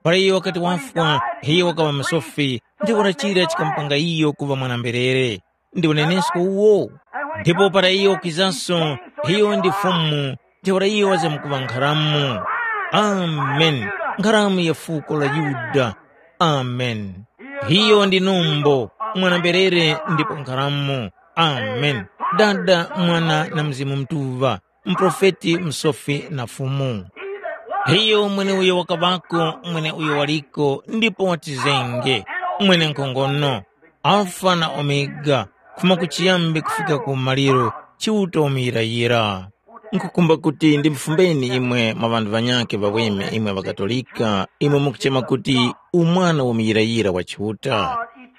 Para iyo wakati wafwa, iyo wakaŵa msofi, ntheura chira chikamupanga iyo kuŵa mwana-mberere. Ndi unenesko uwo. Ndipo para iyo wakizanso, iyo ndi Fumu, ntheura iyo wazamkuŵa nkharamu. Amen. Nkharamu ya fuko la Yuda. Amen. Iyo ndi nombo, mwana-mberere ndipo nkharamu. Amen. Dada, Mwana na Mzimu Mutuŵa, muprofeti, msofi na Fumu. Iyo mweneuyo wakaŵako, mweneuyo waliko, ndipo watizenge, mwenenkhongono, Alfa na Omega, kufuma kuchiyambi kufika ku maliro, Chiuta wamuyirayira. Nkhukhumba kuti ndimufumbeni imwe mwa ŵanthu ŵanyakhe ŵaweme imwe ŵaKatolika, imwe mukuchema kuti umwana wamuyirayira wa Chiuta.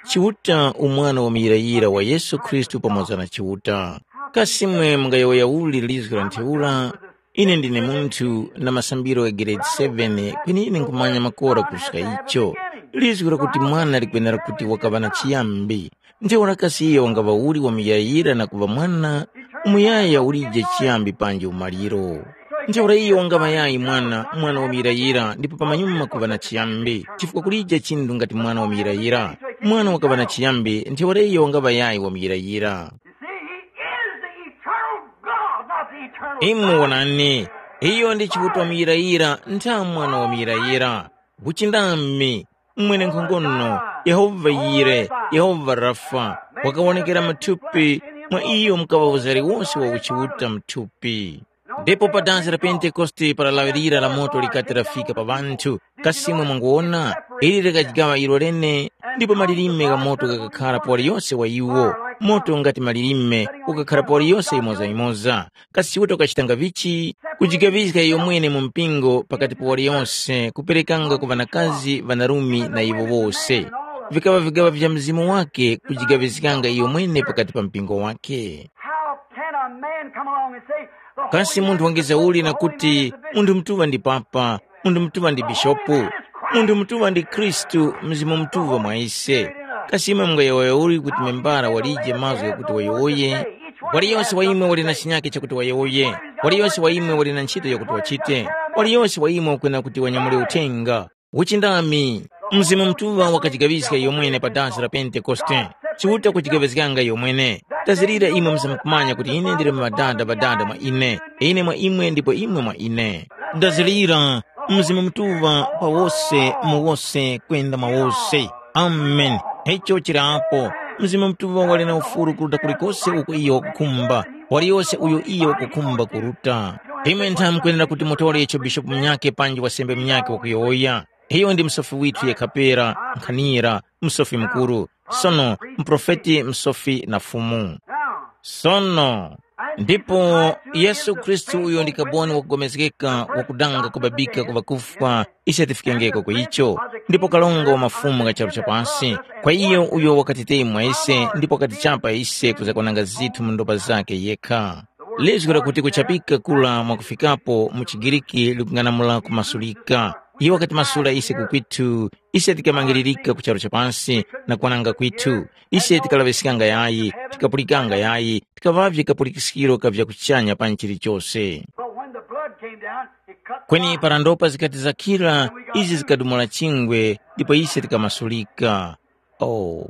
Chiuta umwana wamuyirayira wa Yesu Khristu pamoza na Chiuta. Kasi imwe mungayowoya uli lizgu la ntheura? Ine ndine munthu na masambiro gha grade seven, kweni ine nkhumanya makora kuruska icho. Lizgu lakuti mwana likwenera kuti wakaŵa na chiyambi. Ntheura kasi iyo wangaŵa uli wamuyayira na kuŵa mwana, umuyaya ulije chiyambi panji umaliro. Ntheura iyo wangaŵa yayi mwana, mwana wamuyirayira ndipo pamanyuma kuŵa na chiyambi, chifukwa kulije chinthu ngati mwana wamuyirayira. Mwana wakaŵa na chiyambi, ntheura iyo wangaŵa yayi wamuyirayira. You see, he is the eternal God, not the eternal Imwe Son. Wonani, iyo ndi Chiuta wamuyirayira, ntha mwana wamuyirayira. Uchindami, mwene nkhongono, Yehova Yire, Yehova Rafa, wakawonekera muthupi, mwa iyo mukaŵa uzari wose wa uchiuta muthupi. Ndipo pa dansi la Pentekoste para lawi lira la moto likati lafika pa ŵanthu, kasi imwe mwanguwona, ili likajigaŵa ilo lene, ndipo malilime gha moto ghakakhara pa waliyose wa iwo, moto ngati malilime ukakhara pa waliyose yimoza-yimoza. Kasi Chiuta wakachitanga vichi? Kujigaŵiska iyomwene mu mpingo pakati pa waliyose, kuperekanga ku ŵanakazi, ŵanarumi na iwo wose. Vikaŵa vigaŵa vya Mzimu wakhe kujigaŵiskanga iyomwene pakati pa mpingo wakhe. How can a man come along and say, "The Kasi Holy munthu Spirit wangiza is uli the na Holy kuti, Man is the Bishop"? Munthu mutuŵa ndi papa, munthu mutuŵa ndi bishopu, munthu mutuŵa ndi Khristu, Mzimu Mutuŵa mwa ise. Kasi imwe mungayowoya uli kuti membara walije mazgu ghakuti wayowoye? Waliyose wa imwe wali na chinyakhe chakuti wayowoye. Waliyose wa imwe wali na ntchito yakuti wachite. Waliyose wa imwe wakwena kuti wanyamule uthenga. Uchindami, Mzimu Mutuŵa wakajigaŵiska iyomwene pa dansi la Pentekoste. Chiuta kujigaŵizganga iyo mwene. Ndazirira imwe muzamkumanya kuti ine ndili madanda madanda mwa ine, ine mwa imwe ndipo imwe mwa ine. Ndazirira, Mzimu Mutuŵa pa wose, mu wose, kwenda mwa wose. Amen. Icho chili apo. Mzimu Mutuŵa wali na ufuru kuruta kulikose uko iyo wakukhumba, waliyose uyo iyo wakukhumba kuruta. Imwe ntha mukwenera kuti mutore icho bishopu munyakhe panji wasembe munyakhe wakuyowoya. Iyo ndi musofi withu yekha pera, nkhanira, musofi mukuru, sono muprofeti, musofi na Fumu. Sono, ndipo Yesu Khristu uyo ndi kaboni wakupulikana wakudanga kubabika ku ŵakufwa, ise tifikengeko ku icho, ndipo kalonga wa mafumu gha charu cha pasi, kwa iyo uyo wakatitemwa ise ndipo wakatichapa ise kuzakwananga zithu mu ndopa zakhe yekha. Lizgu lakuti kuchapika kula mwakufikapo mu chiGiriki likung'anamula kumasulika. Iyo wakatimasula ise ku kwithu, ise tikamangiririka ku charu cha pasi na kwananga kwithu. Ise tikalaŵiskanga yayi, tikapulikanga yayi, tikaŵavye kapulikiskiro ka vyakuchanya pa nchilichose. But when the blood came down, it cut Kweni para ndopa zikati zakhira, izi zikadumula chingwe, ndipo ise tikamasulika. Oh,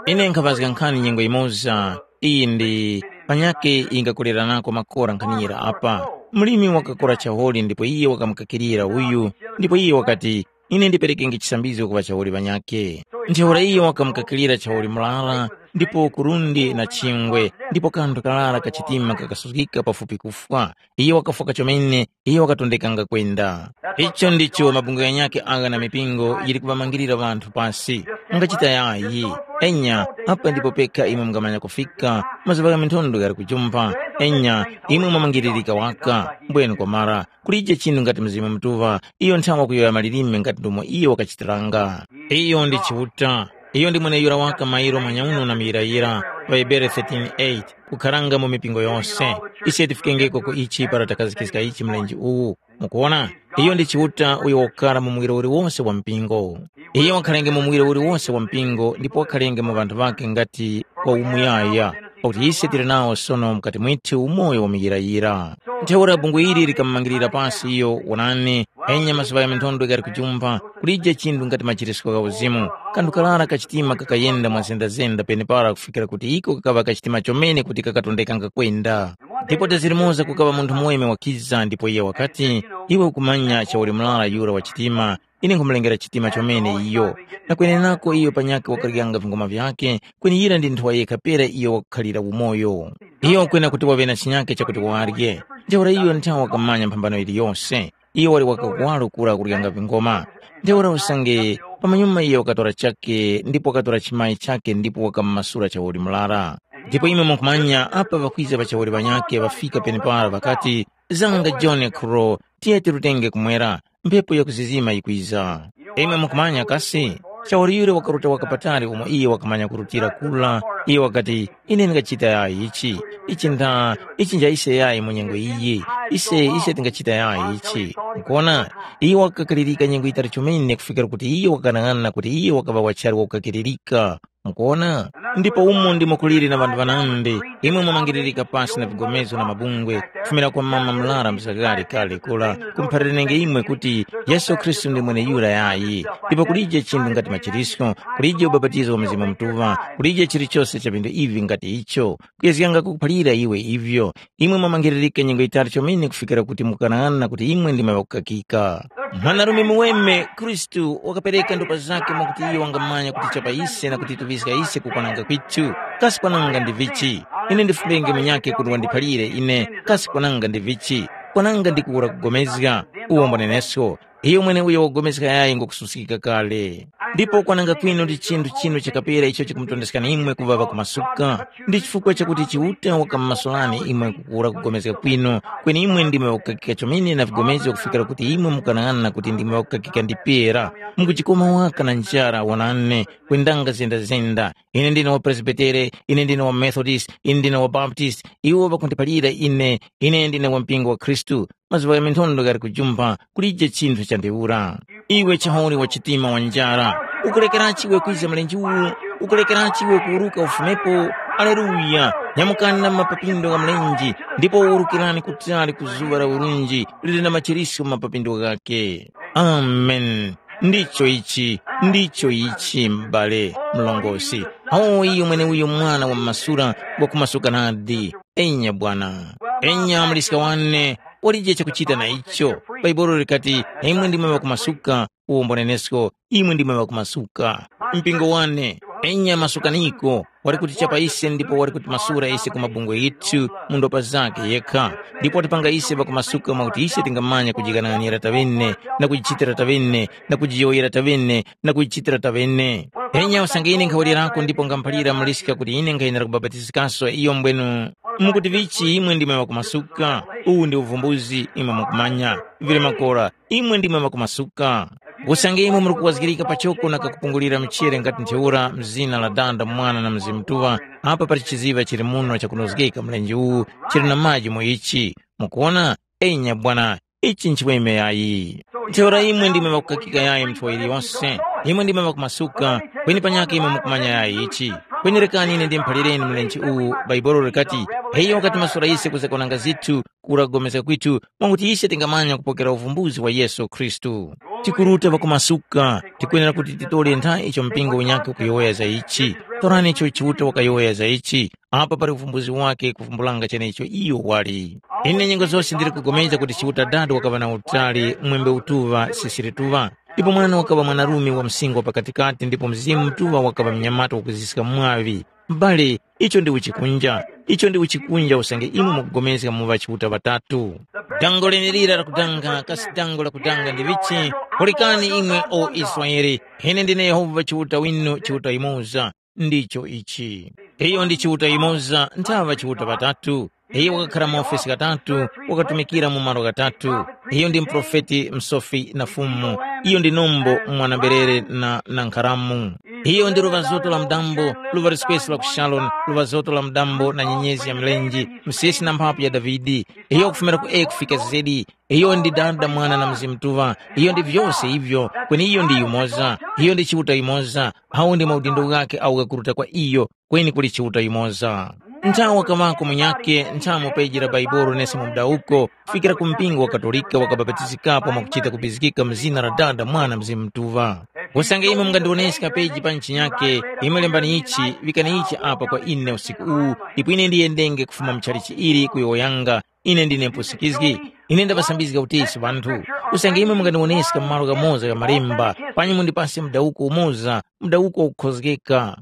ine nkhaŵazga nkhani nyengo yimoza, iyi ndi panyakhe ingakuleranako makora nkhanira apa. Mlimi wakakora chaholi ndipo iye wakamukakirira uyu, ndipo iye wakati, ine ndiperekenge chisambizgo ku ŵachaholi ŵanyakhe. Ntheura iye wakamukakirira chaholi murara, ndipo kurundi na chingwe, ndipo kanthu karara kachitima kakasuzgika pafupi kufwa. Iye wakafwa kachomene, iye wakatondekanga kwenda. Icho ndicho mabungwe ghanyakhe agha na mipingo yili kumamangirira ŵanthu pasi. Mungachita yayi. Enya, apa ndipo pekha imwe mungamanya kufika, mazuŵa gha minthondo ghali kujumpha. Enya, imwe mwamangiririka waka, mbwenu kwamara. Kulije chinthu ngati Mzimu Mutuŵa, iyo nthawa kuyowoya malilime ngati ndomwe iyo wakachitiranga. Iyo ndi Chiuta. Iyo ndi mweneyura waka mairo manyauno na muyirayira, pa Hebere thirteen eight, kukharanga mu mipingo yose. Ise tifikengeko ku ichi para takhazikiska ichi mlenje uwu. Mukuwona? Iyo ndi Chiuta uyo wakukhala mu muwiro uliwose wa mpingo. Iyo wakhalenge mu muwiro uliwose wa mpingo ndipo wakhalenge mu ŵanthu ŵakhe ngati wa umuyaya, pakuti ise tili nawo sono mukati mwithu umoyo wa muyirayira. Ntheura bungwe ili likamumangirira pasi iyo, wonani, enya mazuŵa gha minthondo ghali kujumpha, kulije chinthu ngati machirisko gha uzimu. Kanthu karara kachitima kakayenda mwa zendazenda penepara kufikira kuti iko kakaŵa kachitima chomene kuti kakatondekanga kwenda. Ndipo tezirimoza kukaŵa munthu muweme wakiza ndipo iye wakati, iwe ukumanya chawulimulala yura wa chitima, ine nkhumulengera chitima chomene iyo. Na kwenenako iyo panyakhe wakaryanga vingoma vyakhe, kweni yira ndi nthowa yekha pera iyo wakukhalira umoyo. Iyo kwena kuti waŵe na chinyakhe chakuti warye. Ntheura iyo nthawe wakamanya mphambano yiliyose. Iyo wali wakakuwaro kura kuryanga vingoma. Ntheura usange pamanyuma iyo wakatora chakhe ndipo wakatora chimayi chakhe ndipo wakamumasura chawoli murara. Ndipo imwe mukumanya apa ŵakwiza ŵachawoli ŵanyakhe ŵafika penepara ŵakati, zanga John Crow, tiye tirutenge kumwera, mphepo yakuzizima yikwiza. Imwe mukumanya kasi? Chawoli yura wakaruta waka patali umo iye wakamanya kurutira kula. Iye wakati, ine ndingachita yayi ichi. Ichi nda, ichi nja ise yayi mu nyengo iyi. Ise, ise tingachita yayi ichi. Mukuona? Iye wakakalirika nyengo yitali chomene kufikira kuti iye wakanang'ana kuti iye wakaŵa wachali wakukakiririka. Mukuona? Ndipo umo ndimo kuliri na ŵanthu ŵanandi, imwe mwamangiririka pasi na vigomezo na mabungwe, kufumira kwa mama mlara msakali kale kula, kumpharanenge imwe kuti Yesu Khristu ndi mweneyura yayi. Ndipo kulije chinthu ngati machirisko, kulije ubapatizo wa Mzimu Mutuŵa, kulije chilichose cha vindu ivi ngati icho. Kuyezganga kukuphalira iwe ivyo, imwe mwamangiririka nyengo yitali chomene kufikira kuti mukanang'ana kuti imwe ndimwe ŵakukakika. Mwanarume muweme Khristu wakapereka ndopa zakhe mwakuti iyo wangamanya kuti chapa ise na kutituŵiska ise kukwananga kwithu. Kasi kwananga ndi vichi? Ine ndifumenge munyakhe kuti wandiphalire ine, kasi kwananga ndi vichi? Kwananga ndi kuwura kugomezga, uwo mbonenesko. Iyo mweneuyo wagomeska yayi ngukususkika kale. Ndipo kwananga kwinu ndi chinthu chinu chakapera icho chikumutondeskani imwe kuŵaŵa kumasuka. Ndi chifukwa chakuti Chiuta wakamumasulani imwe kukura kugomezga kwinu, kweni imwe ndimwe ŵakukakika chomene na vigomezo kufikira kuti imwe mukanang'ana kuti ndimwe ŵakukakika ndi pera. Mukujikoma waka na njara wonani, kwendanga zendazenda. Ine ndine wa Presbitere, ine ndine wa Methodist, ine ndine wa Baptist, iwo ŵakundiphalira ine, ine ndine wa mpingo wa Khristu. Mazuŵa gha minthondo ghali kujumpha, kulije chinthu chandiwura. Iwe chaholi wa chitima wa njara, ukulekerachi iwe kwiza mlenje uwu? Ukulekerachi iwe kuwuruka ufumepo? Aleluya! Nyamukani na mapapindo gha mlenje, ndipo wurukirani kutali ku zuŵa la urunji lili na machiriso mu mapapindo ghakhe. Amen. Ndicho ichi, ndicho ichi, m'bale mlongosi. Awo iyo mweneuyo mwana wa masura wakumasuka nadi. Enya bwana. Enya muliska wane, walije chakuchita na icho. Bhaibuli likati, imwe ndimwe ŵakumasuka, uwombo nenesko, imwe ndimwe ŵakumasuka. Mpingo wane, enya masukaniko, wali kutichapa ise ndipo wali kutimasula ise ku mabungwe ghithu mu ndopa zakhe yekha, ndipo watipanga ise ŵakumasuka mwakuti ise tingamanya kujikananira tavene na kujichitira tavene na kujiyowoyera tavene na kujichitira tavene. Enya usange ine nkhawirerako ndipo ngamuphalira muliska kuti ine nkhayenera kubapatizikanso iyo mbwenu, mukuti vichi imwe ndimwe ŵakumasuka? Uwu ndi uvumbuzi imwe mukumanya. Vili makora, imwe ndimwe ŵakumasuka. Usange imwe muri kuwazgirika pachoko na kakupungulira mchere ngati ntheura mzina la Dada, Mwana na Mzimu Mutuŵa, apa pali chiziŵa chili muno chakunozgeka mlenje uwu chili na maji mu ichi. Mukuwona? Enya bwana, ichi nchimweme yayi. Ntheura imwe ndimwe ŵakukakika yayi mnthowa yiliyonse, imwe ndimwe ŵakumasuka, kweni panyakhe imwe mukumanya yayi ichi. Kweni rekani ine ndimuphalireni mlenje uwu, Bhaibuli likati, iyo wakatimasula ise kuza kwananga zithu kura kupulikana kwithu mwakuti ise tingamanya kupokera uvumbuzi wa Yesu Khristu. Tikuruta pakumasuka, tikwenera kuti titore ntha icho mpingo unyakhe ukuyowoya za ichi. Torani icho Chiuta wakayowoya za ichi, apa pali uvumbuzi wake kuvumbulanga chenecho iyo wali. Ine nyengo zose ndili kugomeza kuti Chiuta Dada wakaŵa na utali mwembe utuŵa sisiri tuŵa. Ndipo mwana wakaŵa mwanarume wa msingwa pakatikati ndipo Mzimu Mutuŵa wakaŵa mnyamata wakuziska mwaŵi. M'bale, icho ndi uchikunja. Icho ndi uchikunja usange imwe mukupulikana mu ŵachiuta ŵatatu. Dango lenelira lakudanga, kasi dango lakudanga ndi vichi? Pulikani imwe o Israele, ine ndine Yehova Chiuta winu, Chiuta yimoza. Ndicho ichi. Iyo ndi Chiuta yimoza, nthaŵa Chiuta ŵatatu. Iyo wakakhara maofesi ghatatu, wakatumikira mu malo ghatatu. Iyo ndi muprofeti, msofi na fumu. Iyo ndi nombo, mwana-berere na, na nkharamu. Iyo ndi luŵa zoto la mudambo, luŵa liswesi la ku Sharoni, luŵa zoto la mudambo na nyenyezi ya mlenje, msesi na mphapu ya Davide. Iyo wakufumira ku e kufika zedi. Iyo ndi Dada, Mwana na Mzimu Mutuŵa. Iyo ndi vyose ivyo, kweni iyo ndi yumoza. Iyo ndi Chiuta yumoza. Awo ndi maudindo ghakhe agho ghakuruta kwa iyo, kweni kuli Chiuta yumoza. Nthawe wakaŵako munyakhe, nthamu peji la Baibolo nesi mu mudawuko, kufikira ku mpingo wa Katolika wakabapatizikapo mwakuchita kubizikika mu zina la Dada, Mwana, Mzimu Mutuŵa. Usange imwe mungandiwoneska peji pa nchinyakhe, imwe lembani ichi, vikani ichi apa kwa ine usiku uwu, ndipo ine ndiyendenge kufuma mu chalichi ili kuyowoyanga, ine ndine mpusikizgi. Ine ndaŵasambizga utesi ŵanthu. Usange imwe mungandiwoneska mu malo ghamoza gha Malemba, panyi mundipase mudawuko umoza, mudawuko wakukhozgeka.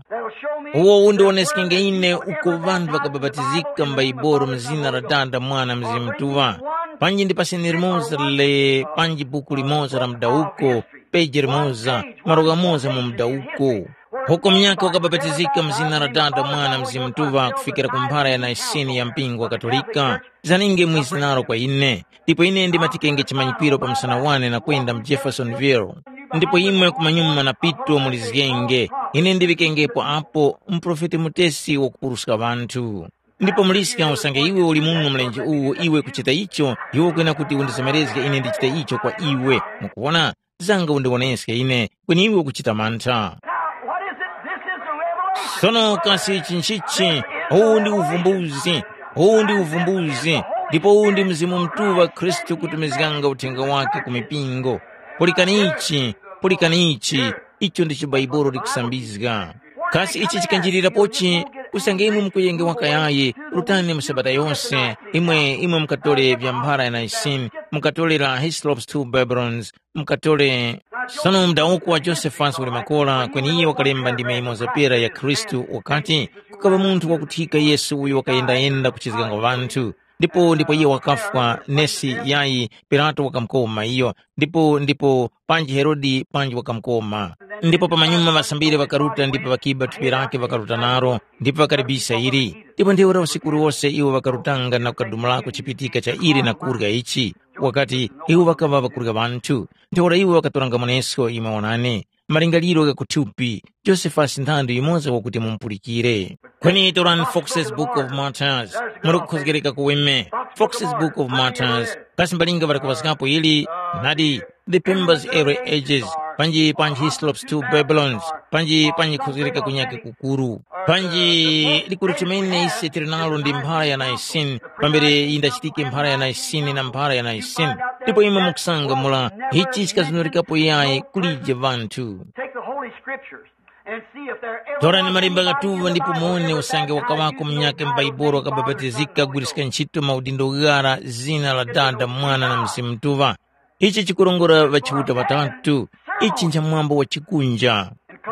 Uwo undiwoneskenge ine uko ŵanthu ŵakabapatizika m'Baibolo mu zina la Dada, Mwana, Mzimu Mutuŵa. Panji ndipaseni limoza le panji buku limoza la mudawuko, peji limoza, malo ghamoza mu mudawuko. Uko munyakhe wakabapatizika mu zina la Dada, Mwana, Mzimu Mutuŵa kufikira ku mphara ya Naisini ya mpingo wa Katolika. Zaninge mwizi nalo kwa ine, ndipo ine ndimatikenge chimanyikwiro pa msana wane na kwenda mu Jeffersonville. Ndipo imwe kumanyuma na pito mulizgenge, ine ndiŵikengepo apo muprofeti mutesi wakupuruska ŵanthu. Ndipo muliska usange iwe uli muno mlenje uwu iwe kuchita icho, iwe ukwena kuti undizemerezge ine ndichite icho kwa iwe. Mukuwona? Zanga undiwoneske ine, kweni iwe ukuchita mantha. Now, what is it? This is the revelation. Sono kasi ichi nchichi? Uwu ndi uvumbuzi. Uwu ndi uvumbuzi. Ndipo uwu ndi Mzimu Mutuŵa Khristu kutumizganga uthenga wake ku mipingo. Pulikani ichi, pulikani ichi. Icho ndicho Baibolo likusambizga. Kasi ichi chikanjirirapochi? Usange imwe mukuyengewa kayayi, rutani mu Sabata yose, imwe imwe mukatole vya mphara ya Naisini, mukatole la Hislop's Two Babylons, mukatole. Sono mdawuko wa Josephus uli makola, kweni iye wakalemba ndime imoza pera ya Khristu wakati, kukaŵa munthu wakuthika Yesu uyo wakayendayenda kuchizganga ŵanthu. Ndipo ndipo iye wakafwa, nesi yayi, Pilato wakamukoma iyo, ndipo ndipo panji Herode panji wakamukoma. Ndipo pamanyuma ŵasambiri ŵakaruta ndipo ŵakiba thupi lake ŵakaruta naro, ndipo ŵakalibisa ili. Ndipo ntheura usiku uliwose iwo ŵakarutanga na kukadumulako chipitika cha ili na kurya ichi. Wakati, iwo ŵakaŵa ŵakurya ŵanthu. Ntheura iwo ŵakatoranga mwaneso imwe wonani, malingaliro gha kuthupi, Josephus nthandu yimoza wakuti mumupulikire. Kweni torani Fox's Book of Martyrs, muli kukhozgereka kuweme. Fox's Book of Martyrs, kasi mbalinga ŵali kuŵazgapo ili? Nadi, the Pimbas Early Ages, panji panji Hislop's two Babylons, panji panji khuzgirika kunyake kukuru. Panji likuru chimene ise tili nalo ndi mphara ya Nicene, pambere yindachitike mphara ya Nicene na mphara ya Nicene. Ndipo imwe mukusanga mula, ichi chikazunurikapo yayi kulije vanthu. Take the Holy Scriptures and see if they're ever Torani malemba ghatuŵa ndipo muone usange wakawako munyake m'Baibolo wakabapatizika kugwiriska ntchito maudindo ghara zina la Dada, Mwana na Mzimu Mutuŵa. Ichi chikurongora ŵachiuta ŵatatu. Ichi ncha mwambo wa chikunja.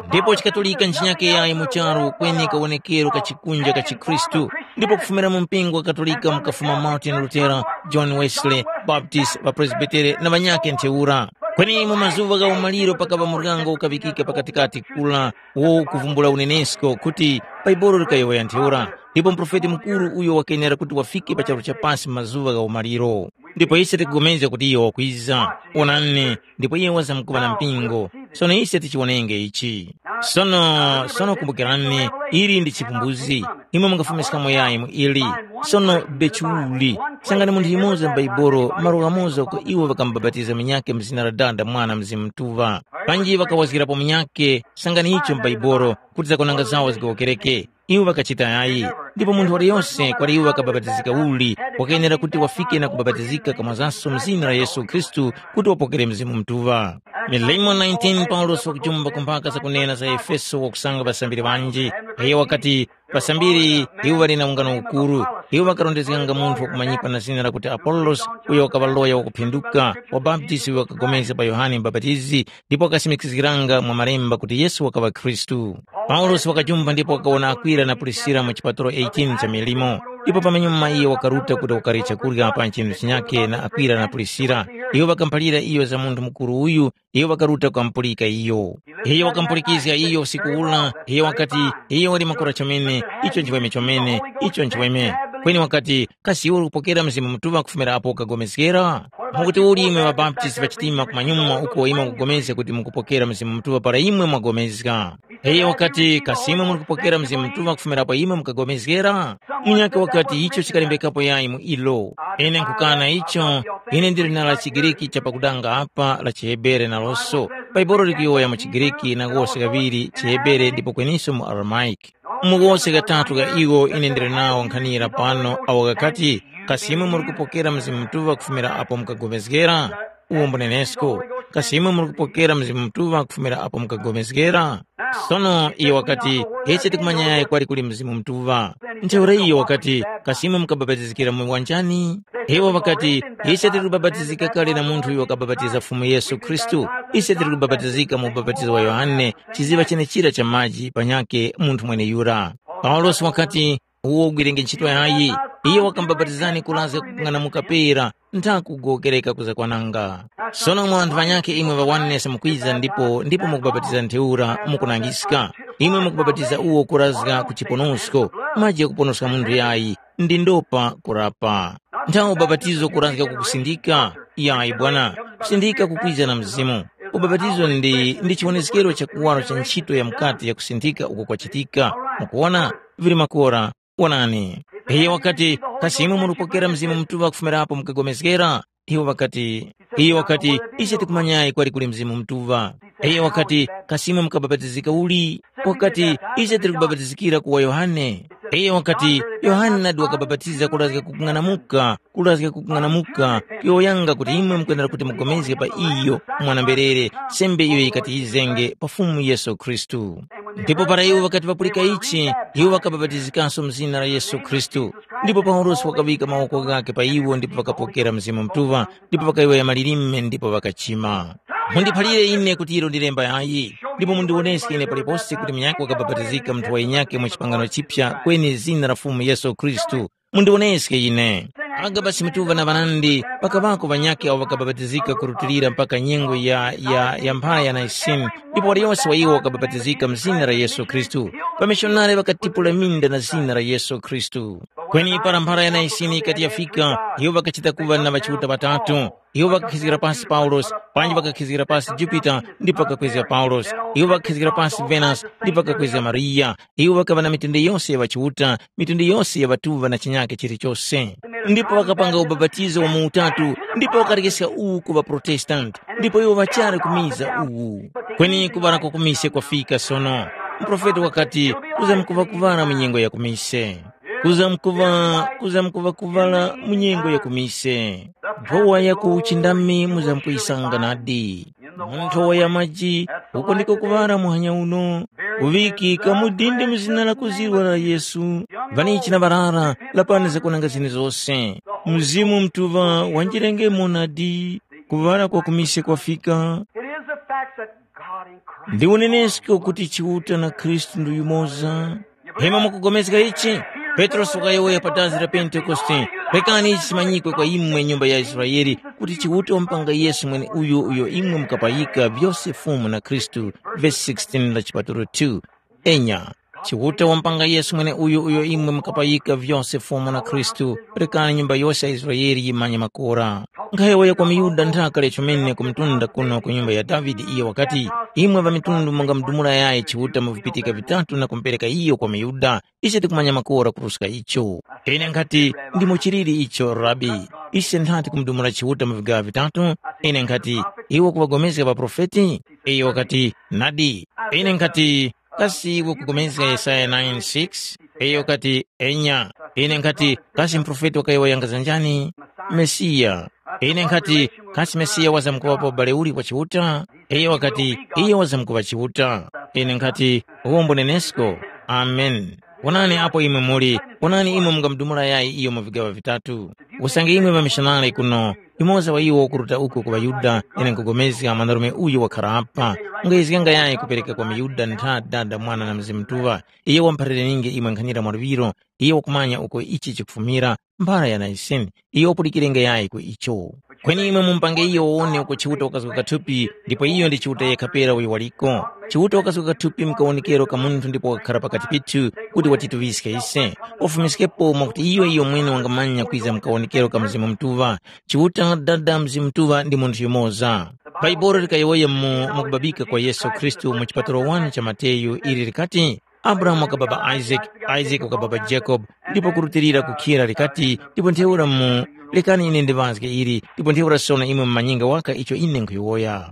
Ndipo chikatolika nchinyake yayi mu charu kweni kawonekero ka chikunja ka chikhristu. Ndipo kufumira mu mpingo wa katolika mukafuma Martin Lutera, John Wesley, Baptist, ŵapresbitere na ŵanyakhe ntheura. Kweni mu mazuŵa gha umaliro pakapa muryango ukaŵikika pakatikati kula wo kuvumbula unenesko kuti Baibolo likayowoya ntheura, ndipo muprofeti mukuru uyo wakenera kuti wafike pa charu cha pasi mu mazuŵa gha umaliro. Ndipo ise tikupulikana kuti iyo wakwiza. Onani, ndipo iye wazamkuŵa na mpingo. Sono ise tichiwonenge ichi. Sono, sono kumbukirani, ili ndi chipumbuzi. Imwe mungafumiskamo yayi mu ili. Sono Bechiuli, sangani munthu yumoza m'Baibolo malo ghamoza uko iwo ŵakamubapatiza munyakhe mu zina la Dada, Mwana, Mzimu Mutuŵa. Panji ŵakawazgirapo munyakhe, sangani icho m'Baibolo, kuti zakwananga zawo zigowokereke. Iwo ŵakachita yayi, ndipo munthu waliyose kwali iwo wakabapatizika uli, wakenera kuti wafike na kubapatizika kamwazanso mu zina la Yesu Khristu kuti wapokere Mzimu Mutuŵa. Milimo nineteen Paulosi wakujumba kumbaka zakunena za Efeso wakusanga ŵasambiri ŵanji. Iyo wakati, ŵasambiri iwo ŵali na ungano ukuru, iwo ŵakarondezganga munthu wakumanyipa na zina lakuti Apolosi, uyo wakaŵa loya wakuphinduka, wabaptisi uyo wakapulikana pa Yohane Mubapatizi, ndipo wakasimikizgiranga mwa Malemba kuti Yesu wakaŵa Khristu. Paulosi wakajumba ndipo wakawona Akwila na Prisila mu chipatalo eighteen cha milimo. Ndipo pamanyuma iyo wakaruta kuti wakarye chakurya pa nchinu chinyakhe na Akwila na Prisila. Iyo ŵakamuphalira iyo za munthu mukuru uyu, iyo wakaruta kukamupulika iyo. Iyo wakamupulikizga iyo usiku ula, iyo wakati, iyo wali makora chomene, icho nchiweme chomene, icho nchiweme. Kweni wakati, kasi iwe uli kupokera Mzimu Mutuŵa kufumira apo ukagomezgera? Mukuti uli imwe ŵabaptisi ŵachitima kumanyuma uko imwe mukugomezga kuti mukupokera Mzimu Mutuŵa para imwe mwagomezga? Iyo wakati, kasi imwe muli kupokera Mzimu Mutuŵa kufumira apo imwe mukagomezgera? Munyakhe wakati, icho chikalembekapo yayi mu ilo. Ine nkhukana icho, ine ndili na la chiGriki cha pakudanga apa la chiHebere naloso. Baibolo likuyowoya mu chiGriki na kose kaŵiri chiHebere ndipo kweninso mu Aramaic. Mu kose katatu ka iwo ine ndili nawo nkhanira pano awo ghakati, kasi imwe muli kupokera Mzimu Mutuŵa kufumira apo mukagomezgera? Uwo mbunenesko, kasi imwe muli kupokera Mzimu Mutuŵa kufumira apo mukagomezgera? Sono iyo wakati, ise tikumanya yayi kwali kuli Mzimu Mutuŵa. Ntheura iyo wakati, kasi imwe mukabapatizikira mu wanjani? Iwo ŵakati, ise tili kubapatizika kale na munthu uyo wakabapatiza Fumu Yesu Khristu. Ise tili kubapatizika mu ubapatizo wa Yohane, chiziŵa chenechira cha maji panyakhe munthu mweneyura. Paulosi wakati, uwo ugwirenge ntchito yayi. Iyo wakamubapatizani kurazga kung'anamuka pera, ntha kugowokereka kuzakwananga. Sono mwa ŵanthu ŵanyakhe imwe ŵa oneness mukwiza ndipo ndipo mukubapatiza ntheura mukunangiska. Imwe mukubapatiza uwo kurazga ku chiponosko, maji ghakuponoska munthu yayi, ndi ndopa kurapa. Nthawe ubapatizo kurazga kukusindika, yayi bwana, kusindika kukwiza na mzimu. Ubapatizo ndi ndi chiwoneskero cha kuwaro cha ntchito ya mukati ya kusindika uko kwachitika. Mukuwona, vili makora. Wonani, iye wakati, kasi imwe muripokera Mzimu Mutuŵa kufumirapo mukagomezgera? Iwo ŵakati, iye wakati, ise tikumanyayi kwali kuli Mzimu Mutuŵa. Iye wakati, kasi imwe mukabapatizika uli? Wakati, ise tili kubapatizikira ku wa Yohane. Iye wakati, Yohane nadi wakabapatiza kurazga kukung'anamuka, kurazga kukung'anamuka, kuyowoyanga kuti imwe mukwenera kuti mugomezge pa iyo mwana-mberere, sembe iyo yikati yizenge pa Fumu Yesu Khristu. Ndipo para iwo ŵakati ŵapulika ichi, iwo ŵakabapatizikanso mu zina la Yesu Khristu. Ndipo Paulosi wakaŵika mawoko ghakhe pa iwo ndipo ŵakapokera Mzimu Mutuŵa, ndipo ŵakayowoya malilime ndipo ŵakachima. Mundiphalire ine kuti ilo ndi lemba yayi, ndipo mundiwoneske ine palipose kuti munyakhe wakabapatizika munthu wa yinyakhe mu chipangano chipya kweni zina la Fumu Yesu Khristu. Mundiwoneske ine. Agabasi Mutuŵa na ŵanandi, pakaŵako ŵanyakhe awo ŵakabapatizika kurutilira mpaka nyengo ya, ya, ya mphara ya Naisini, Ndipo waliyose wa iwo wakabapatizika mu zina la Yesu Khristu. Pamishonari ŵakatipula minda na zina la Yesu Khristu. Kweni para mphara ya Naisini yikati yafika, iwo ŵakachita kuŵa na ŵachiuta ŵatatu. Iwo ŵakakhizgira pasi Paulosi, panji ŵakakhizgira pasi Jupita, ndipo ŵakakwezga Paulosi. Iwo ŵakakhizgira pasi Venasi, ndipo ŵakakwezga Mariya. Iwo ŵakaŵa na mitundu yose ya ŵachiuta, mitundu yose ya ŵatuŵa na chinyake chilichose. Ndipo ŵakapanga ubapatizo wa mu utatu, ndipo ŵakarekeska uwu ku ŵaProtestanti, ndipo iwo ŵachali kumiza uwu. Kweni kuŵala kwa kumise kwafika sono. Muprofeti wakati, kuzamkuŵa kuŵala mu nyengo ya kumise. Kuzamkuŵa, kuzamkuŵa kuŵala mu nyengo ya kumise. Nthowa ya ku uchindami muzamkuyisanga nadi. Mu nthowa ya maji, uko ndiko kuŵala muhanya uno. Kuŵikika mu dindi mu zina lakuzirwa la Yesu. Vanichi na ŵarara, lapani zakunanga zini zose. Mzimu Mutuŵa wanjirengemo nadi. Kuŵala kwa kumise kwafika. It is a fact that God in Christ. Ndi unenesko kuti Chiuta na Khristu ndi yumoza. Hema mukugomezga ichi? Petrosi wakayowoya pa dazi la Pentekoste, rekani ichi chimanyikwe kwa imwe nyumba ya Israeli, kuti Chiuta wampanga Yesu mwene uyo uyo imwe mukapayika vyose Fumu na Khristu. Vesi sixteen la chipatulo two. Enya, Chiuta wampanga Yesu mwene uyo uyo imwe mukapayika vyose Fumu na Khristu, rekani nyumba yose ya Israeli yimanye makora. Nkhayowoya kwa miYuda nthaka lya chomene ku mtunda kuno ku nyumba ya Davide, iyo wakati, imwe ŵamitundu mungamudumula yayi Chiuta mu vipitika vitatu na kumupereka iyo kwa miYuda. Ise tikumanya makora kuruska icho. Ine nkhati, ndimo chiliri icho, Rabi. Ise nthati kumudumula Chiuta mu vigaŵa vitatu? Ine nkhati, iwe kuŵapulikana ŵaprofeti? Iyo wakati, nadi. Ine nkhati, kasi iwe kupulikana Yesaya nine six? Iyo wakati, enya. Ine nkhati, kasi muprofeti wakayowoya za njani? Mesiya. Ine nkhati, kasi Mesiya wazamkuŵapo ubale uli kwa Chiuta? Iyo wakati, iyo wazamkuŵa Chiuta. Ine nkhati, uwo mbunenesko. Amen. Wonani apo imwe muli, wonani imwe mungamudumula yayi iyo mu vigaŵa vitatu. Usange imwe ŵamishonari kuno, yumoza wa iwo ukuruta uko ku ŵaYuda, ine nkupulikana mwanarume uyu wakhara apa, mungayizganga yayi kupereka kwa miYuda ntha Dada, Mwana na Mzimu Mutuŵa. Iyo wamuphalire ninge imwe nkhanira mwaluŵiro, iyo wakumanya uko ichi chikufumira, mphara ya Naisini, iyo wapulikirenge yayi ku icho. Kweni imwe mumupange iyo wawone uko Chiuta wakazga kathupi, ndipo iyo ndi Chiuta yekha pera uyo waliko. Chiuta wakazga kathupi mu kawonekero ka munthu ndipo wakakhara pakati pithu kuti watituŵiske ise. Wafumiskepo mwakuti iyo iyo mwene wangamanya kwiza mu kawonekero ka Mzimu Mutuŵa. Chiuta Dada Mzimu Mutuŵa ndi munthu yumoza. Bhaibuli likayowoya mu, mu kubabika kwa Yesu Khristu mu chipatulo one cha Mateyu ili likati, Abrahamu wakababa Isaac, Isaac wakababa Jacob, ndipo kurutilira kukhira likati, ndipo ntheura mu, lekani ine ndiŵazge ili, ndipo ntheura sono imwe mumanyinga waka icho ine nkhuyowoya.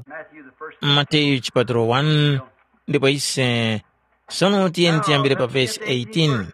Mateyu chipatulo one, ndipo ise, sono tiyeni tiyambire pa vesi eighteen.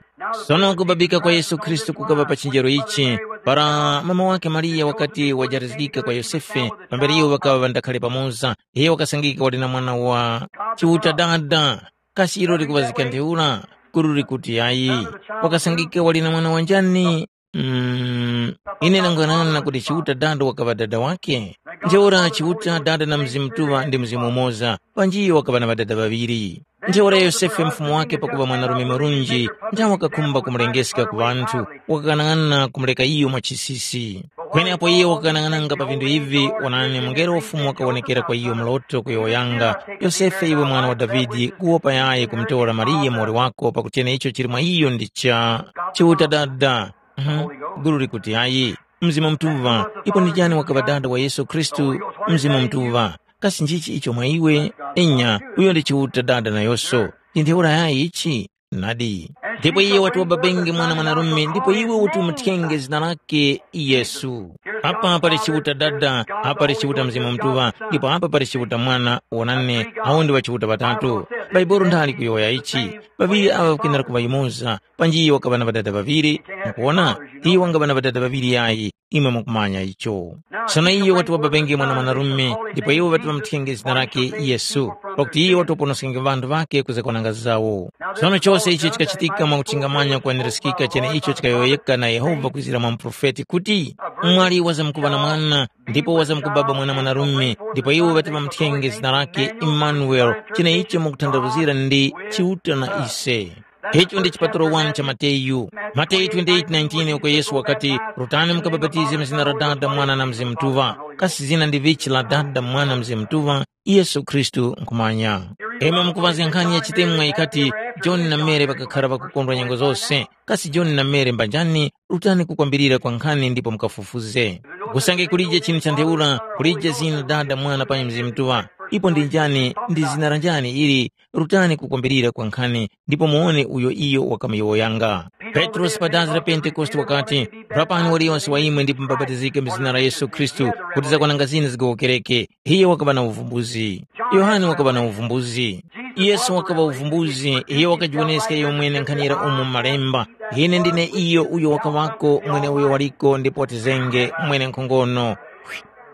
Sono kubabika kwa Yesu Khristu kukaŵa pa chinjero ichi, para mama wake Mariya wakati wajarizgika kwa Yosefe, pambere iwo ŵakaŵa ŵandakhale pamoza, iyo wakasangika wali na mwana wa Chiuta Dada. Kasi ilo likuŵazika ntheura? Kuru likuti ayi. Wakasangika wali na mwana wanjani? Mm, ine ndang'anana kuti Chiuta Dada wakaŵa dada wake. Ntheura Chiuta Dada na Mzimu Mutuŵa ndi Mzimu umoza, panji iyo wakaŵa na ŵadada ŵaŵiri. Ntheura Yosefe mfumu wake pakuŵa mwanarume murunji, nthawe wakakhumba kumulengeska ku ŵanthu, wakakang'ana kumureka iyo mwa chisisi. Kweni apo iyo wakakang'ananga pa vinthu ivi, wonani, mungelo wa Fumu wakawonekera kwa iyo mloto kuyowoyanga, Yosefe iwe mwana wa Davide, kuwopa yayi kumutora Mariya muwoli wako pakuti cheneicho chili mwa iyo ndi cha Chiuta Dada. Mhm. Gulu likuti ayi. Mzimu Mutuŵa, ipo ndi chani wakaŵa dada wa Yesu Khristu? Mzimu Mutuŵa. Kasi nchichi icho mwa iwe? Enya, uyo ndi Chiuta Dada nayoso. Ndi ntheura yayi ichi? Nadi. Ndipo iye wati wababenge mwana mwanarume, ndipo iwe uti umuthyenge zina lake Yesu. Apa pali Chiuta Dada, apa pali Chiuta Mzimu Mutuŵa, ndipo apa pali Chiuta Mwana, wonani, awo ndi ŵachiuta ŵatatu. Bhaibuli ndali kuyowoya ichi, ŵaŵiri aŵa ŵakwenera kuŵa yumoza, panji iyo wakaŵa na ŵadada ŵaŵiri, mukuwona? Iyo wangaŵa na ŵadada ŵaŵiri yayi, imwe mukumanya icho. Sono iyo wati wababenge mwana mwanarume, ndipo iwo ŵati ŵamuthenge zina lake Yesu, pakuti iyo wati waponoskenge ŵanthu ŵake ku zakwananga zawo. Sono chose ichi chikachitika mwakutchingamanya kweneresekeka cheneicho chikayowoyeka na Yehova kwizira mwa muprofeti kuti, mwali wazamkuŵa na mwana, ndipo wazamkubaba mwana mwanarume, ndipo iwo ŵati ŵamuthenge zina lake Imanueli, cheneicho mukutanthauzira ndi Chiuta na ise. Icho ndi chipatulo wani cha Mateyu. Mateyu twenty-eight nineteen, uko Yesu wakati, “Rutani mukabapatize mu zina la Dada, Mwana na Mzimu Mutuŵa.” Kasi zina ndi vichi la Dada, Mwana, Mzimu Mutuŵa? Yesu Khristu nkhumanya. Imwe mukuŵazga nkhani ya chitemwa ikati, John na Mary ŵakakhara ŵakukondwa nyengo zose. Kasi John na Mary mbanjani? Rutani kukwambirira kwa nkhani ndipo mukafufuze. Kusange kulije chinthu cha ntheura, kulije zina Dada, Mwana panyi Mzimu Mutuŵa. Ipo ndi njani, ndi zina la njani ili? Rutani kukwambirira kwa nkhani ndipo muwone uyo iyo wakamuyowoyanga. Petrosi pa dazi la Pentekoste wakati, “Rapani waliyonse wa imwe ndipo mubapatizike mu zina la Yesu Khristu kuti zakwananga zina zigowokereke.” Iye wakaŵa na uvumbuzi. Yohane wakaŵa na uvumbuzi. Yesu wakaŵa uvumbuzi, iyo wakajiwoneska iyo mwene nkhanira umo mu Malemba, “Ine ndine iyo uyo wakaŵako, mweneuyo waliko ndipo watizenge, mwenenkhongono.”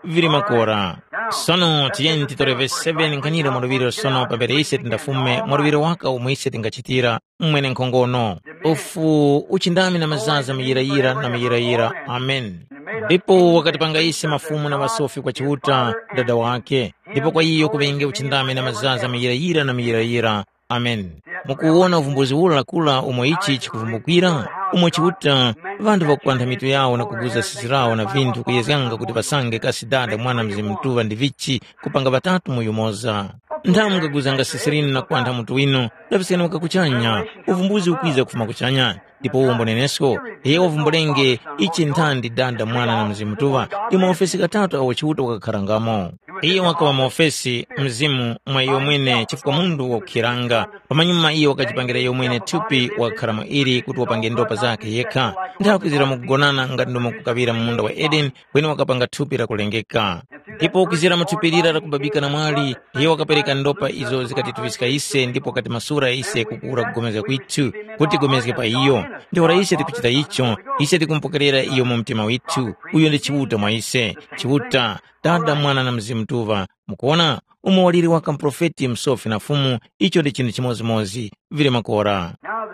Vili makora. Sono tiyeni titore vesi seven nkhanira mwaluŵiro sono pambere ise tindafume mwaluŵiro waka umo ise tingachitira, mwenenkhongono. Ufu uchindami na mazaza muyirayira na muyirayira. Amen. Ndipo wakatipanga ise mafumu na ŵasofi kwa Chiuta, Dada wake, ndipo kwa iyo kuŵenge uchindami na mazaza muyirayira na muyirayira. Amen. Mukuwona uvumbuzi ura lakula umo ichi chikuvumbukira? Umo Chiuta, ŵanthu ŵakupantha mitu yawo na kuguza sisi lawo na vinthu kuyezganga kuti ŵasange kasi Dada, Mwana, Mzimu Mutuŵa ndi vichi kupanga ŵatatu mu yumoza. Nthamu mukaguzanga sisi linu na kupantha mutu winu, laŵiskani waka kuchanya, uvumbuzi ukwiza kufuma kuchanya. Ndipo uwo mbonenesko, iyo wavumbulenge ichi nthandi Dada, Mwana na Mzimu Mutuŵa, ndi maofesi ghatatu agho Chiuta wakakharangamo. Iyo wakaŵa maofesi, Mzimu, mwa iyo mwene chifukwa munthu wakukhiranga. Pamanyuma iyo wakajipangira iyo mwene thupi wakakharamo ili kuti wapange ndopa zakhe yekha. Nthawi kwizira mukugonana ngati ndomwe kukaŵira mu munda wa Edeni, kweni wakapanga thupi lakulengeka. Ndipo kwizira mu thupi lira lakubabika na mwali, iyo wakapereka ndopa izo zikatituŵiska ise ndipo wakatimasula ise kukura kugomezga kwithu, kuti tigomezge pa iyo. Ntheura ise tikuchita icho, ise tikumupokerera iyo mu mtima withu. Uyo ndi Chiuta mwa ise. Chiuta, Dada, Mwana na Mzimu Mutuŵa. Mukuwona, umo waliri waka muprofeti, msofi na Fumu, icho ndi chinthu chimodzimodzi. Vili makora. Now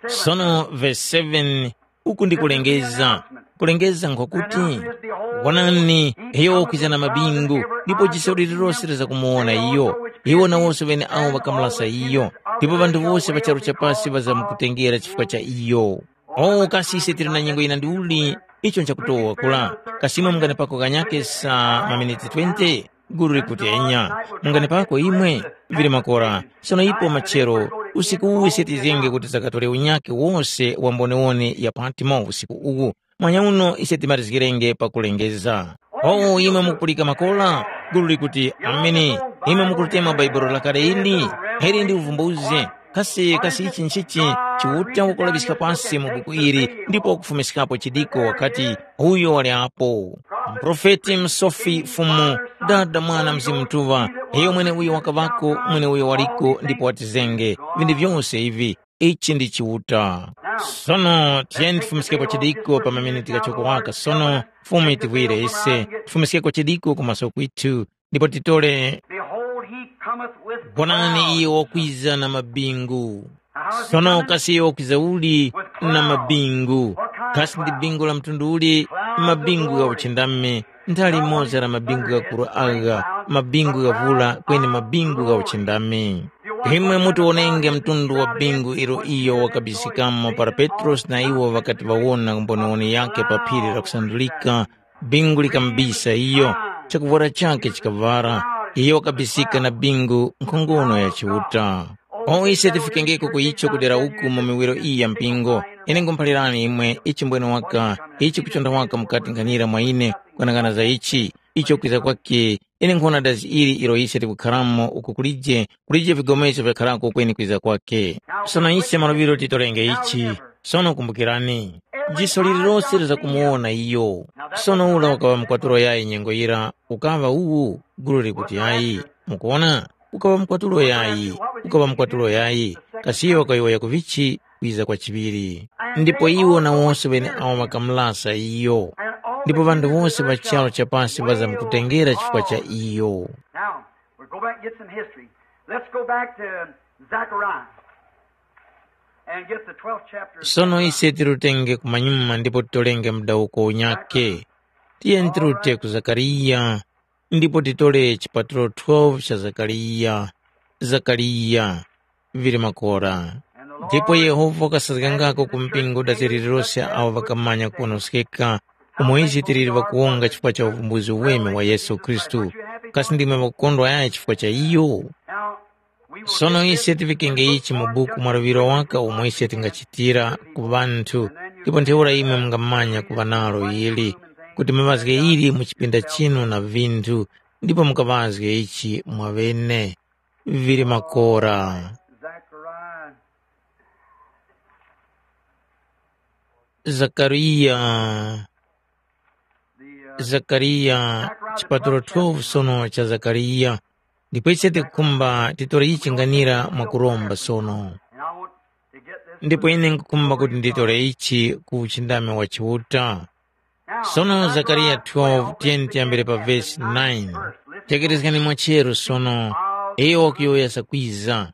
the Sono verse seven, uku ndi kulengeza. Kulengeza nkwakuti, wonani, iyo wakwiza na mabingu, ndipo jiso lililose lizakumuwona iyo, iwo na wose ŵene awo ŵakamulasa iyo, ndipo ŵanthu wose pa charu cha pasi ŵazamkutengera chifukwa cha iyo. O kasi ise tili na nyengo yina ndiuli? Icho nchakutowa kula. Kasi imwe munganepako kanyake sa maminiti twenty? Gulu likuti enya. Munganepako imwe? Vili makora. Sono ipo machero, usiku uwu ise tizenge kuti zakatore unyake wose wa mbonewone ya Patmo usiku uwu. Mwanya uno ise timalizgirenge pakulengeza. O imwe mukupulika makora? Gulu likuti, ameni. Imwe mukulitema Bhaibuli lakale ili? Ili ndi uvumbuzi. Kasi kasi ichi nchichi? Chiuta wakulaŵiska pasi mu buku ili ndipo wakufumiskapo chidiko wakati, uyo wali apo. Muprofeti, msofi, Fumu, Dada, Mwana, Mzimu Mutuŵa, iyo mwene uyo wakaŵako, mwene uyo waliko ndipo watizenge. Vinthu vyose ivi, ichi ndi Chiuta. Sono tiyeni tifumiskepo chidiko pa maminiti ghachoko waka sono, Fumu yitivwire ise, tifumiskeko chidiko kumaso kwithu, ndipo titole. Behold, he cometh with Wonani, clouds. Iye wakwiza na mabingu. Sono kasi iye wakwiza uli na mabingu? Kasi ndi bingu la mtundu uli? Mabingu gha uchindami, nthali imoza la mabingu ghakuru agha, mabingu ghavula kweni mabingu gha uchindami. Imwe muti wonenge mtundu wa bingu ilo iyo wakabisikamo para Petrosi na iwo ŵakati ŵawona mboniwoni yakhe pa phiri lakusandulika, bingu likamubisa iyo, chakuvwara chakhe chikaŵara, iyo wakabisika na bingu nkhongono ya Chiuta. O ise tifikengeko ku icho kudera uku mu miwiro iyi ya mpingo. Ine nkhumuphalirani imwe ichi mbwene waka, ichi kuchonda waka mukati nkhanira mwa ine, kwanang'ana za ichi, icho kwiza kwakhe, ine nkhona dazi ili ilo ise tikukharamo uku kulije, kulije vigomeso vyakharako kweni kwiza kwakhe. Sono ise maluŵiro titorenge ichi. Sono kumbukirani, jiso lililose lizakumuwona iyo. Sono ula ukaŵa mukwatulo yayi nyengo yira, ukaŵa uwu, gulu likuti yayi. Mukuwona? Ukaŵa mukwatulo yayi, ukaŵa mukwatulo yayi. Kasi iyo wakayowoya kuvichi? Kwiza kwa chiŵiri. Ndipo iwo na wose ŵene awo ŵakamulasa iyo. Ndipo ŵanthu wose ŵa charu chapasi ŵazamkutengera chifukwa cha iyo. Now, we'll go back and get some history. Let's go back to Zechariah and get the twelfth chapter of Sono Zechariah. Ise tirutenge kumanyuma ndipo titolenge mdawuko unyake. Tiyeni tirute ku Zakariya ndipo titole chipatulo twelve cha Zakariya. Zakariya, vili makora. Ndipo Yehova wakasazgangako ku mpingo daziri lilose awo ŵakamanya kuponoskeka, umo ise tili ŵakuwonga chifukwa cha uvumbuzi uweme wa Yesu Khristu. Kasi ndimwe ŵakukondwa yayi chifukwa cha iyo? Sono ise tivikenge ichi mu buku mwa luŵiro waka umo ise tingachitira ku ŵanthu, ndipo ntheura imwe mungamanya kuŵa nalo ili, kuti muŵazge ili mu chipinda chinu na vinthu, ndipo mukaŵazge ichi mwaŵene. Vili makora. Zechariah, Zakariya. The, uh, Zakariya, Zechariah chipatulo twelve sono cha Zakariya. Ndipo ise tikukhumba titore ichi nganira mwakuromba sono. And I want to get this. Ndipo ine nkukhumba kuti nditore ichi ku uchindami wa Chiuta. Sono Zakariya twelve, tiyeni tiyambire pa vesi nine. Tekerezgani mwachero sono, iyo wakuyowoya zakwiza.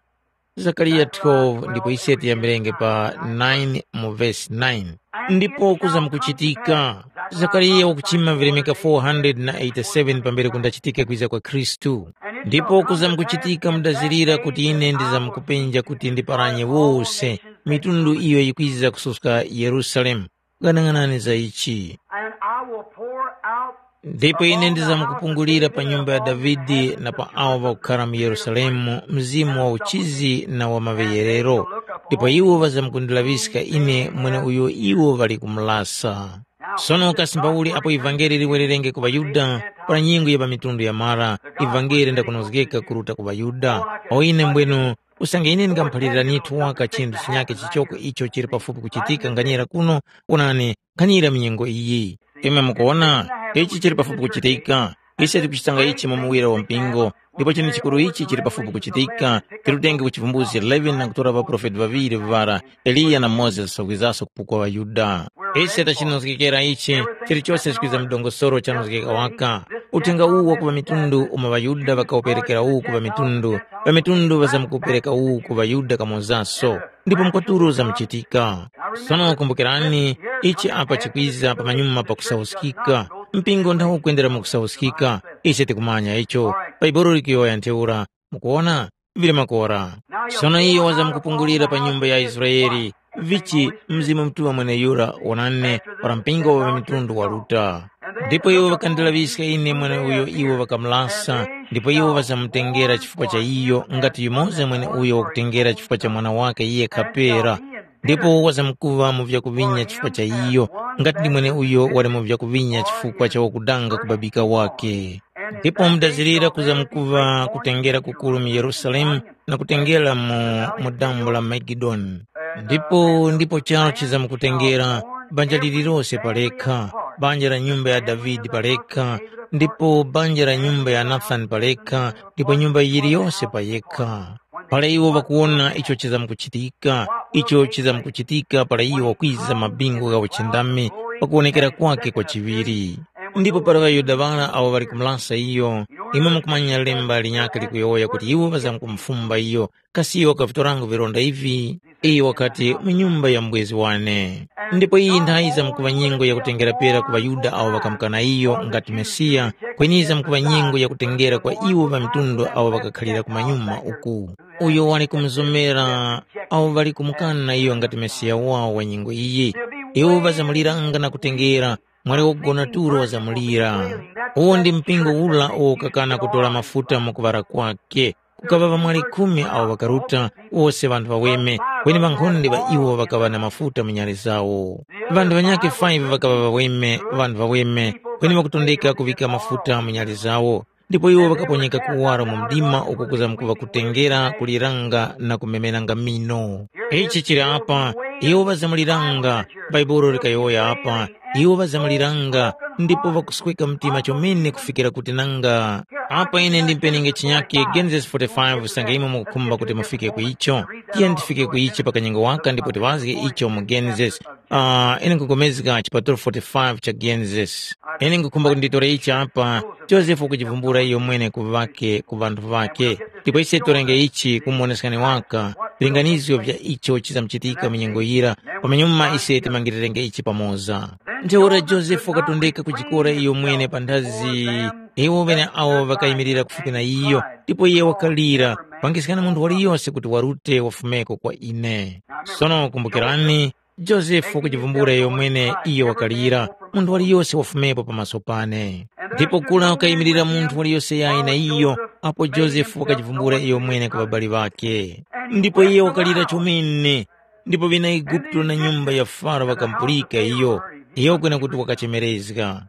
Zakariya twelve ndipo ise tiyambirenge pa nine mu vesi nine. Ndipo kuza mukuchitika, Zakariya wakuchima vilemeka four hundred na eighty-seven pambere kundachitike kwiza kwa Khristu. Ndipo kuza mukuchitika mudazirira kuti ine ndizamkupenja kuti ndiparanye wose mitundu iyo yikwiza kususka Yerusalemu. Ghanaghanani za ichi. And I will pour out Ndipo ine ndizamkupungulira pa nyumba ya Davide na pa awo ŵakukhara mu Yerusalemu mzimu wa uchizi na wa maŵeyerero, ndipo iwo ŵazamkundilaŵiska ine mweneuyo iwo ŵali kumulasa. Sono kasi mbauli apo ivangeli liwererenge ku ŵaYuda, para nyengo ya pa mitundu yamara, ivangeli ndakunozgeka kuruta ku ŵaYuda? Awo ine mbwenu, usange ine ndingamuphaliranitu waka chinthu chinyakhe chichoko icho chili pafupi kuchitika nganyera kuno, wonani, nkhanira mu nyengo iyi. Imwe mukuwona, ichi chili pafupi kuchitika. Ise tikuchitanga ichi mu muwira wa mpingo, ndipo chinthu chikuru ichi chili pafupi kuchitika. Tirutenge ku Chivumbuzi eleven na kutora ŵaprofeti ŵaŵiri vivara, Eliya na Mozesi, wakwizaso kupukwa ŵaYuda. Ise tachinozgekera ichi, chilichose chikwiza mu dongosolo chanozgeka waka. Uthenga uwu wa ku ŵamitundu umo ŵaYuda ŵakawuperekera uwu ku ŵamitundu, ŵamitundu ŵazamkuwupereka uwu ku ŵaYuda kamozaso. Ndipo mkwatulo zamuchitika. Sono kumbukirani, ichi apa chikwiza pamanyuma pakusauskika. Mpingo nthawo ukwendera mu kusauskika. Ise tikumanya icho. Bhaibuli likuyowoya ntheura. Mukuwona? Vili makora. Sono iyo wazamkupungulira pa nyumba ya Israele. Vichi Mzimu Mutuŵa mweneyura wonani para mpingo wa ŵamitundu waruta. Ndipo iwo ŵakandilaŵiska ine mweneuyo iwo ŵakamulasa, ndipo iwo ŵazamutengera chifukwa cha iyo, ngati yumoza mweneuyo wakutengera chifukwa cha mwana wakhe yekha pera. Ndipo wazamkuŵa mu vyakuvinya chifukwa cha iyo, ngati ndi mweneuyo wali mu vyakuvinya chifukwa cha wakudanga kubabika wake. Ndipo mudazirira kuzamkuŵa kutengera kukuru mu Yerusalemu na kutengera mu, mu dambo la Magedoni. Ndipo, ndipo charo chizamkutengera, banja lililose palekha, banja la nyumba ya Davide palekha, ndipo banja la nyumba ya Nathani palekha, ndipo nyumba yiliyose payekha. Para iwo ŵakuwona icho chizamkuchitika, icho chizamkuchitika para iwo ŵakwiza mabingu gha uchindami pakuwonekera kwake kwa chiŵiri. Ndipo para ŵaYuda ŵara awo ŵali kumulasa iyo, imwe mukumanya lemba linyakhe likuyowoya kuti iwo ŵazamkumufumba iyo, kasi iyo wakavitoranga vironda ivi? Iyo wakati, mu nyumba ya mubwezi wane. Ndipo iyi nthayi yizamkuŵa nyengo yakutengera pera ku ŵaYuda awo ŵakamukana iyo ngati Mesiya, kweni yizamkuŵa nyengo yakutengera kwa iwo ŵamitundu awo ŵakakhalira kumanyuma uku. Uyo wali kumuzomera awo ŵali kumukana iyo ngati Mesiya wawo wa nyengo iyi. Iwo ŵazamuliranga na kutengera, mwali wogona tulo wazamulira. Uwo ndi mpingo ura uwo ukakana kutora mafuta mu kuŵala kwake. Kukaŵa ŵamwali khumi awo ŵakaruta, wose ŵanthu ŵaweme, kweni ŵankhonde ŵa iwo ŵakaŵa na mafuta mu nyale zawo. Ŵanthu ŵanyakhe five ŵakaŵa ŵaweme, ŵanthu ŵaweme, kweni ŵakutondeka kuŵika mafuta mu nyale zawo. Ndipo iwo ŵakaponyeka kuwaro mu mdima uko kuzamkuŵa kutengera, kuliranga na kumemeranga mino. Ichi chili apa, iwo ŵazamuliranga, Bhaibuli likayowoya apa, iwo ŵazamuliranga, ndipo ŵakusweka mtima chomene kufikira kuti nanga. Apa ine ndimpeninge chinyakhe Genesis forty-five usange imwe mukukhumba kuti mufike ku icho. Tiyeni tifike ku ichi pa kanyengo waka ndipo tiŵazge icho mu Genesis. Ah, ine nkupulikana chipatulo forty-five cha Genesis. Ine nkukhumba kuti nditore ichi apa, Josefu wakuchivumbula iyo mwene ku ŵake, ku ŵanthu ŵake. Ndipo ise torenge ichi kumuwoneskani waka, vilinganizgo vya icho chizamuchitika mu nyengo yira, pamanyuma ise timangirirenge ichi pamoza. Ntheura Josefu wakatondeka kujikora iyo mwene panthazi, iwo ŵeneawo ŵakayimirira kufupi na iyo, ndipo iye wakalira, Pangiskani munthu waliyose kuti warute wafumeko kwa ine. Sono kumbukirani, Josefe wakajivumbula iyo mwene iyo wakalira, munthu waliyose wafumepo pamaso pane. Ndipo kura wakayimirira munthu waliyose yayi na iyo, apo Josefe wakajivumbula iyo mwene ku ŵabali ŵakhe. Ndipo iye wakalira chomene, ndipo ŵina Eguputo na nyumba ya Faro ŵakamupulika iyo, iyo kwena kuti wakachemerezga.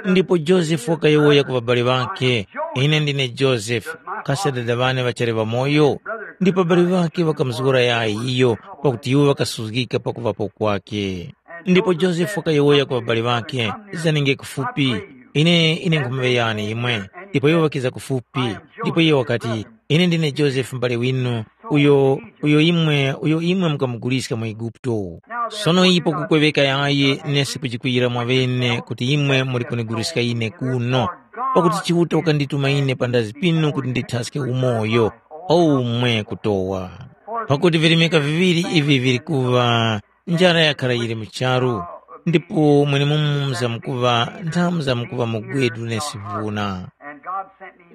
Ndipo Josefe wakayowoya ku ŵabali ŵakhe, “Ine ndine Josefe, kasi adada ŵane ŵachali ŵamoyo?” Ndipo ŵabali ŵakhe ŵakamuzgora yayi iyo, pakuti iwo ŵakasuzgika pakuŵapo kwakhe. Ndipo Josefe wakayowoya ku ŵabali ŵakhe, “Zanenge kufupi, ine ine nkhumaŵeyani imwe.” Ndipo iwo ŵakiza kufupi, ndipo iye wakati, “Ine ndine Josefe mubali winu, uyo uyo imwe uyo imwe mukamuguliska mu Eguputo. Sono ipo kukweŵeka yayi nesi kujikwiyira mwaŵene kuti imwe muli kuniguliska ine kuno, pakuti Chiuta wakandituma ine pandazi pinu kuti ndithaske umoyo, omwe kutowa. Pakuti virimika viŵiri ivi vili kuŵa, njara yakhala yili mu charu, ndipo mwenemumo muzamkuŵa nthamu zamkuŵa mugwedu nesi vuna.”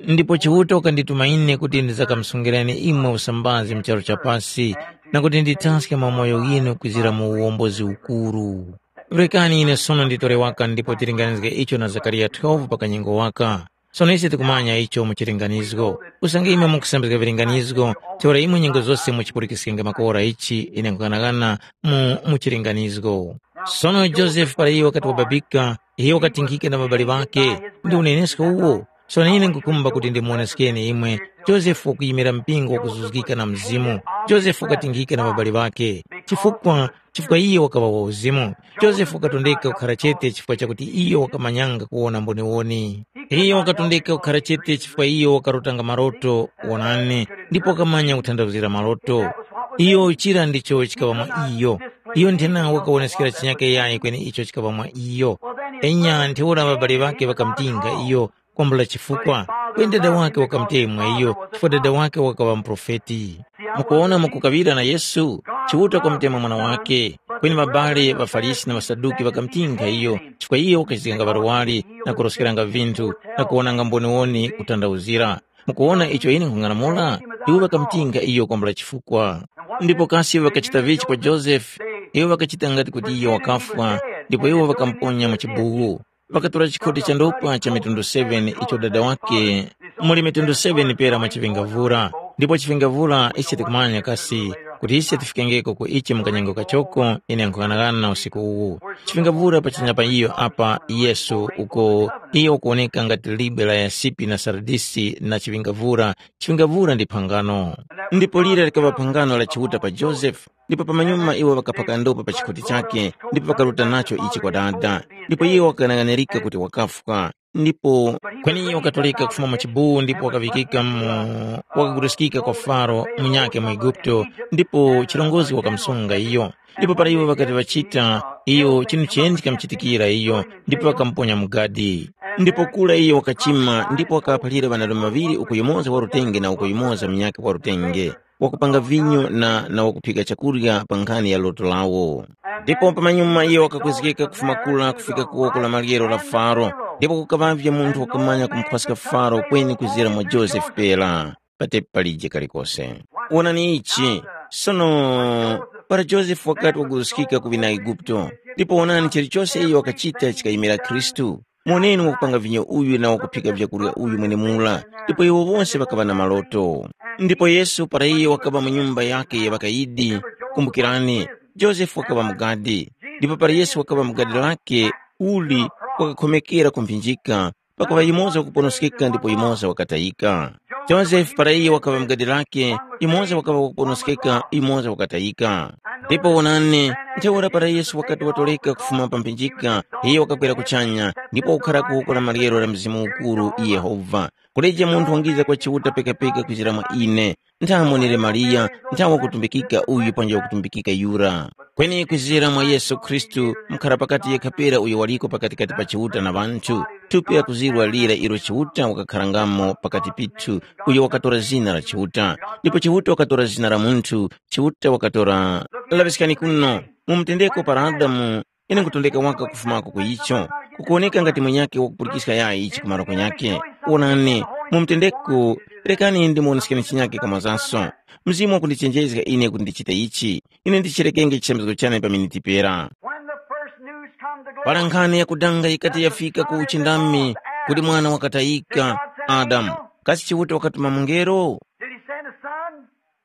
Ndipo Chiuta wakandituma ine kuti ndizakamusungirani imwe usambazi mu charu cha pasi, na kuti ndithaske mamoyo ghinu kwizira mu uwombozi ukuru. Rekani ine sono nditore waka ndipo tilinganizge icho na Zakariya twelve pa kanyengo waka. Sono ise tikumanya icho mu chilinganizgo. Usange imwe mukusambizga vilinganizgo, ntheura imwe nyengo zose muchipulikiskenge makora ichi ine nkughanagana mu, mu chilinganizgo. Sono Josefe para iyo wakati wababika, iyo wakatinkhika na ŵabali ŵakhe, ndi unenesko uwo. Sono ine nkukhumba kuti ndimuwoneskeni imwe, Josefe wakuyimira mpingo wakuzuzgika na Mzimu. Josefe wakatinkhika na ŵabali ŵakhe, chifukwa chifukwa iyo wakaŵa wa uzimu. Josefe wakatondeka kukhara chete chifukwa chakuti iyo wakamanyanga kuwona mboniwoni. Iyo wakatondeka kukhara chete chifukwa iyo wakarotanga maroto, wonani, ndipo wakamanya kuthandazira maroto. Iyo chira ndicho chikaŵa mwa iyo. Iyo nthena wakawoneskera chinyake yayi kweni icho chikaŵa mwa iyo. Enya ntheura ŵabale ŵakhe ŵakamtinga iyo, kwambula chifukwa, kweni dada wake wakamutemwa iyo, chifukwa dada wake wakaŵa muprofeti. Mukuwona mukukaŵira na Yesu, Chiuta wakamutemwa mwana wake, kweni mabale ŵaFarisi na ŵaSaduki ŵakamutinga iyo, chifukwa iyo wakachizganga ŵarwari na kuroskeranga vinthu na kuwonanga mboniwoni kutandawuzira. Mukuwona icho ine nkhung'anamula? Iwo ŵakamutinga iyo kwambula chifukwa. Ndipo kasi iwo ŵakachita vichi kwa Josefe? Iwo ŵakachita ngati kuti iyo wakafwa, ndipo iwo ŵakamuponya mu chibuwu. Ŵakatora chikhoti cha ndopa cha mitundu seven icho dada wake muli mitundu seven pera mwa chivingavura, ndipo chivingavura ise tikumanya kasi kuti ise tifikengeko ku ichi mu kanyengo kachoko ine nkhughanaghana usiku uwu. Chivingavura pachanya pa iyo apa Yesu uko iyo ukuwoneka ngati libwe la yasipi na saradisi na chivingavura, chivingavura ndi phangano. Ndipo lira likaŵa phangano la Chiuta pa Josefe, ndipo pamanyuma iwo ŵakaphaka ndopa pa chikhoti chake, ndipo ŵakaruta nacho ichi kwa dada. Ndipo iye wakang'anang'anirika kuti wakafwa. Ndipo kweni iyo wakatoleka kufuma mu chibuwu ndipo wakaŵikika mu wakaguliskika kwa Faro munyakhe mu Eguputo, ndipo chirongozgi wakamusunga iyo. Ndipo para iwo ŵakati ŵachita, iyo chinthu cheni chikamuchitikira iyo, ndipo ŵakamuponya mu gadi. Ndipo kura iyo wakachima ndipo wakaphalira ŵanarume ŵaŵiri uku yumoza wa rutenge na uku yumoza munyakhe wa rutenge, wakupanga vinyo na na wakuphika chakurya pa nkhani ya loto lawo. Ndipo pamanyuma iyo wakakwezgeka kufuma kura kufika ku woko la maryero la Faro, ndipo kukaŵavye munthu wakamanya kumukhwaska Faro kweni kuzira mwa Josefe pera, patepi palije kalikose. Wonani ichi, sono para Josefe wakati waguruskika ku ŵina Eguputo, ndipo wonani chilichose iyo wakachita chikayimira Khristu. Moneni wakupanga vinyo uyu na wakuphika vyakurya uyu mwenemura, ndipo iwo wose ŵakaŵa na maloto. Ndipo Yesu para iyo wakaŵa mu nyumba yakhe ya ŵakayidi, kumbukirani, Josefe wakaŵa mugadi, ndipo para Yesu wakaŵa mugadi lake, uli wakakhomekera ku mphinjika, pakuŵa yumoza wakuponoskeka ndipo yumoza wakatayika. Josefe para iyo wakaŵa mugadi lake, yumoza wakaŵa wakuponoskeka, yumoza wakatayika. Ndipo wonani, ntheura para Yesu wakati watoleka kufuma pa mphinjika, iyo wakakwera kuchanya, ndipo wakukhara ku woko la maryero la Mzimu Ukuru Yehova. Kulijo munthu wangiza kwa Chiuta pekapeka kuzira mwa ine, nthawe monere Mariya, nthawe wakutumbikika uyu panja wakutumbikika yura. Kweni kuzira mwa Yesu Khristu, mukhara pakati yekha pera uyo waliko pakatikati pa Chiuta na ŵanthu, thupi lakuzirwa lira ilo Chiuta wakakharangamo pakati pithu, uyo wakatora zina la Chiuta. Ndipo Chiuta wakatora zina la munthu, Chiuta wakatora. Laŵiskani kuno, mu mutendeko para Adamu, ine nkutondeka waka kufumako ku icho, kukuwoneka ngati mwenyakhe wakupulikiska yayi ichi kumaro kunyakhe. Wonani, mu mutendeko Rekani ndimuwoneskeni chinyake kamwazanso. Mzimu wakundichenjezga ine kuti ndichite ichi. Ine ndichirekenge chisambizgo chane pa miniti pera. When the first news come to glory, para nkhani yakudanga yikati yafika ku uchindami, kuti mwana wakatayika, Adamu, kasi Chiuta wakatuma mungelo? Did he send a son?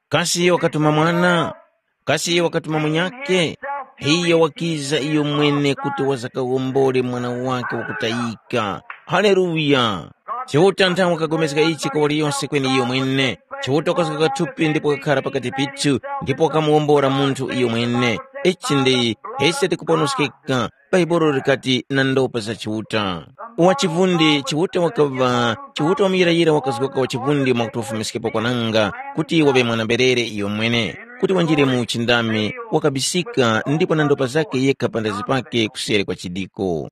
Kasi iye wakatuma mwana? Kasi iye wakatuma munyakhe? Iyo wakiza iyo mwene kuti wazakawombole mwana wake wakutayika. Haleluya! Chiuta nthawe wakagomezga ichi kwa waliyose kweni iyo mwene. Chiuta wakazgoka thupi ndipo wakakhara pakati pithu, ndipo wakamuwombora munthu iyo mwene. Ichi ndi ise tikuponoskeka. Bhaibuli likati na ndopa za Chiuta. Wachivundi Chiuta wakaŵa, Chiuta wamuyirayira wakazgoka wachivundi mwakuti wafumiskhepo kwananga, kuti waŵe mwana-mberere iyomwene, kuti wanjire mu uchindami, wakabisika ndipo na ndopa zakhe yekha pandazi pakhe kuseri kwa chidiko.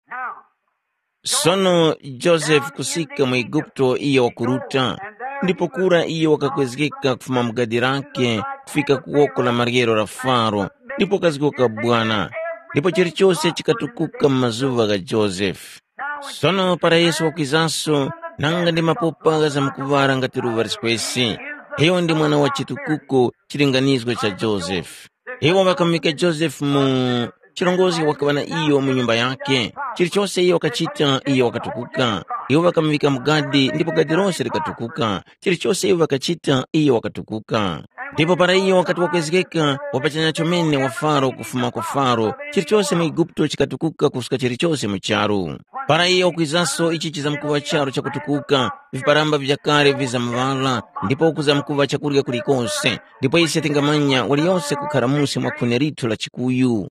Sono Josefe kusika mu Eguputo iyo wakuruta, ndipo kura iyo wakakwezgeka kufuma mu gadi lakhe kufika ku woko la maryero la Faro, ndipo kazgoka bwana, ndipo chilichose chikatukuka mu mazuŵa gha Josefe. Sono para Yesu wakwizaso, nanga ndi mapopa ghazamkuŵala ngati luŵa liskwesi, iyo ndi mwana wa chitukuko chilinganizgo cha Josefe. Iwo ŵakamuŵika Josefe mu chilongozi wakaŵa na iyo mu nyumba yakhe. Chilichose iyo wakachita, iyo wakatukuka. Iwo ŵakamuŵika mu gadi ndipo gadi lose likatukuka. Chilichose iyo ŵakachita, iyo wakatukuka. Ndipo para iyo wakati wakwezgeka, wapachanya chomene wa Faro kufuma kwa Faro, chilichose mu Eguputo chikatukuka kuska chilichose mu charu. Para iyo wakwizaso ichi chizamkuŵa charu chakutukuka, viparamba vya kale vizamuŵala, ndipo kuzamkuŵa chakurya kulikose, ndipo ise tingamanya waliyose kukhara musi mwa khuni lithu la chikuyu,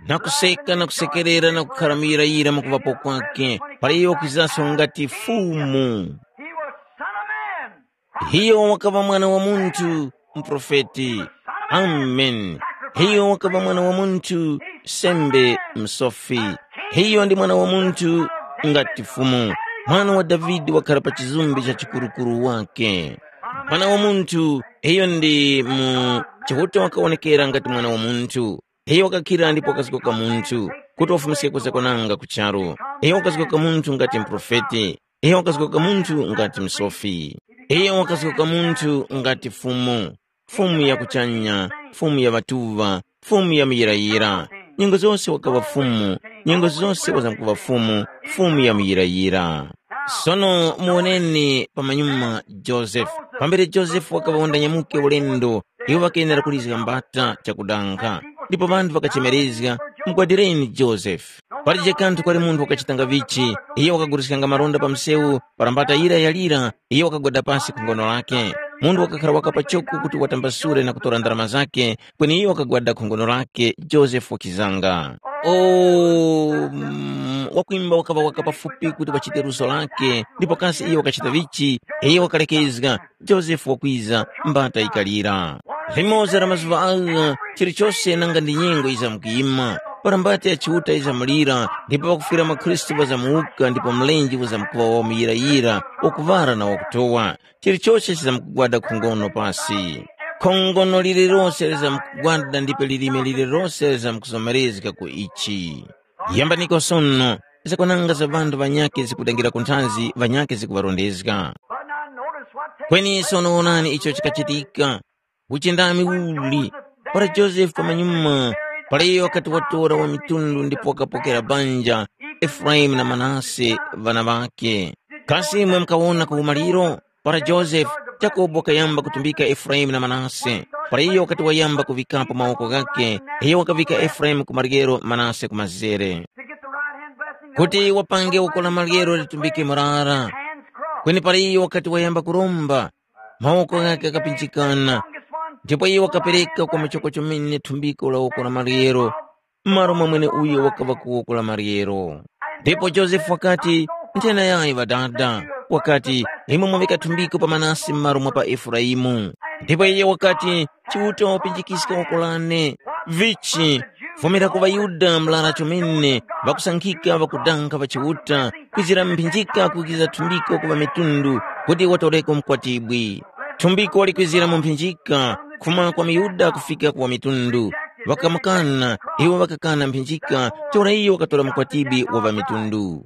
na kuseka na kusekerera na kukhara muyirayira mwakuŵapo kwake, para iyo wakwizaso ngati Fumu. He was Son of Man. Hiyo wakaŵa mwana wa munthu, muprofeti. Amen. Hiyo wakaŵa mwana wa munthu, sembe, msofi. Hiyo ndi mwana wa munthu ngati Fumu. Mwana wa Davide wakhala pa chizumbi cha chikurukuru wake. Mwana wa munthu, iyo ndi mu Chiuta wakawonekera ngati mwana wa munthu. Iyo wakakhira ndipo wakazgoka munthu, kuti wafumiske kuza kwananga ku charu. Iyo wakazgoka munthu ngati muprofeti. Iyo wakazgoka munthu ngati msofi. Iyo wakazgoka munthu ngati Fumu, Fumu ya kuchanya, Fumu ya ŵatuŵa, Fumu ya muyirayira. Nyengo zose wakaŵa Fumu, nyengo zose wazamkuŵa Fumu, Fumu ya muyirayira. Sono muwoneni pamanyuma Josefe. Pambere Josefe wakaŵa wandanyamuke ulendo, iwo ŵakayenera kulizga mbata chakudanga. Ndipo ŵanthu ŵakachemerezga, mugwadireni Josefe. Palije kanthu kwali munthu wakachitanga vichi, iyo wakaguliskanga maronda pa msewu, para mbata yira yalira, iyo wakagwada pasi ku ngono lake. Munthu wakakhara waka pachoko kuti watambasule na kutora ndarama zake, kweni iyo wakagwada ku ngono lake, Josefe wakizanga. O, mm, wakwimba wakaŵa waka pafupi kuti wachite luso lake, ndipo kasi iyo wakachita vichi, iyo wakalekezga, Josefe wakwiza, mbata yikalira. Limoza la mazuŵa agha, chilichose nanga ndi nyengo yizamkuyima, para mbata ya Chiuta yizamulira, ndipo pakufwira mwa Khristu ŵazamuwuka ndipo mlenje uzamkuŵa wamuyirayira, wakuŵala na wakutowa. Chilichose chizamkugwada khongono pasi. Khongono lililose lizamkugwada ndipo lilime lililose lizamkuzomerezga ku ichi. Yambaniko sono, zakwananga za ŵanthu ŵanyakhe zikudangira ku nthazi ŵanyakhe zikuŵarondezga. But now notice what takes Kweni place. Sono wonani icho chikachitika. Uchindami uli, para Josefe pamanyuma, para iyo wakati watora wa mitundu ndipo wakapokera banja, Efraimu na Manase, ŵana ŵakhe. Kasi imwe mukawona ku umaliro? Para Josefe, Yakobo wakayamba kutumbika Efraimu na Manase. Para iyo wakati wayamba kuŵikapo mawoko ghakhe, iyo wakavika Efraimu ku maryero, Manase ku mazere. Kuti wapange woko la maryero litumbike murara. Kweni para iyo wakati wayamba kuromba, mawoko ghakhe ghakapinjikana, ndipo iyo wakapereka kwa muchoko chomene thumbiko la woko la maryero, m'malo mwa mweneuyo wakaŵa ku woko la maryero. Ndipo Josefe wakati, nthena yayi ŵadada, wakati, imwe mwavika thumbiko pa Manase m'malo mwa pa Efuraimu. Ndipo iye wakati, Chiuta wapinjikiska woko lane. Vichi, vomera ku ŵaYuda mlara chomene, ŵakusankhika ŵakudanga ŵa Chiuta, kwizira mphinjika kukiza thumbiko ku ŵamitundu, kuti watoreko mukwatibwi. Thumbiko likwizira mu mphinjika, kufuma kwa miYuda kufika ku ŵamitundu. Ŵakamukana, iwo ŵakakana mphinjika, ntheura iyo wakatora mukwatibwi wa ŵamitundu.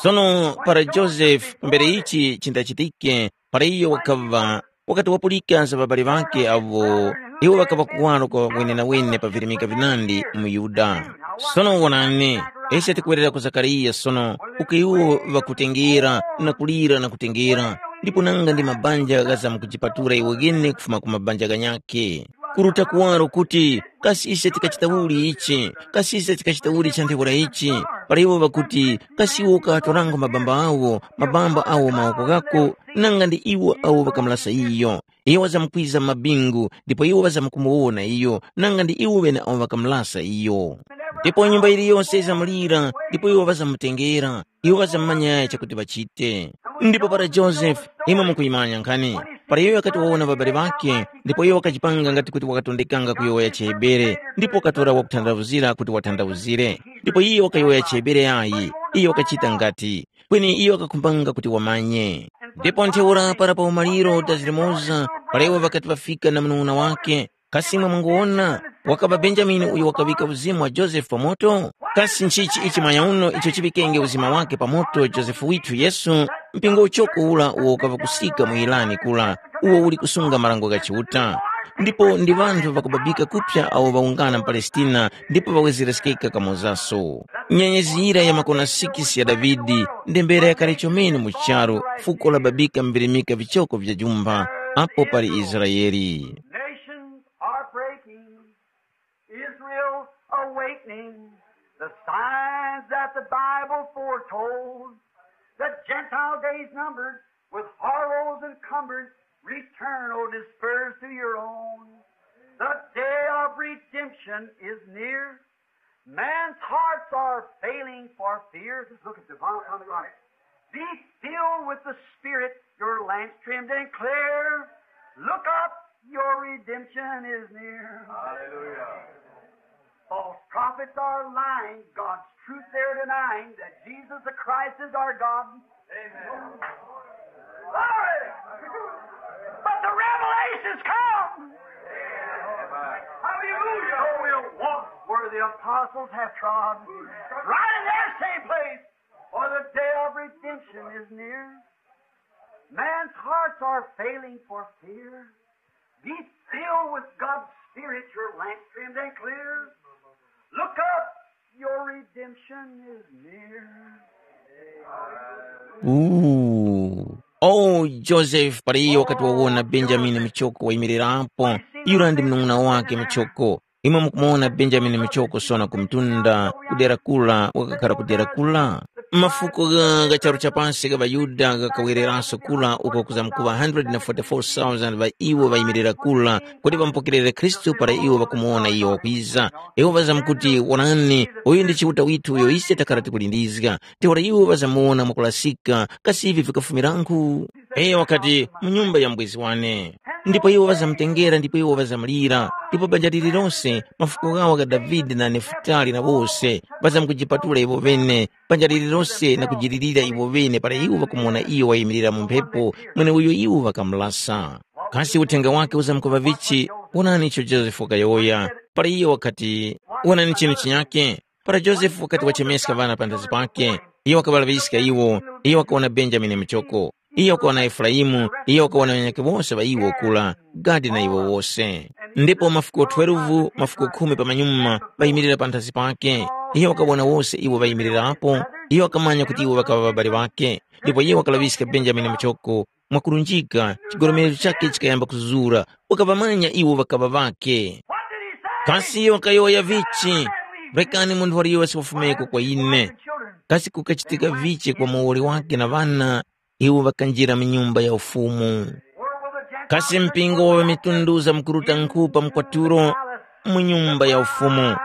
Sono para Josefe, pambere ichi chindachitike, para iyo wakaŵa Wakati wapulika za ŵabali ŵakhe awo iwo ŵakaŵa kuwaro kwa wenenawene pa virimika vinandi mu Yuda. Sono wonani, ise tikuwerera ku Zakariya sono, uko iwo ŵakutengera na kulira na kutengera, ndipo nanga ndi mabanja ghazamkujipatula iwo ghene kufuma ku mabanja ghanyakhe. Kuruta kuwaro kuti, kasi ise tikachita uli ichi? Kasi ise tikachita uli cha ntheura ichi? Para iwo ŵakuti, kasi iwo ukaŵatorango mabamba awo, mabamba awo mawoko ghako, nanga ndi iwo awo ŵakamulasa iyo. Iyo wazamkwiza mu mabingu, ndipo iwo ŵazamkumuwona iyo, nanga ndi iwo ŵene awo ŵakamulasa iyo. Ndipo nyumba yiliyose yizamulira, ndipo iwo ŵazamutengera, iwo ŵazamumanya chakuti ŵachite. Ndipo para Josefe, imwe mukuyimanya nkhani, para iyo wakati wawona ŵabale ŵakhe, ndipo iyo wakachipanga ngati kuti wakatondekanga kuyowoya chiHebere, ndipo wakatora wakuthandavuzira kuti wathandavuzire. Ndipo iyo wakayowoya chiHebere yayi, iyo wakachita ngati, kweni iyo wakakhumbanga kuti wamanye. Ndipo ntheura para pa umaliro dazirimoza, para iwo ŵakati ŵafika na munung'una wake, kasi imwe munguwona, wakaŵa Benjamini uyo wakaŵika uzimu wa Josefe pa moto? Kasi nchichi ichi mwanyauno icho chiŵikenge uzima wake pa moto Josefe withu Yesu, mpingo uchoko ura uwo ukaŵa kusika mu Yirani kura, uwo uli kusunga marango gha Chiuta? Ndipo ndi ŵanthu ŵakubabika kuphya awo ŵawungana mu Palestina ndipo ŵawezeresekeka kamozaso. Nyenyezi yira ya makona sikisi ya Davide, ndembera yakale chomene mu charu, fuko lababika mvirimika vichoko vya jumba, apo pali Israeli. Nations are breaking, Israel awakening, the signs that the Bible foretold. The Gentile days numbered, with horrors encumbered, return, O dispersed, to your own. The day of redemption is near. Man's hearts are failing for fear. Just look at the bottom of the garment. Be filled with the Spirit, your lamps trimmed and clear. Look up, your redemption is near. Hallelujah. False prophets are lying, God's truth they're denying, that Jesus the Christ is our God. Amen. Glory! But the revelation's come. Hallelujah. So we'll walk where the apostles have trod, right in that same place, for the day of redemption is near. Man's hearts are failing for fear. Be filled with God's Spirit, your lamp trimmed and clear. Look up, your redemption is near. Ooh. Oh, Joseph, para iyo wakati wawona Benjamini muchoko wayimirirapo, yura ndi munung'una wake muchoko. Imwe mukumuwona Benjamini muchoko sona ku mtunda, ku dera kula, wakakhala ku dera kula. Mafuko gha, gha charu cha pansi gha ŵaYuda ghakawereranso kula uko kuzamkuŵa hundred and forty-four thousand ŵa iwo ŵayimirira kula kuti ŵamupokerere Khristu para iwo ŵakumuwona iyo wakwiza. Iwo ŵazamkuti, “Wonani, uyu ndi Chiuta withu uyo ise takhala tikulindizga.” Ntheura iwo ŵazamuwona mwakulasika, kasi ivi vikafumirankhu? Iyo wakati, “Mu nyumba ya mubwezi wane.” Ndipo iwo ŵazamutengera ndipo iwo ŵazamulira, ndipo banja lililose, mafuko ghawo ga Davide na Nefutali na wose, ŵazamkujipatula iwo ŵene, banja lililose na kujilirira iwo ŵene para iwo ŵakumuwona iyo wayimirira mu mphepo, mweneuyo iwo ŵakamulasa. Kasi uthenga wake uzamkuŵa vichi? Wonani icho Josefe wakayowoya. Para iyo wakati, “Wonani chinu chinyakhe.” Para Josefe wakati wachemeska ŵana panthazi pake, iyo wakaŵalaŵiska iwo, iyo wakawona Benjamini muchoko, iyo wakawona Efuraimu, iyo wakawona ŵanyakhe wose ŵa iwo kula, Gadi na iwo wose. Ndipo mafuko twelve, mafuko khumi pamanyuma ŵayimirira panthazi pake, iyo wakawona wose iwo ŵayimirirapo, iyo wakamanya kuti iwo ŵakaŵa ŵabali ŵakhe, ndipo iyo wakalaŵiska Benjamini muchoko, mwakulunjika, chigolomerecho chakhe chikayamba kuzura, wakaŵamanya iwo ŵakaŵa ŵakhe. Kasi iyo wakayowoya vichi? “Rekani munthu waliyose wafumeko kwa ine.” Kasi kukachitika vichi kwa muwoli wake na ŵana, iwo ŵakanjira mu Nyumba ya Ufumu? Kasi mpingo wa ŵamitundu uzamkuruta nkhu pa mkwatulo mu Nyumba ya Ufumu?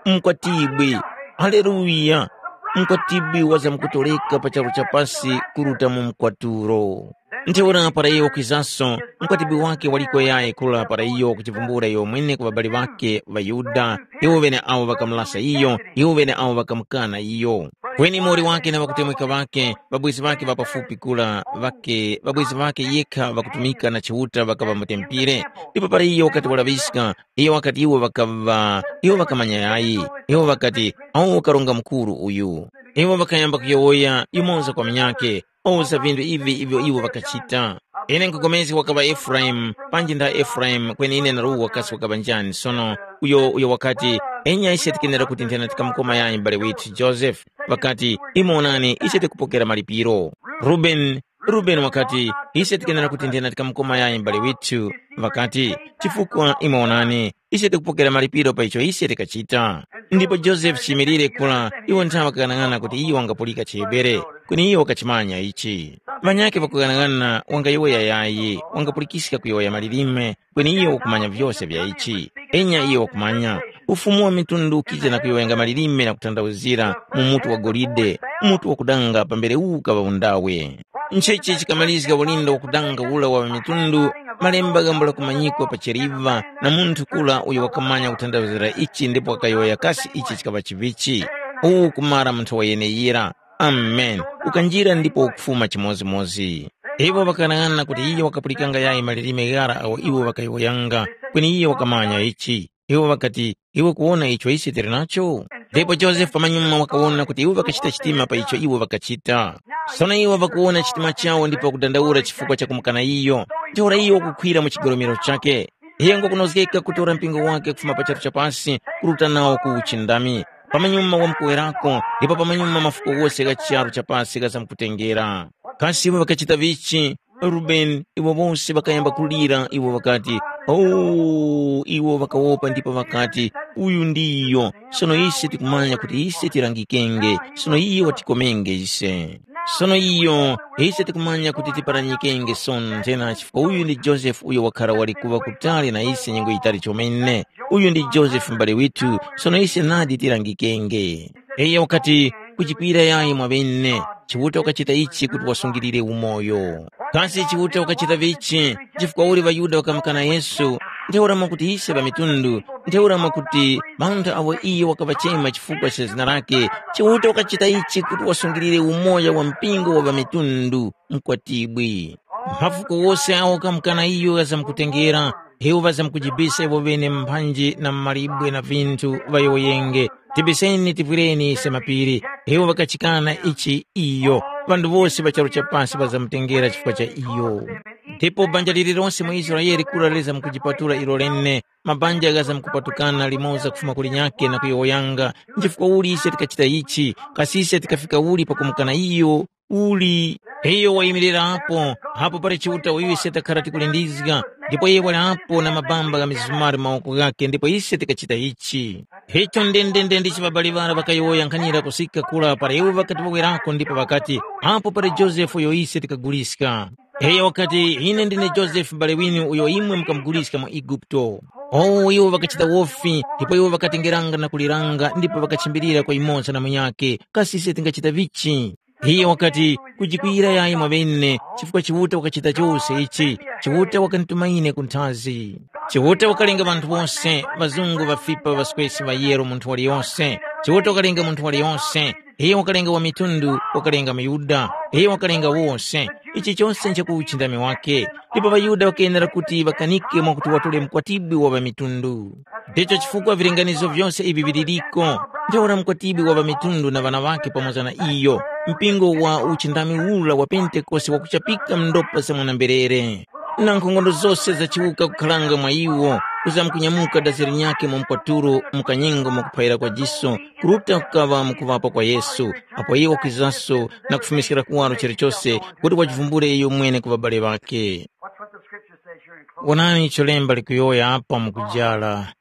Mkwatibwi, haleluya! Mkwatibwi wazamkutoleka pa charu cha pasi kuruta mu mkwatulo. Ntheura para iyo wakwizanso, mkwatibwi wake waliko yayi kula para iyo wakuchivumbula iyo mwene ku ŵabali ŵake ŵaYuda, iwo ŵene awo ŵakamulasa iyo, iwo ŵene awo ŵakamukana iyo. Kweni muwoli wake na ŵakutemweka ŵake, ŵabwezi ŵake ŵa pafupi kula, ŵake, ŵabwezi ŵake yekha ŵakutumika na Chiuta ŵakaŵa mu tempere. Ndipo para iyo wakati walaŵiska, iyo wakati iwo ŵakaŵa, iwo ŵakamanya yayi, iwo ŵakati, “Awu karonga mukuru uyu.” Iwo ŵakayamba kuyowoya yumoza kwa munyakhe, owuza vinthu ivi ivyo iwo ŵakachita. Ine nkupulikana wakaŵa Efuraimu, panji nda Efuraimu, kweni ine naruwa kasi wakaŵa njani sono, uyo uyo wakati, enya ise tikenera kuti nthena tikamukoma yayi m'bale withu Josefe, ŵakati, imwe onani, ise tikupokera malipiro. Rubeni, Rubeni wakati, ise tikenera kuti nthena tikamukoma yayi m'bale withu, ŵakati, chifukwa imwe onani, ise tikupokera malipiro pa icho ise tikachita. Ndipo Josefe chiyimilire kula, iwo nthawe wakaghanag'ana kuti iyo wangapulika chiHebere, kweni iyo wakachimanya ichi. Ŵanyakhe ŵakughanag'ana wangayowoya yayi, wangapulikiska kuyowoya malilime, kweni iyo wakumanya vyose vya ichi. Enya iyo wakumanya. Ufumu wa mitundu ukija na kuyowoyanga malilime na kutanthauzira mu mutu wa golide, mutu wakudanga pambere uwu ukaŵa undawe. Nchechi chikamalizga ulindo wakudanga ula wa mitundu, malemba ghambula kumanyikwa pa cheriva na munthu kula uyo wakamanya kutanthauzira ichi ndipo wakayowoya kasi ichi chikaŵa chivichi. Uwu kumara munthu wa yeneyira. Amen. Ukanjira ndipo ukufuma chimodzimodzi. Iwo ŵakanang'ana kuti iye wakapulikanga yayi malilime ghara agho iwo ŵakayowoyanga, kweni iye wakamanya ichi. Iwo ŵakati, iwe kuwona icho ise tili nacho? Ndipo Josefe pamanyuma wakawona kuti iwo ŵakachita chitima pa icho iwo ŵakachita. Sono iwo ŵakuwona chitima chawo ndipo ŵakudandaula chifukwa cha kumukana iyo. Ntheura iyo wakukhwira mu chigolomero chakhe. Iye ngwakunozgeka kutora mpingo wake kufuma pa charu cha pasi kuruta nawo ku uchindami. Pamanyuma wamkuwerako ndipo pamanyuma mafuko wose gha charu cha pasi ghazamkutengera. Kasi iwo ŵakachita vichi? Rubeni, iwo wose ŵakayamba kulira iwo ŵakati, “Oh!” Iwo ŵakawopa ndipo ŵakati, “Uyu ndiyo, sono ise tikumanya kuti ise tilangikenge, sono iye watikomenge ise. Sono iyo, ise tikumanya kuti tiparanyikenge sonthe na chifukwa uyu ndi Josefe uyo wakhara wali kuŵa kutali na ise nyengo yitali chomene. Uyu ndi Josefe m'bale withu, sono ise nadi tilangikenge.” Iyo wakati, kuchikwira yayi mwaŵene, Chiuta wakachita ichi kuti wasungilire umoyo. Kasi Chiuta wakachita vichi? Chifukwa uli ŵaYuda ŵakamukana Yesu, ntheura mwakuti ise ŵamitundu, ntheura mwakuti ŵanthu awo iyo wakaŵachema chifukwa cha zina lakhe, Chiuta wakachita ichi kuti wasungilire umoyo wa mpingo wa ŵamitundu, mkwatibwi. Mphafuko wose awo kamukana iyo ghazamkutengera, iwo ŵazamkujibisa iwo ŵene mphanji na malibwe na vinthu ŵayowoyenge, tibiseni tivwireni ise mapiri. Iwo ŵakachikana ichi iyo, ŵanthu wose ŵa charu cha pasi ŵazamutengera chifukwa cha iyo. Ndipo banja lililonse mu Israele kura lizamkujipatula ilo lene, mabanja ghazamkupatukana limoza kufuma kulinyakhe na kuyowoyanga, nchifukwa uli ise tikachita ichi, kasi ise tikafika uli pakumukana iyo? Uli, iyo wayimilirapo, apo pali Chiuta uyo ise takhara tikulindizga, ndipo iye wali apo na mabamba gha mizumari mu mawoko ghakhe ndipo ise tikachita ichi. Icho ndendende ndicho ŵabali ŵara ŵakayowoya nkhanira kusika kura para iwo ŵakati ŵawerako ndipo ŵakati, apo pali Josefe uyo ise tikaguliska. Iyo wakati, ine ndine Josefe m'bale winu uyo imwe mukamuguliska mu Eguputo. Oh, iwo ŵakachita wofi, ndipo iwo ŵakatengeranga na kuliranga ndipo ŵakachimbilira kwa yumoza na munyakhe, kasi ise tingachita vichi? Iye wakati, kujikwira yayi mwaŵene, chifukwa Chiuta wakachita chose ichi. Chiuta wakandituma ine ku nthazi. Chiuta wakalenga ŵanthu wose, ŵazungu, ŵafipa, ŵaswesi, ŵayero, munthu waliyose. Chiuta wakalenga munthu waliyose. Iye wakalenga wa mitundu, wakalenga muYuda. Iye wakalenga wose. Ichi chose nchaku uchindami wake. Ndipo ŵaYuda ŵakenera kuti ŵakanike mwakuti watule mukwatibwi wa ŵamitundu. Ndicho chifukwa vilinganizo vyose ivi viliriko. Ntheura mukwatibwi wa ŵamitundu na ŵana ŵakhe pamoza na iyo, mpingo wa uchindami ura wa Pentekoste wakuchapika mu ndopa za mwana-mberere. Na nkhongono zose zachiwuka kukharanga mwa iwo, kuzamkunyamuka dazi linyakhe mu mkwaturo mu kanyengo mwakuphayira kwa jiso, kuruta kukaŵa mu kuŵapa kwa Yesu, apo iwo wakwizaso na kufumiskira kuwaro chilichose kuti wachivumbule iyo mwene ku ŵabale ŵakhe. What, what the scripture says here in closing. Wonani icho lemba likuyowoya apa mukujala.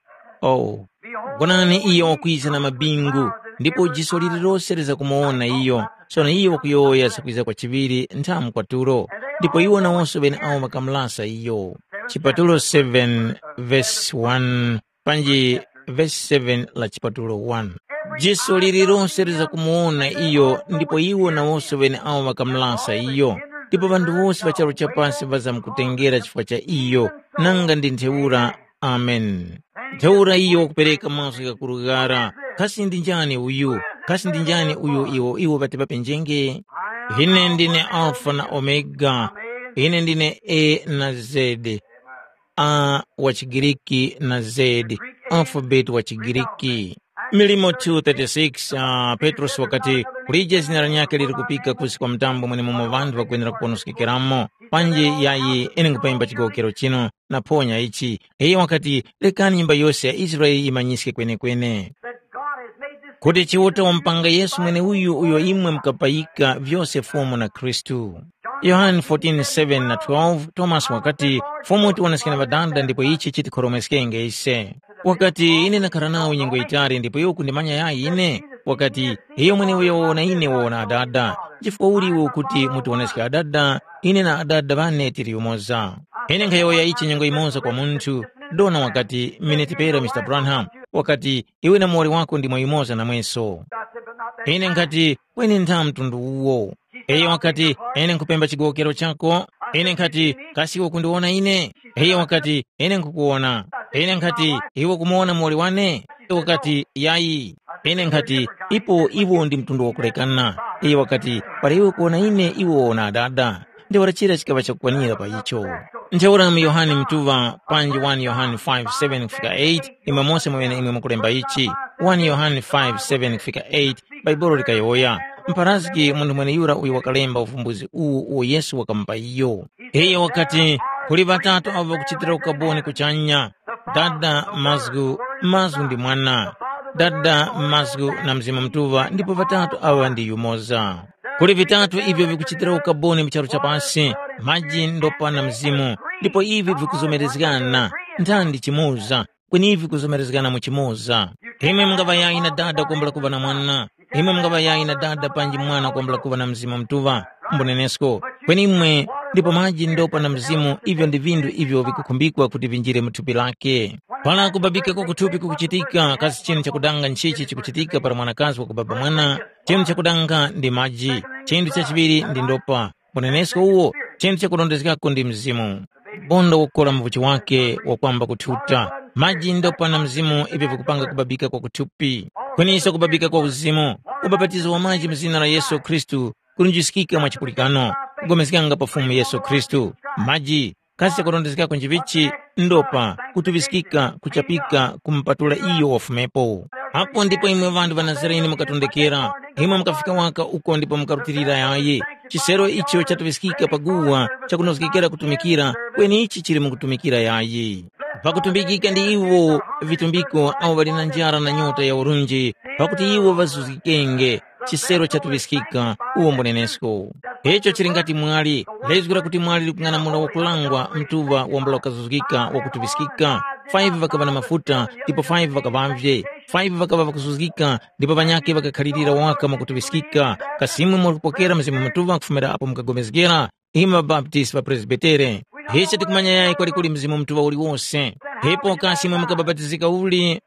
Oh, wonani iyo wakwiza na mabingu, ndipo jiso lililose lizakumuwona iyo. Sono iyo wakuyowoya zakwiza kwa chiŵiri nthamu kwatulo, ndipo iwo nawonso ŵeneawo ŵakamulasa iyo. Chipatulo seven verse one panji verse seven la chipatulo one. Jiso lililose lizakumuwona iyo, ndipo iwo nawonso ŵeneawo ŵakamulasa iyo. Ndipo ŵanthu wose ŵa charu cha pasi ŵazamkutengera chifukwa cha iyo, nanga ndi ntheura. Amen. Ntheura iyo wakupereka mazgu ghakuru ghara. Kasi ndi njani uyu? Kasi ndi njani uyu iwo iwo ŵati ŵapenjenge? Ine ndine Alfa na Omega. Ine ndine A na Z. A wa chiGiriki na Z, alphabet wa chiGiriki. Milimo two thirty-six, uh, Petrosi wakati, kulije zina lanyakhe liri kupika kusi kwa mtambo mwenemumo ŵanthu ŵakwenera kuponoskekera. Panji yayi, ine nkhupemba chigowokero chinu, naphonya ichi. Iye wakati, lekani nyumba yose ya Israele yimanyiske kwenekene kuti Chiuta wamupanga Yesu mweneuyu uyo imwe mukapayika vyose Fumu na Khristu. Yohane fourteen seven na twelve, Tomasi wakati, Fumu tiwoneske na Ŵadada ndipo ichi chitikhoromeskenge ise. Wakati, ine ndakhara nawo nyengo yitali ndipo iwe ukundimanya yayi ine? Wakati, iyo mweneuyo wawona ine wawona Adada. Chifukwa uli iwe ukuti mutiwoneske Adada? Ine na Adada ŵane tili yumoza. Ine nkhayowoya ichi nyengo yimoza kwa munthu. Dona wakati, miniti pera Mr Branham, wakati, iwe na muwoli wako ndimwe yumoza namweso. Ine nkhati, kweni ntha mtundu uwo. Iyo wakati, ine nkhupemba chigowokero chako. Ine nkhati, kasi iwe kundiwona ine? Iyo wakati, ine nkhukuwona. Ine nkhati, iwe kumuwona muwoli wane? Iyo wakati, yayi. Ine nkhati, ipo iwo ndi mtundu wakulekana. Iyo wakati, para iwe kuwona ine iwe wawona Adada. Ntheura chira chikaŵa chakukwanira pa icho. Ntheura mu Yohane mtuŵa panji one Yohane five seven kufika eight, imwe mose mweneimwe mukulemba ichi. One Yohane five seven kufika eight, Bhaibuli likayowoya, mpharazgi munthu mweneyura uyo wakalemba uvumbuzi uwu uwo Yesu wakamupa iyo. Iyo wakati, kuli ŵatatu avo ŵakuchitira ukaboni kuchanya, Dada, Mazgu, Mazgu ndi Mwana. Dada, Mazgu na Mzimu Mutuŵa ndipo ŵatatu aŵa ndi yumoza. Kuli vitatu ivyo vikuchitira ukaboni mu charu cha pasi, maji, ndopa na mzimu, ndipo ivi vikuzomerezgana, nthandi chimoza, kweni ivi vikuzomerezgana mu chimoza. Imwe mungaŵa yayi na Dada kwambula kuŵa na Mwana, imwe mungaŵa yayi na Dada panji Mwana kwambula kuŵa na Mzimu Mutuŵa, mbunenesko, kweni imwe ndipo maji, ndopa na mzimu ivyo ndi vinthu ivyo vikukhumbikwa kuti vinjire mu thupi lake. Para kubabika kwa kuthupi kukuchitika kasi chinthu chakudanga nchichi chikuchitika para mwanakazi wakubaba mwana? Chinthu chakudanga ndi maji, chinthu chachiŵiri ndi ndopa, unenesko uwo, chinthu chakurondezgako ndi mzimu. Bonda wakukola muvuchi wake wakwamba kuthuta. Maji ndopa na mzimu ivi vikupanga kubabika kwa kuthupi. Kweniso kubabika kwa uzimu, ubapatizo wa maji mu zina la Yesu Khristu kulunjiskika mwa chipulikano, kugomezganga pa Fumu Yesu Khristu. Maji kasi chakurondezgako njivichi, ndopa, kutuŵiskika, kuchapika, kumupatula iyo wafumepo. Apo ndipo imwe ŵanthu ŵa Nazarene mukatondekera, imwe mukafika waka uko ndipo mukarutilira yayi. Chisero icho chatuŵiskika pa guwa chakunozgekera kutumikira, kweni ichi chili mukutumikira yayi. Pakutumbikika ndi iwo vitumbiko awo ŵali na njara na nyota ya urunji, pakuti iwo ŵazuzgikenge. Chisero chatuŵiskika, uwo mbunenesko. Icho chili ngati mwali, lezgo lakuti mwali likung'anamula wakulangwa mtuŵa wambula wakazuzgika wakutuŵiskika. Five ŵakaŵa na mafuta, ndipo five ŵakaŵavye. Five ŵakaŵa ŵakuzuzgika, ndipo ŵanyakhe ŵakakhalirira waka mwakutuŵiskika. Kasi imwe mukupokera Mzimu Mutuŵa kufumira apo mukagomezgera? Imwe ŵabaptisi ŵa Presbitere, ise tikumanya yayi kwalikuli Mzimu Mutuŵa uliwose. Ipo kasi imwe mukabapatizika uli?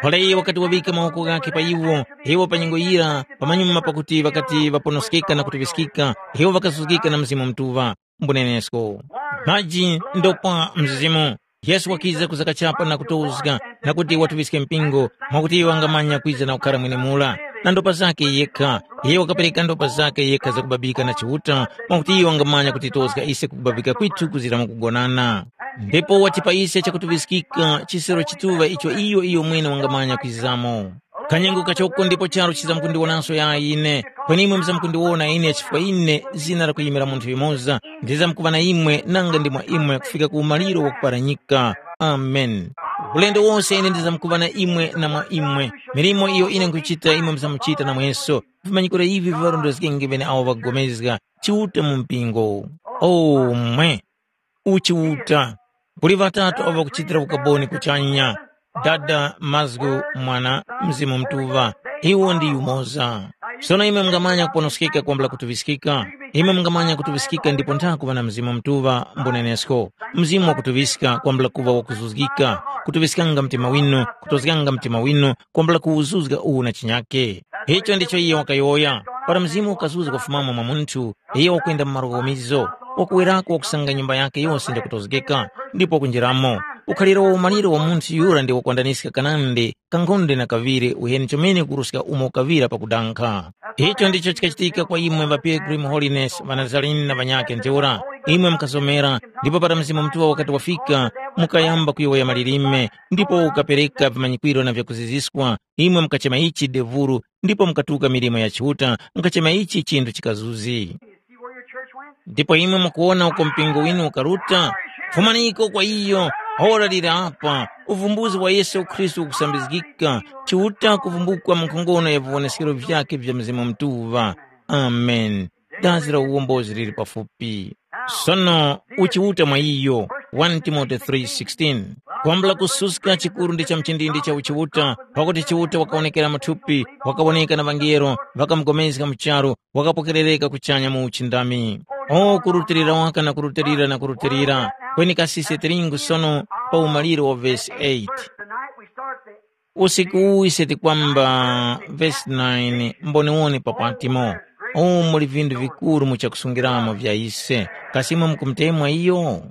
Para iye wakati waŵika mawoko ghakhe pa iwo, iwo pa nyengo yira, pamanyuma pakuti ŵakati ŵaponoskeka na kutuŵiskika, iwo ŵakasuzgika na Mzimu Mutuŵa. Mbunenesko. Maji ndopwa Mzimu. Yesu wakiza kuzakachapa na kutozga, na kuti watuŵiske mpingo, mwakuti iwo wangamanya kwiza na kukhara mwenemura, na ndopa zakhe yekha. Iye wakapereka ndopa zakhe yekha zakubabika na Chiuta, mwakuti iwo wangamanya kutitozga ise kukubabika kwithu kuzira mu kugonana. Ndipo watipa ise chakutuŵiskika chisero chituŵa icho iyo iyo mwene wangamanya kwizamo. Kanyengo kachoko ndipo charu chizamkundiwonanso yayi ine, kweni imwe muzamkundiwona ine chifukwa ine zina lakuyimira munthu yumoza, ndizamkuŵa na imwe nanga ndi mwa imwe kufika ku umaliro wakuparanyika. Amen. Ulendo wose ine ndizamkuŵa na imwe na mwa imwe. Milimo iyo ine nkuchita imwe muzamuchita namweso. Vimanyikiro ivi viŵarondezgenge ŵeneawo ŵakupulikana Chiuta mu mpingo. Omwe! Uchiuta. Kuli ŵatatu awo ŵakuchitira ukaboni kuchanya, Dada, Mazgu, Mwana, Mzimu Mutuŵa. Iwo ndi yumoza. Sono imwe mungamanya kuponoskeka kwambula kutuŵiskika. Imwe mungamanya kutuŵiskika ndipo ntha kuŵa na Mzimu Mutuŵa mbunenesko. Mzimu wakutuŵiska kwambula kuŵa wakuzuzgika, kutuŵiskanga mtima winu, kutozganga mtima winu, kwambula kuwuzuzga uwu na chinyake. Icho ndicho iye wakayowoya. Para Mzimu ukazuzga kufumamo mwa munthu, iye wakwenda mu malo ghomizo, wakuwerako wakusanga nyumba yakhe yose ndakutozgeka, ndipo wakunjiramo. Ukhaliro wa umaliro wa munthu yura ndi wakwandaniska kanandi kankhonde na kaŵiri uheni chomene kuruska umo ukaŵira pakudankha. Icho ndicho chikachitika kwa imwe ŵa Pilgrim Holiness, ŵa Nazarene na ŵanyakhe ntheura. Imwe mukasomera, ndipo para Mzimu Mutuŵa wakati wafika, mukayamba kuyowoya malilime, ndipo ukapereka vimanyikwiro na vyakuziziswa, imwe mukachema ichi devuru, ndipo mukatuka milimo ya Chiuta, mukachema ichi chinthu chikazuzi. Ndipo imwe mukuwona uko mpingo winu ukaruta? Fumaniko kwa iyo, ora liri apa, uvumbuzi wa Yesu Khristu ukusambizgika, Chiuta kuvumbukwa mu nkhongono ya viwonesekero vyakhe vya Mzimu Mutuŵa. Amen. Dazi la uwombozi lili pafupi. Sono uchiuta mwa iyo, one Timote three sixteen. Kwambula kususka chikuru ndi cha mchindindi cha uchiuta, pakuti Chiuta wakawonekera mu thupi, wakawoneka na ŵangelo, ŵakamugomezga mu charu, wakapokerereka kuchanya mu uchindami. O kurutilira waka na kurutilira na kurutilira, kweni kasi ise tilingu sono pa umaliro wa vesi eight. Usiku uwu ise tikwamba vesi nine mboniwoni pa Patimo. Umu muli vindu vikuru mu chakusungiramo vya ise. Kasi imwe mukumutemwa iyo?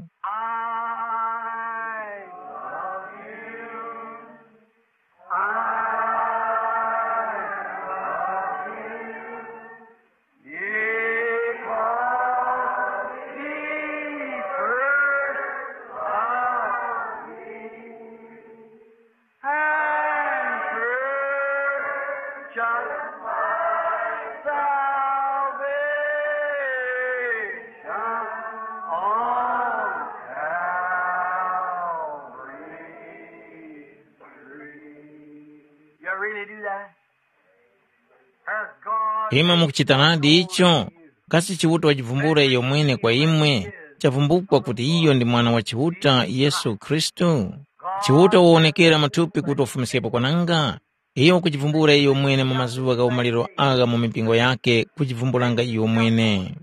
You really do that? Has God Imwe mukuchitanadi icho? Kasi Chiuta wajivumbula iyo mwene kwa imwe? Chavumbukwa kuti iyo ndi Mwana wa Chiuta, Yesu Khristu? Chiuta wawonekera matupi kuti wafumiskepo kwananga? Iyo wakujivumbula iyo mwene mu mazuŵa gha umaliro agha mu mipingo yakhe kujivumbulanga iyo mwene.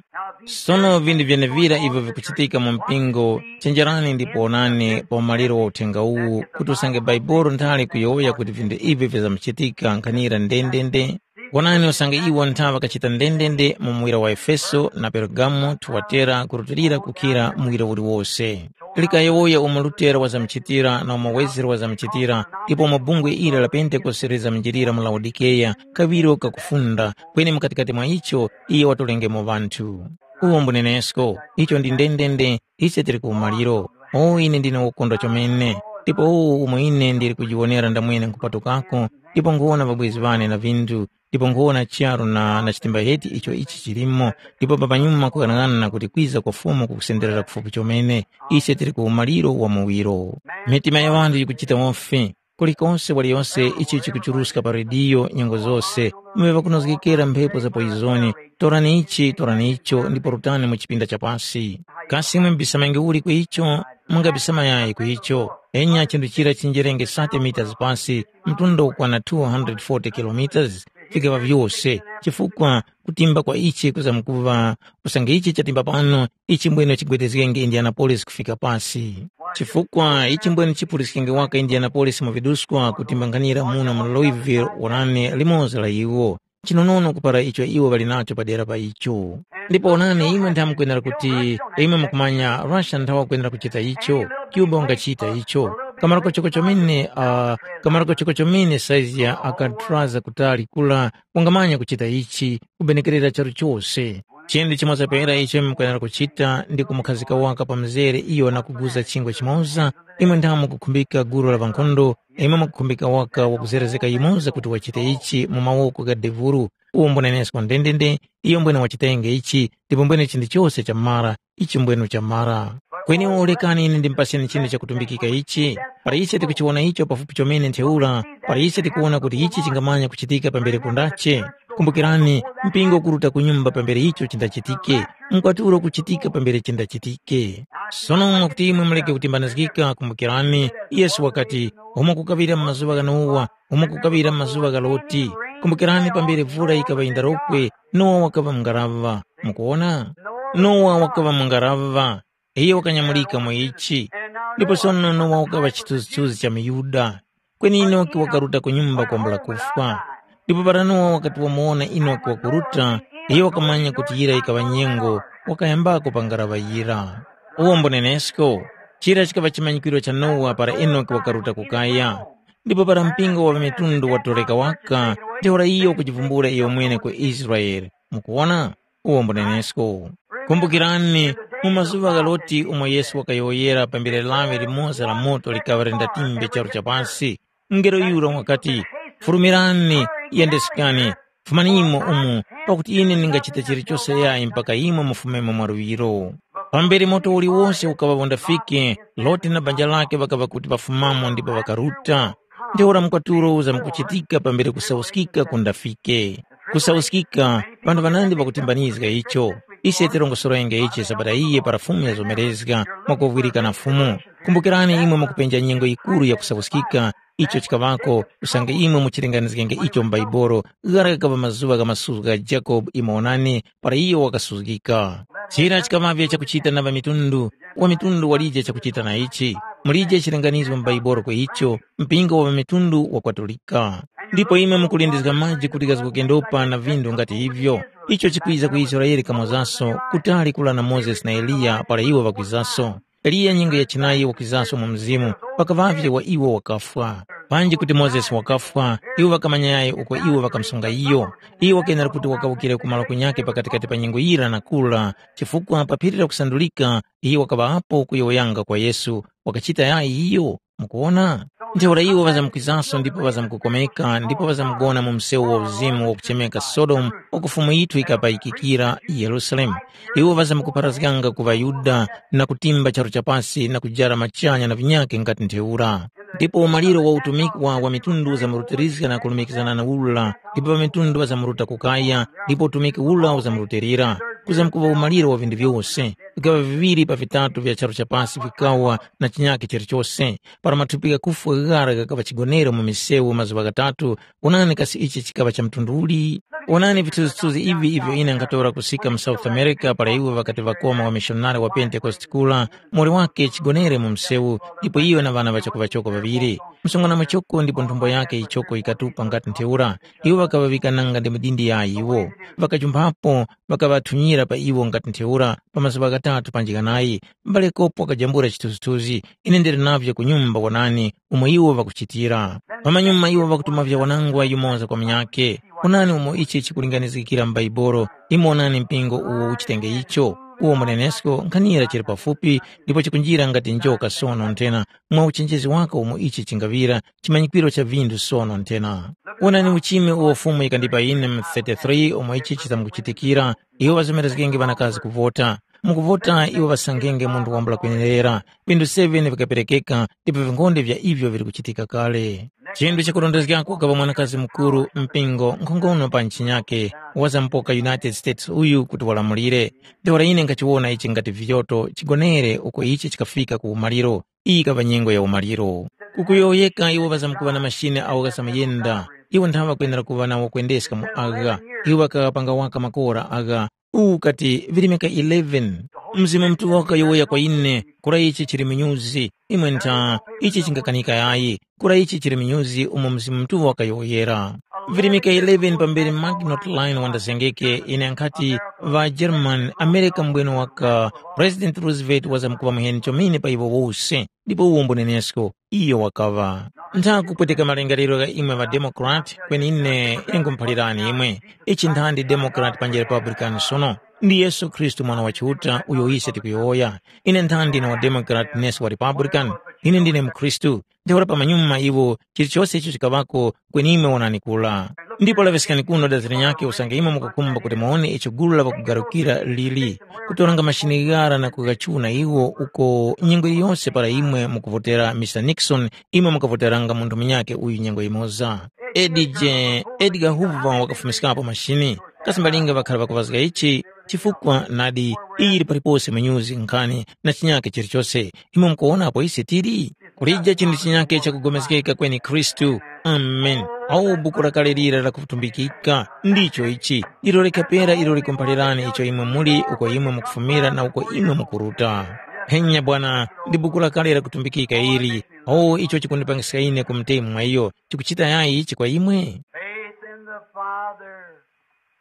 Sono vinthu vyenevira ivyo vikuchitika mu mpingo, chenjerani ndipo wonani pa umaliro wa uthenga uwu kuti usange Bhaibuli nthali kuyowoya kuti vinthu ivi vizamkuchitika nkhanira ndendende. Wonani usange iwo ntha ŵakachita ndendende mu muwira wa Efeso na Pergamo, Tuwatera kurutilira kukhira muwira uliwose. Likayowoya umo Lutera wazamchitira na umo Wezere wazamchitira, ndipo umo bungwe ili la Pentekoste lizamjirira mu Laodikeya, kaŵiro kakufunda, kweni mukatikati mwa icho iye watolengemo ŵanthu. Uwo mbunenesko, icho ndi ndendende, ise tili ku umaliro. O ine ndine wokondwa chomene, ndipo uwu umo ine ndili kujiwonera ndamwene nkhupatukako, ndipo nkhuwona ŵabwezi ŵane na vinthu, ndipo nkhuwona charu na, na chitimba heti icho ichi chilimo, ndipo papanyuma kukang'ana kuti kwiza kwa Fumu kukusenderera kufupi chomene, ise tili ku umaliro wa muwiro. Mitima ya ŵanthu yikuchita wofi. Kulikose waliyose ichi chikuchuruska pa rediyo nyengo zose, muŵe ŵakunozgekera mphepo za poizoni, torani ichi, torani icho, ndipo rutani mu chipinda cha pasi. Kasi imwe mbisamange uli ku icho? Mungabisamayayi ku icho. Enya chinthu chira chinjerenge sate mitas pasi, mtunda ukwana two hundred forty kilometers, vikaŵa vyose, chifukwa kutimba kwa ichi kuzamkuŵa, usange ichi chatimba pano, ichi mbwene chigwedezgenge Indianapolis kufika pasi. Chifukwa ichi mbwene chipuliskenge waka Indianapolis mu viduskwa kutimbanganira muno mu Louisville, Orlando, limoza la iwo. Chinonono kupara icho iwo ŵali nacho padera pa icho. Ndipo onani, imwe ntha mukwenera kuti, imwe mukumanya Russia nthawa kwenera kuchita icho, Cuba ungachita icho. Kamaroko choko chomene, uh, kamaroko choko chomene saizi ya Alcatraz kutali kula kungamanya kuchita ichi, kubenekerera charu chose. Chinthu chimoza pera icho imwe mukwenera kuchita ndi kumukhazika waka pa mzere iyo na kuguza chingwa chimoza, imwe ntha mukukhumbika gulu la ŵankhondo, imwe mukukhumbika waka wakuzerezeka yumoza kuti wachite ichi mu mawoko gha devuru, uwo mbunenesko ndendende, iyo mbwene wachitenge ichi, ndipo mbwene chinthu chose chamara, ichi mbwene chamara. Kweni uwo lekani ine ndimpaseni chinthu chakutumbikika ichi, para ise tikuchiwona icho pafupi chomene ntheura, para ise tikuwona kuti ichi chingamanya kuchitika pambere kundache. Kumbukirani, mpingo ukuruta ku nyumba pambere icho chindachitike, mkwatulo kuchitika pambere chindachitike. Sono mwakuti imwe muleke kutimbanizgika, kumbukirani, Yesu wakati, umo kukaŵira mu mazuŵa gha Nowa, umo kukaŵira mu mazuŵa gha Loti. Kumbukirani pambere vura yikaŵa yindarokwe, Nowa wakaŵa mu ngaraŵa. Mukuwona? Nowa wakaŵa mu ngaraŵa. Iyo wakanyamulika mu ichi. Ndipo sono Nowa wakaŵa chithunzithunzi cha muYuda. Kweni Enoki wakaruta ku nyumba kwambula kufwa. Ndipo para Nowa wakati wamuwona Enoki wakuruta, iyo wakamanya kuti yira yikaŵa nyengo, wakayambako pa ngaraŵa yira. Uwo mbunenesko, chira chikaŵa chimanyikiro cha Nowa para Enoki wakaruta ku kaya. Ndipo para mpingo wa ŵamitundu watoreka waka, ntheura iyo ukujivumbula iyomwene ku Israele. Mukuwona? Uwo mbunenesko. Kumbukirani, Mu mazuŵa gha Loti umo Yesu wakayowoyera pambere lawi limoza la moto likaŵa lindatimbe charu cha pasi, mungelo yura wakati, “Fulumirani, yendesekani, fumanimo umu, pakuti ine ndingachita chilichose yayi mpaka imwe mufumemo mwaluŵiro.” Pambere moto uliwose ukaŵa undafike, Loti na banja lakhe ŵakaŵa kuti ŵafumamo ndipo ŵakaruta. Ntheura mkwatulo uzamkuchitika pambere kusauskika kundafike. Kusauskika, vanthu ŵanandi ŵakutimbanizga icho. Ise tirongosorenge ichi sabata iyi para Fumu yazomerezga mwakovwirika na Fumu. Kumbukirani imwe mukupenja nyengo yikuru ya kusauskika, icho chikaŵako, usange imwe muchilinganizgenge icho mu Baibolo, ghara ghakaŵa mazuŵa gha masuzgo gha Jakobe imo onani, para iyo wakasuzgika. Chira chikaŵavye chakuchita na ŵamitundu, wamitundu walije chakuchita na ichi. Mulije chilinganizo mu Baibolo kwa icho, mpingo wa ŵamitundu wakwatulika. Ndipo imwe mukulindizga maji kuti ghazgokendopa na vindu ngati ivyo. Icho chikwiza ku Israele kamozaso, kutali kula na Mozesi na Eliya para iwo ŵakwizaso. Eliya nyengo ya chinayi wakwizaso mu mzimu, pakaŵavye wa iwo wakafwa. Panji kuti Mozesi wakafwa, iwo ŵakamanyayi uko iwo ŵakamusunga iyo. Iyo wakenera kuti wakawukire ku malo kunyakhe pakatikati pa nyengo yira na kura, chifukwa pa phiri la kusandulika iyo wakaŵa apo kuyowoyanga kwa Yesu, wakachita yayi iyo. Mukuwona? Ntheura iwo ŵazamkwizanso ndipo ŵazamkukomeka ndipo ŵazamgona mu msewu wa uzimu wakuchemeka Sodomu uko Fumu yithu yikapayikikira Yerusalemu. Iwo ŵazamkupharazganga ku ŵaYuda na kutimba charu cha pasi na kujara machanya na vinyakhe nga kuti ntheura. Ndipo umaliro wa utumiki wa ŵamitundu uzamurutirizga na kulumikizana na ula, ndipo ŵamitundu ŵazamuruta ku kaya, ndipo utumiki ula uzamurutilira. Kuzamkuŵa umaliro wa vinthu vyose. Vikaŵa viŵiri pa vitatu vya charu cha pasi vikawa na chinyakhe chilichose. Para mathupi ghakufwa ghara ghakaŵa chigonere mu misewu mazuŵa ghatatu, wonani kasi ichi chikaŵa cha mtundu uli? Wonani vithunzithunzi ivi ivyo ine nkhatora kusika mu South America para iwo ŵakati ŵakoma wamishonari wa Pentekoste kula, mori wake chigonere mu msewu, ndipo iyo na ŵana ŵachakuŵachoko ŵaŵiri. Msungwana muchoko ndipo nthumbo yakhe yichoko yikatupa nga kuti ntheura. Iwo ŵakaŵaŵika nanga ndi midindi ya iwo. Ŵakajumphapo, ŵakaŵathunyira pa iwo nga kuti ntheura pa mazuŵa ghatatu panji ghanayi. M'bale Kopo wakajambula chithunzithunzi, ine ndili navyo ku nyumba wonani umo iwo ŵakuchitira. Pamanyuma iwo ŵakutuma vyawanangwa yumoza kwa munyakhe. Wonani umo ichi chikulinganizgikira m'Baibolo, imwe wonani mpingo uwo uchitenge icho. Uwo munenesko nkhanira chili pafupi ndipo chikunjira ngati njoka sono nthena mwa uchenjezi wako umo ichi chingaŵira chimanyikwiro cha vinthu sono nthena. Wonani uchime uwo Fumu yikandipa ine mu thirty-three umo ichi chizamkuchitikira, iwo ŵazomerezgenge ŵanakazi kuvota. Mukuvota iwo ŵasangenge munthu wambula kwenerera. Vinthu seven vikaperekeka ndipo vinkhonde vya ivyo vili kuchitika kale. Chinthu chakurondezgako kukava mwanakazi mukuru mpingo nkhongono pa nchinyake wazampoka United States uyu kuti walamulire. Ntheura ine nkhachiwona ichi ngati vyoto chigonere uko ichi chikafika ku umaliro. Iyi ikaŵa nyengo ya umaliro. Kukuyowoyeka iwo ŵazamkuŵa na mashine awo ghazamayenda. Iwo nthawe ŵakwenera kuŵa na wakwendeska mu agha. Iwo ŵakaŵapanga waka makora agha. Uwu ukati virimika eleven. Mzimu Mutuŵa wakayowoya kwa ine, kura ichi chili munyuzi. Imwe ntha, ichi chingakanika yayi. Kura ichi chili munyuzi umo Mzimu Mutuŵa wakayowoyera. Virimika eleven pambere Maginot Line wandazengeke, ine nkhati ŵa German, America mbweno waka, President Roosevelt wazamkuŵa muheni chomene pa iwo wose. Ndipo uwo mbunenesko, iyo wakaŵa. Nthakupweteka malingaliro gha imwe ŵa Democrat, kweni ine ingumuphalirani imwe. Ichi nthandi Democrat panji Republican sono? Ndi Yesu Khristu Mwana wa Chiuta uyo ise tikuyowoya. Ine nthandi ndine wa Democrat nesi wa Republican? Ine ndine mukhristu. Ntheura pamanyuma iwo chilichose icho chikaŵako kweni imwe wonani kula. Ndipo laŵiskani kuno dazi linyakhe usange imwe mukukhumba kuti muwone icho gulu la ŵakugarukira lili, kutoranga mashini ghara na kughachuna iwo uko nyengo yiliyonse para imwe mukuvotera Mister Nixon, imwe mukavoteranga munthu munyakhe uyu nyengo yimoza. Edi je, Edgar Hoover wakafumiskapo mashini. Kasi mbalinga ŵakhara ŵakuŵazga ichi? Chifukwa nadi, iyi yili palipose mu nyuzi nkhani na chinyakhe chilichose. Imwe mukuwona apo ise tili? Kulija chinthu chinyakhe chakugomezgeka kweni Khristu. Amen. Awo buku lakale lira lakutumbikika, ndicho ichi. Ndilo likhapera ilo likumphalirani icho imwe muli uko imwe mukufumira na uko imwe mukuruta. Henya bwana, ndi buku lakale lakutumbikika ili. O icho chikundipangiska ine ku mtemu mwa iyo, chikuchita yayi ichi kwa imwe? Faith in the Father,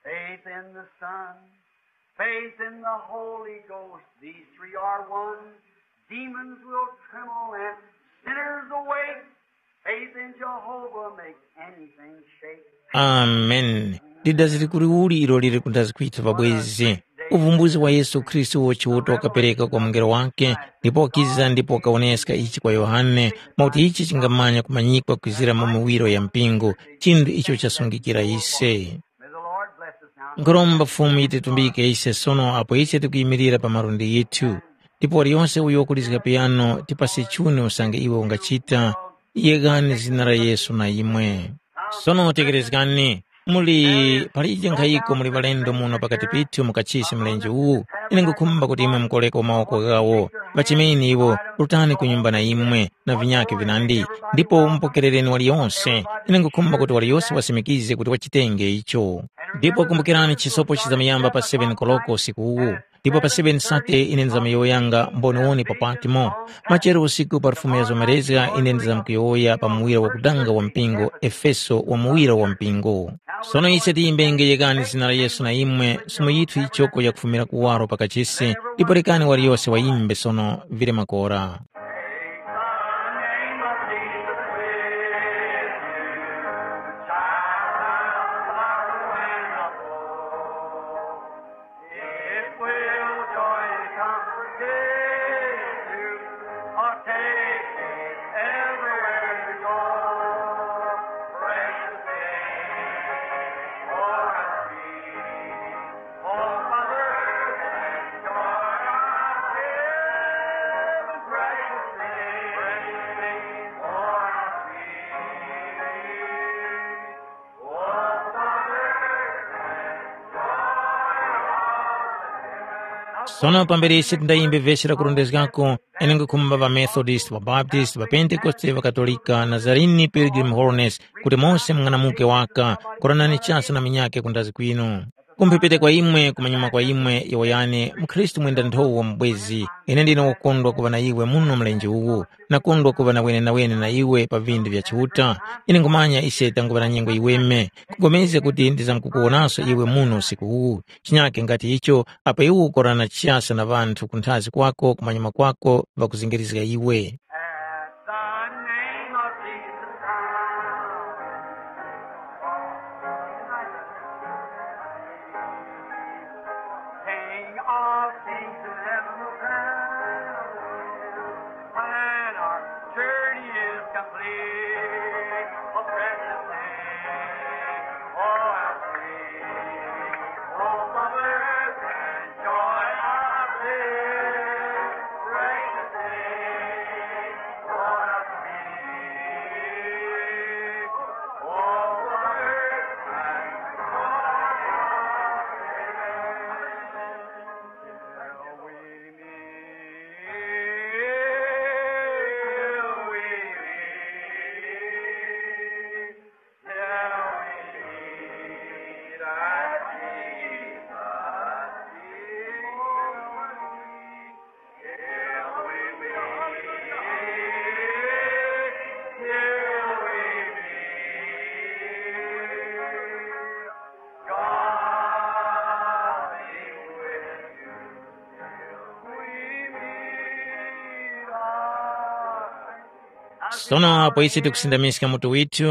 faith in the Son, faith in the Holy Ghost. These three are one. Demons will tremble and sinners awake. Faith in Jehovah makes anything shake. Amen. Lidaziri kuli uli ilo lili kundazi kwithu pabwezi? Uvumbuzi wa Yesu Khristu wo Chiuta wakapereka kwa mungelo wakhe, ndipo wakiza ndipo wakawoneska ichi kwa Yohane, mwakuti ichi chingamanya kumanyikwa kwizira mu miwiro ya mpingo, chinthu icho chasungikira ise. Nkhoromba Fumu yititumbike ise sono apo ise tikuyimirira pa malundi yithu. Ndipo waliyonse uyo wakulizga piyano, tipase chuni usange iwe ungachita, yegani zina la Yesu na imwe. Sono tekerezgani, muli palije nkhayiko muli ŵalendo muno pakati pithu mu kachisi mlenje uwu, ine nkhukhumba kuti imwe mukoreko mawoko ghawo. Ŵachemeni iwo, rutani ku nyumba na imwe na vinyakhe vinandi, ndipo mupokerereni waliyonse. Ine nkhukhumba kuti waliyonse wasimikize kuti wachitenge icho. Ndipo kumbukirani chisopo chizamuyamba pa seven koloko usiku uwu. Ndipo pa seven sate ine ndizamyowoyanga mboniwoni pa Patmo. Machero usiku pa lufumu ya zomerezga ine ndizamkuyowoya pa muwiro wakudanga wa mpingo, Efeso wa muwiro wa mpingo. Sono ise tiyimbenge yekani zina la Yesu na imwe, sumo yithu yichoko yakufumira kuwaro pa kachisi, ndipo rekani waliyose wayimbe sono vile makora. It will joy and comfort give you, or take it everywhere you go. Precious thing, oh, how sweet, oh, comfort and joy of heaven. Precious thing, precious thing, oh, how sweet. Sono pambere ise tindayimbe vesi la kurondezgako, ine nkhukhumba ŵaMethodist, ŵaBaptist, ŵaPentekoste, ŵaKatolika, Nazarene, Pilgrim Holiness, kuti mose mung'anamuke waka, koranani chasa na minyake kundazi kwinu. Kumphepete kwa imwe, kumanyuma kwa imwe, yowoyani, mukhristu mwenda nthowa wa mubwezi, ine ndine wokondwa kuŵa na iwe muno mlenje uwu. Nakondwa kuŵa na wenenawene na iwe pa vinthu vya Chiuta. Ine nkhumanya ise tanguŵa na nyengo yiweme, nkupulikana kuti ndizamkukuwonanso iwe muno usiku uwu. Chinyake nga ti icho, apo iwe ukorana chiyasa na ŵanthu kunthazi kwako kumanyuma kwako ŵakuzingirizga iwe. At the name of Jesus Christ, King of kings and heaven will crown. When our journey is complete, a precious name, oh, how sweet, oh, comfort and joy of bliss, precious name, oh, how sweet, oh, comfort and joy of bliss. Sono apo ise tikusindamiska mutu withu,